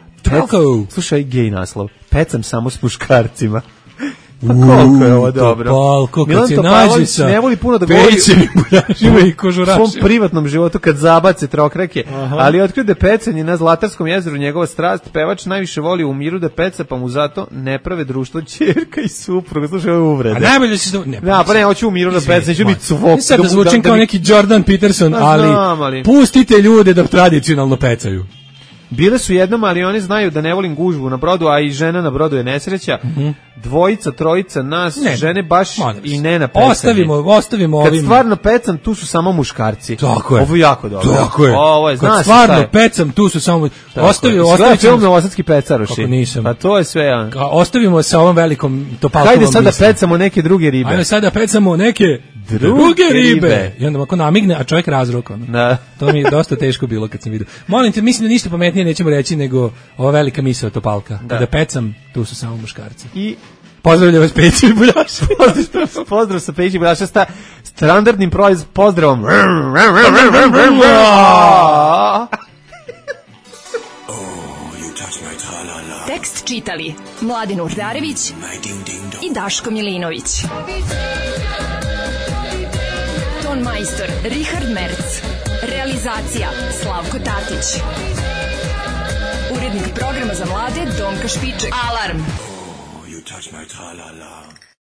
Slušaj, gej naslov. Pecam samo s muškarcima. Pa koliko je ovo dobro. Topalko, kad se nađe sa ne voli puno da govori pećenim buljažima i kožurašima. U svom privatnom životu kad zabace trokrake, ali otkrio da pecanje na Zlatarskom jezeru njegova strast, pevač najviše voli u miru da peca, pa mu zato ne prave društvo ćerka i supruga. Slušaj, ovo je uvreda. A najbolje se pa ne, hoću u miru da peca, neću biti suvok. Sad da zvučim kao neki Jordan Peterson, ali pustite ljude da tradicionalno pecaju. Bile su jednom, ali oni znaju da ne volim gužbu na brodu, a i žena na brodu je nesreća. Dvojica, trojica nas, žene baš i ne na pecanje. Ostavimo ovim. Kad stvarno pecam, tu su samo muškarci. Tako je. Ovo je jako dobro. Tako je. Ovo je, kad stvarno pecam, tu su samo... Ostavimo film Novosadski pecaroši. Kako nisam. Pa to je sve. Ostavimo sa ovom velikom Topalkovom. Hajde sad da pecamo neke druge ribe. Hajde sad da pecamo neke druge ribe. I onda ako namigne, a čovjek razruka. To mi je dosta teško bilo kad sam vidio. Molim te, mislim da ništa pametnije nećemo reći nego ova velika misao Topalka. Kada pecam, tu su samo muškarci. I pozdravljam vas Peći i Buljaša. Pozdrav sa Peći i Buljaša sa standardnim pozdravom. Tekst čitali Mladin Urdarević i Daško Milinović. Ton majstor Richard Merc. Realizacija Slavko Tatić. Urednik programa za mlade Donka Špiček. Alarm!